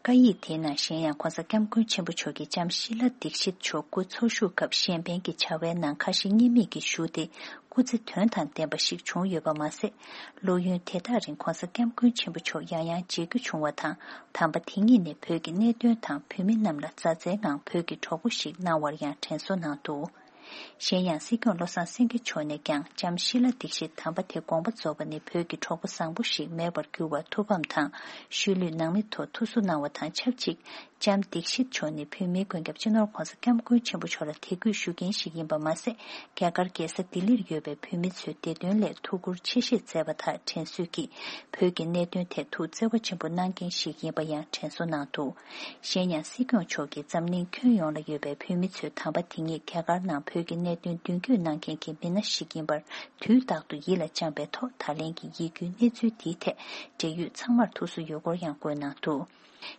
བཀའ་ཡིག་དེའི་ནང་གཞན་ཡང་༧གོང་ས་༧སྐྱབས་མགོན་ཆེན་པོ་མཆོག་གིས་ལྕམ་ཤི་ལ་དིག་ཤིད་མཆོག་སྐུ་འཚོ་བཞུགས་སྐབས་གཞན་ཕན་གྱི་བྱ་བའི་ནང་ཁ་ཞེ་གཉིས་མེད་ཀྱིས་ཞུགས་ཏེ་སྐུ་ཚེ་དོན་དང་ལྡན་པ་ཞིག་བྱུང་ཡོད་པ་མ་ཟད། སློབ་ཡོན་དེ་དག་རིང་༧གོང་ས་༧སྐྱབས་མགོན་ཆེན་པོ་མཆོག་ཡང་ཡང་མཇལ་རྒྱུ་བྱུང་བ་དང་། དམ་པ་དེ་ཉིད་ནས་བོད་ཀྱི་གནད་དོན་དང་བོད་མི་རྣམས་ལ་མཛའ་བརྩེའི་ངང་བོད་ཀྱི་གྲོགས་པོ་ཞིག་གནང་བར་ཡང་དྲན་གསོ་གནང་འདུག། གཞན་ཡང་སྲིད་སྐྱོང་བློ་བཟང་སེང་གེ་མཆོག་ནས་ཀྱང་ལྕམ་ཤི་ལ་དིག་ཤིད་དམ་པ་དེ་དགོངས་པ་རྫོགས་པ་ནི་བོད་ཀྱི་གྲོགས་པོ་བཟང་པོ་ཞིག་མེད་པར་གྱུར་བར་ཐུགས་ཕམ་དང་ཤུལ་ལུས་ནང་མི་ཐོག་ཐུགས་གསོ་གནང་བ་དང་ཆབས་ཅིག་ལྕམ་དིག་ཤིད་མཆོག་ནི་བོད་མིའི་མགོན་སྐྱབས་སྤྱི་ནོར་༧གོང་ས་༧སྐྱབས་མགོན་ཆེན་པོ་མཆོག་ལ་དད་གུས་ཞུ་མཁན་ཞིག་ཡིན་པ་མ་ཟད། རྒྱ་གར་རྒྱལ་ས་ལྡི་ལིར་ཡོད་པའི་བོད་མི་ཚོའི་བདེ་དོན་སླད་ཐུགས་ཁུར་ཆེ་བཞེས་མཛད་པ་དག་དྲན་གསོས་ཀྱིས་བོད་ཀྱི་གནད་དོན་ཐད་ཐུགས་བརྩེ་བ་ཆེན་པོ་གནང་མཁན་ཞིག་ཡིན་པ་ཡང་དྲན་གསོ་གནང་འདུག། གཞན་ཡང་སྲིད་སྐྱོང་མཆོག་གིས་འཛམ་གླིང་ཁྱོན་ཡོངས་ལ་ཡོད་པའི་བོད་མི་ཚོས་དམ་པ་དེ་ཉིད་རྒྱ་གར་ནང་བོད་ཀྱི་གནད་དོན་མདུན་སྐྱོད་གནང་མཁན་གྱི་མི་སྣ་ཞིག་ཡིན་པར་དུས་རྟག་ཏུ་ཡིད་ལ་བཅངས་པའི་ཐོག་ད་ལན་གྱི་ཡིད་སྐྱོའི་གནས་ཚུལ་འདིའི་ཐད་འབྲེལ་ཡོད་ཚང་མར་ཐུགས་གསོ་ཡོད་སྐོར་ཡང་བཀོད་གནང་འདུག།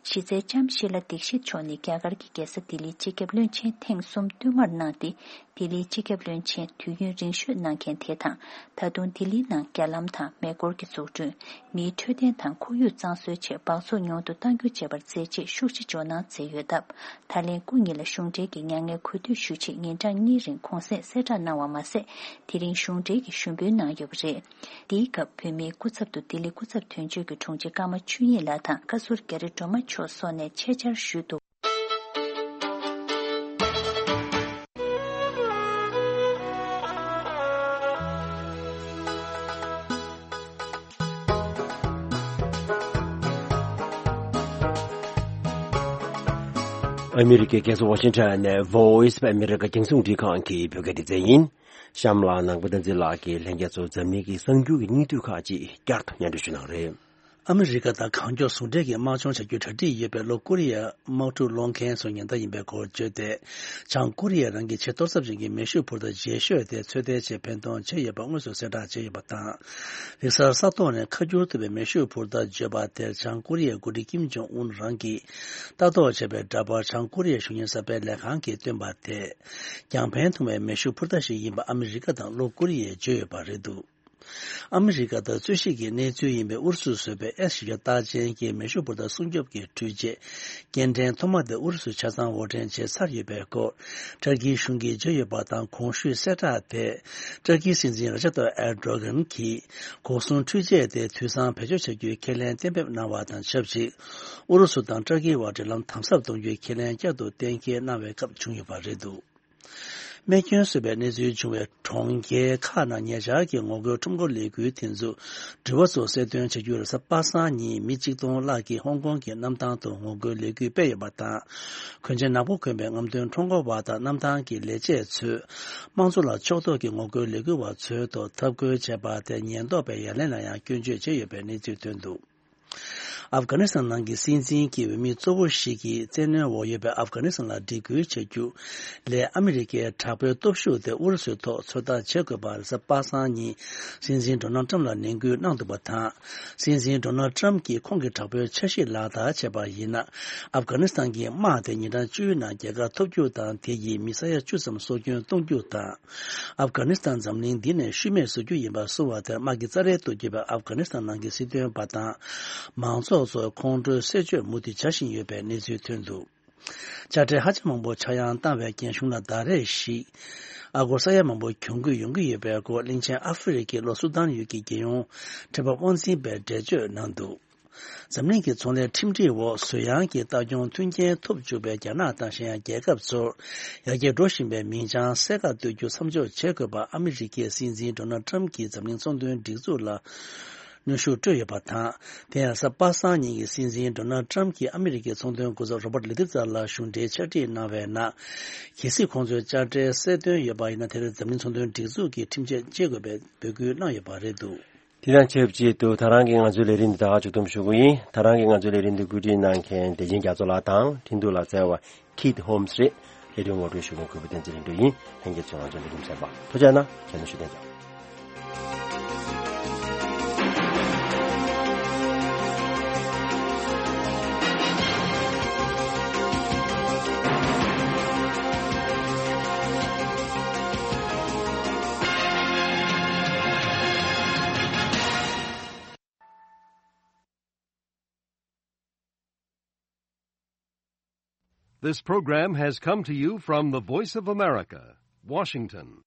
གཞི་རྩའི་ལྕམ་ཤི་ལ་དིག་ཤིད་མཆོག་ནི་རྒྱ་གར་གྱི་རྒྱལ་ས་ལྡི་ལིའི་སྤྱི་ཁྱབ་བློན་ཆེན་ཐེངས་གསུམ་བསྟུད་མར་གནང་སྟེ། ལྡི་ལིའི་སྤྱི་ཁྱབ་བློན་ཆེན་དུས་ཡུན་རིང་ཤོས་གནང་མཁན་དེ་དང་། ད་དུང་ལྡི་ལིའི་ནང་རྒྱ་ལམ་དང་མེ་འཁོར་གྱི་འཛུགས་སྐྲུན། མིའི་འཕྲོད་བསྟེན་དང་ཁོར་ཡུག་གཙང་བཟོའི་ཆེད་སྦགས་བཙོག་ཉུང་དུ་གཏང་རྒྱུ་བཅས་པར་མཛད་རྗེས་ཤུགས་ཆེ་འཇོག་གནང་མཛད་ཡོད་སྟབས། ད་ལན་སྐུ་ཉིད་ལ་གཞུང་འབྲེལ་གྱི་མྱ་ངན་གུས་འདུད་ཞུ་ཆེད་ཉིན་གྲངས་གཉིས་རིང་གུང་སེང་གསལ་བསྒྲགས་གནང་བ་མ་ཟད། དེ་རིང་གཞུང་འབྲེལ་གྱི་ཞུ་འབུལ་གནང་ཡོད་པ་རེད། འདིའི་སྐབས་བོད་མིའི་སྐུ་ཚབ་ཏུ་ལྡི་ལི་སྐུ་ཚབ་དོན་གཅོད་ཀྱི་དྲུང་ཆེ་ཀརྨ་ཆོས་དབྱིངས་ལགས་དང་བཀའ་ཟུར་རྒྱ་རི་སྒྲོལ་མ་མཆོག་སོགས་ནས་ཆེད་བཅར་ཞུས་འདུག། ཨ་མི་རི་ཀའི་རྒྱལ་ས་ཝ་ཤིང་ཊོན་ནས་Voice of America རྒྱང་སྲིང་རླུང་འཕྲིན་ཁང་གི་བོད་སྐད་སྡེ་ཚན་ཡིན། གཤམ་ལ་ནང་པ་བསྟན་འཛིན་ལགས་ཀྱིས་ལྷན་རྒྱས་ཚོར་འཛམ་གླིང་གི་གསར་འགྱུར་གྱི་སྙིང་བསྡུས་ཁག་ཅིག་བསྐྱར་དུ་སྙན་སྒྲོན་ཞུ་གནང་རེད། ཨ་མི་རི་ཀ་དང་གང་མགྱོགས་ཟུང་འབྲེལ་གྱིས་དམག་སྦྱོང་བྱ་རྒྱུའི་གྲ་སྒྲིག་ཡོད་པའི་ལྷོ་ཀོ་རི་ཡའི་དམག་འཁྲུག་སློང་མཁན་ཚོའི་ཉེན་བརྡ་ཡིན་པའི་སྐོར་བརྗོད་དེ། བྱང་ཀོ་རི་ཡས་རང་གི་ཆེས་གཏོར་ཚབས་ཅན་གྱི་མེ་ཤུགས་འཕུར་མདའ་རྗེས་ཤོས་དེ་ཚོད་ལྟའི་ཆེད་འཕེན་གཏོང་བྱས་ཡོད་པ་དངོས་སུ་གསལ་བསྒྲགས་བྱས་ཡོད་པ་དང་། རིག་གསར་ས་ཐོག་ནས་ཁ་བསྒྱུར་ཐུབ་པའི་མེ་ཤུགས་འཕུར་མདའ་བརྗོད་པ་དེར་བྱང་ཀོ་རི་ཡའི་འགོ་ཁྲིད་ཀིམ་ཇོང་ཨུན་རང་གིས་ལྟ་རྟོག་བྱས་པའི་འདྲ་པར་བྱང་ཀོ་རི་ཡའི་གཞུང་གཉེར་གསར་སྤེལ་ལས་ཁང་གིས་བཏོན་པ་དེས། རྒྱང་འཕེན་ཐུབ་པའི་མེ་ཤུགས་འཕུར་མདའ་ཞིག་ཡིན་པ་ཨ་མི་རི་ཀ་དང་ལྷོ་ཀོ་རི་ཡས་བརྗོད་ཡོད་པ་རེད་འདུག། ཨ་མི་རི་ཀ་དང་རྩོད་གཞི་གི་གནས་ཚུལ་ཡིན་པའི་ཨུ་རུ་སུས་བཟོས་པའི་ཨེས་བཞི་བརྒྱ་རྟགས་ཅན་གྱི་མེ་ཤུགས་འཕུར་མདའ་སྲུང་སྐྱོབ་ཀྱི་འཕྲུལ་ཆས་སྐྱེལ་འདྲེན་ཐོག་མ་དེ་ཨུ་རུ་སུས་ཆ་ཚང་དབོར་འདྲེན་བྱས་ཚར་ཡོད་པའི་སྐོར་ཏུར་ཀིའི་གཞུང་གིས་བརྗོད་ཡོད་པ་དང་། གོང་ཞུས་གསལ་བསྒྲགས་དེ་ཏུར་ཀིའི་སྲིད་འཛིན་ར་ཇབ་ཏཱ་ཡིབ་ཨེར་ཏོ་གྷན་གྱིས་འགོག་སྲུང་འཕྲུལ་ཆས་དེ་དུས་བཟང་བེད་སྤྱོད་བྱ་རྒྱུའི་ཁས་ལེན་གཏན་འབེབས་གནང་བ་དང་ཆབས་ཅིག་ཨུ་རུ་སུ་དང་ཏུར་ཀིའི་བར་འབྲེལ་ལམ་དམ་ཟབ་གཏོང་རྒྱུའི་ཁས་ལེན་བསྐྱར་དུ་གཏན་འཁེལ་གནང་བའི་སྐབས་བྱུང་ཡོད་པ་རེད་འདུག། རྨས་སྐྱོན་བཟོས་པའི་གནས་ཚུལ་བྱུང་བའི་གྲོང་ཁྱེར་ཁག་ནང་ཉེ་ཆར་གྱི་ངོ་རྒོལ་ཁྲོམ་སྐོར་ལས་འགུལ་དེ་ཚོ་དྲི་བ་ཚོ་གསལ་སྟོན་བྱ་རྒྱུར་གཟའ་པ་སངས་ཉིན་མི་གཅིག་སྟོང་ལྷག་གིས་ཧོང་ཀོང་གི་གནམ་ཐང་དུ་ངོ་རྒོལ་ལས་འགུལ་སྤེལ་ཡོད་པ་དང་། གོན་ཆས་ནག་པོ་གོན་པའི་རྔམ་སྟོན་ཁྲོམ་སྐོར་བ་དང་གནམ་ཐང་གི་ལས་བྱེད་ཚོས་དམངས་གཙོ་ལ་ཕྱོགས་གཏོགས་ཀྱི་ངོ་རྒོལ་ལས་འགུལ་བ་ཚོའི་ཐོག་འཐབ་རྒོལ་བྱས་པ་དེ་ཉེན་རྟོག་པའི་ཡ་ལན་ལ་ཡང་སྐྱོན་བརྗོད་བྱས་ཡོད་པའི་གནས་ཚུལ་ཐོན་འདུག། ཨབ་གྷ་ནི་སི་ཐན་ནང་གི་སྲིད་འཛིན་གྱི་འོས་མི་གཙོ་བོ་ཞིག་གིས་བཙན་གནོན་འོག་ཡོད་པའི་ཨབ་གྷ་ནི་སི་ཐན་ལ་སྒྲིག་བཀོད་བྱ་རྒྱུ་ལས་ཨ་མི་རི་ཀའི་དྲག་པོའི་སྟོབས་ཤུགས་དེ་ཨུ་རུ་སུའི་ཐོག་ཚོད་ལྟ་བྱེད་དགོས་པར་གཟའ་པ་སངས་ཉིན་སྲིད་འཛིན་ཌོ་ནལ་ཊམ་ལ་ནན་སྐུལ་གནང་འདུག་པ་དང་། སྲིད་འཛིན་ཌོ་ནལ་ཊམ་གྱིས་ཁོང་གི་དྲག་པོའི་འཆར་གཞི་ལག་བསྟར་བྱས་པ་ཡིན་ན། ཨབ་གྷ་ནི་སི་ཐན་གྱི་དམག་དེ་ཉིན་གྲངས་བཅུའི་ནང་རྒྱལ་ཁ་ཐོབ་རྒྱུ་དང་། དེ་ཡིས་མི་ས་ཡ་བཅུ་ཙམ་སྲོག་སྐྱོན་གཏོང་རྒྱུ་དང་། ཨབ་གྷ་ནི་སི་ཐན་འཛམ་གླིང་འདི་ནས་ཤུལ་མེད་བཟོ་རྒྱུ་ཡིན་པ་གསུངས་པ་དེར་དམག་གི་རྩ་རལ་དུ་གྱུར་པའི་ཨབ་གྷ་ནི་སི་ཐན་ནང་གི་སྲིད་དོན་པ་དང་མང་ཚོགས་ཚོར་ཁོང་ཁྲོའི་གསད་གཅོད་མུ་མཐུད་བྱ་བཞིན་ཡོད་པའི་གནས་ཚུལ་ཐོན་འདུག། དཔྱ་ཁྲལ་ཧ་ཅང་མང་པོ་ཆག་ཡང་བཏང་བའི་རྒྱང་གཞུང་ལ་ཟླ་རེ་བཞིན་ཨ་སྒོར་ས་ཡ་མང་པོ་གྱོང་གུད་ཡོང་གི་ཡོད་པའི་སྐོར་གླིང་ཆེན་ཨ་ཧྥེ་རི་ཁའི་ལྷོ་སུ་དཱན་ཡུལ་གྱི་རྒྱལ་ཡོངས་ཁྲལ་འབབ་དབང་འཛིན་པས་འགྲེལ་བརྗོད་གནང་འདུག། འཛམ་གླིང་གི་ཚོང་ལས་ཁྲིམས་སྒྲིག་འོག་བཟོ་ཡང་གི་ལྟ་སྐྱོང་མཐུན་རྐྱེན་ཐོབ་བཅུག་པའི་རྒྱ་ནག་དང་གཞན་ཡང་རྒྱལ་ཁབ་ཚོར་ཡར་རྒྱས་འགྲོ་བཞིན་པའི་མིང་བྱང་གསལ་ཁ་གཏོད་རྒྱུ་མཚམས་འཇོག་བྱེད་དགོས་པ་ཨ་མི་རི་ཀའི་སྲིད་འཛིན་ཌོ་ནལ་ཊམ་གྱིས་འཛམ་གླིང་ཚོང་དོན་སྒྲིག་འཛུགས་ལ་གནོན་ཤུགས་སྤྲོད་ཡོད་པ་དང་། དེ་ཡང་གཟའ་པ་སངས་ཉིན་གྱི་སྲིད་འཛིན་ཌོ་ནལ་ཊམ་གྱིས་ཨ་མི་རི་ཀའི་ཚོང་དོན་སྐུ་ཚབ་རོ་བར་ལི་ཏི་ཙར་ལ་གཞུང་འབྲེལ་ཕྱག་བྲིས་གནང་བའི་ནང་། གལ་སྲིད་ཁོང་ཚོས་དཔྱ་ཁྲལ་གསལ་སྟོན་ཡོད་པ་ཡིན་ན། དེར་འཛམ་གླིང་ཚོང་དོན་སྒྲིག་འཛུགས་ཀྱིས་ཁྲིམས་ཆད་གཅོད་དགོས་པའི་འབོད་སྐུལ་གནང་ཡོད་པ་རེད་འདུག། དེ་དང་ཆབས་ཅིག་ཏུ་ད་རང་གི་ང་ཚོའི་ལས་རིམ་འདི་ད་ག་མཇུག་བསྡོམས་ཞུ་གི་ཡིན། ད་རང་གི་ང་ཚོའི་ལས་རིམ་འདི་བཀོད་སྒྲིག་གནང་མཁན་བདེ་ཆེན་རྒྱ་མཚོ་ལགས་དང་འཕྲིན་གཏོང་ལག་རྩལ་བ་Keith Holmes རེད། ལས་རིམ་ངོ་སྤྲོད་ཞུ་མཁན་གུས་པ་བསྟན་འཛིན་ལྷུན་གྲུབ་ཡིན། ལྷན་རྒྱས་ཚོས་ང་ཚོའི་ལས་རིམ་གསན་པར་ཐུགས་རྗེ་གནང་། ཁྱེད་ཚོ་བཞུགས་གདན་འཇགས། This program has come to you from the Voice of America, Washington.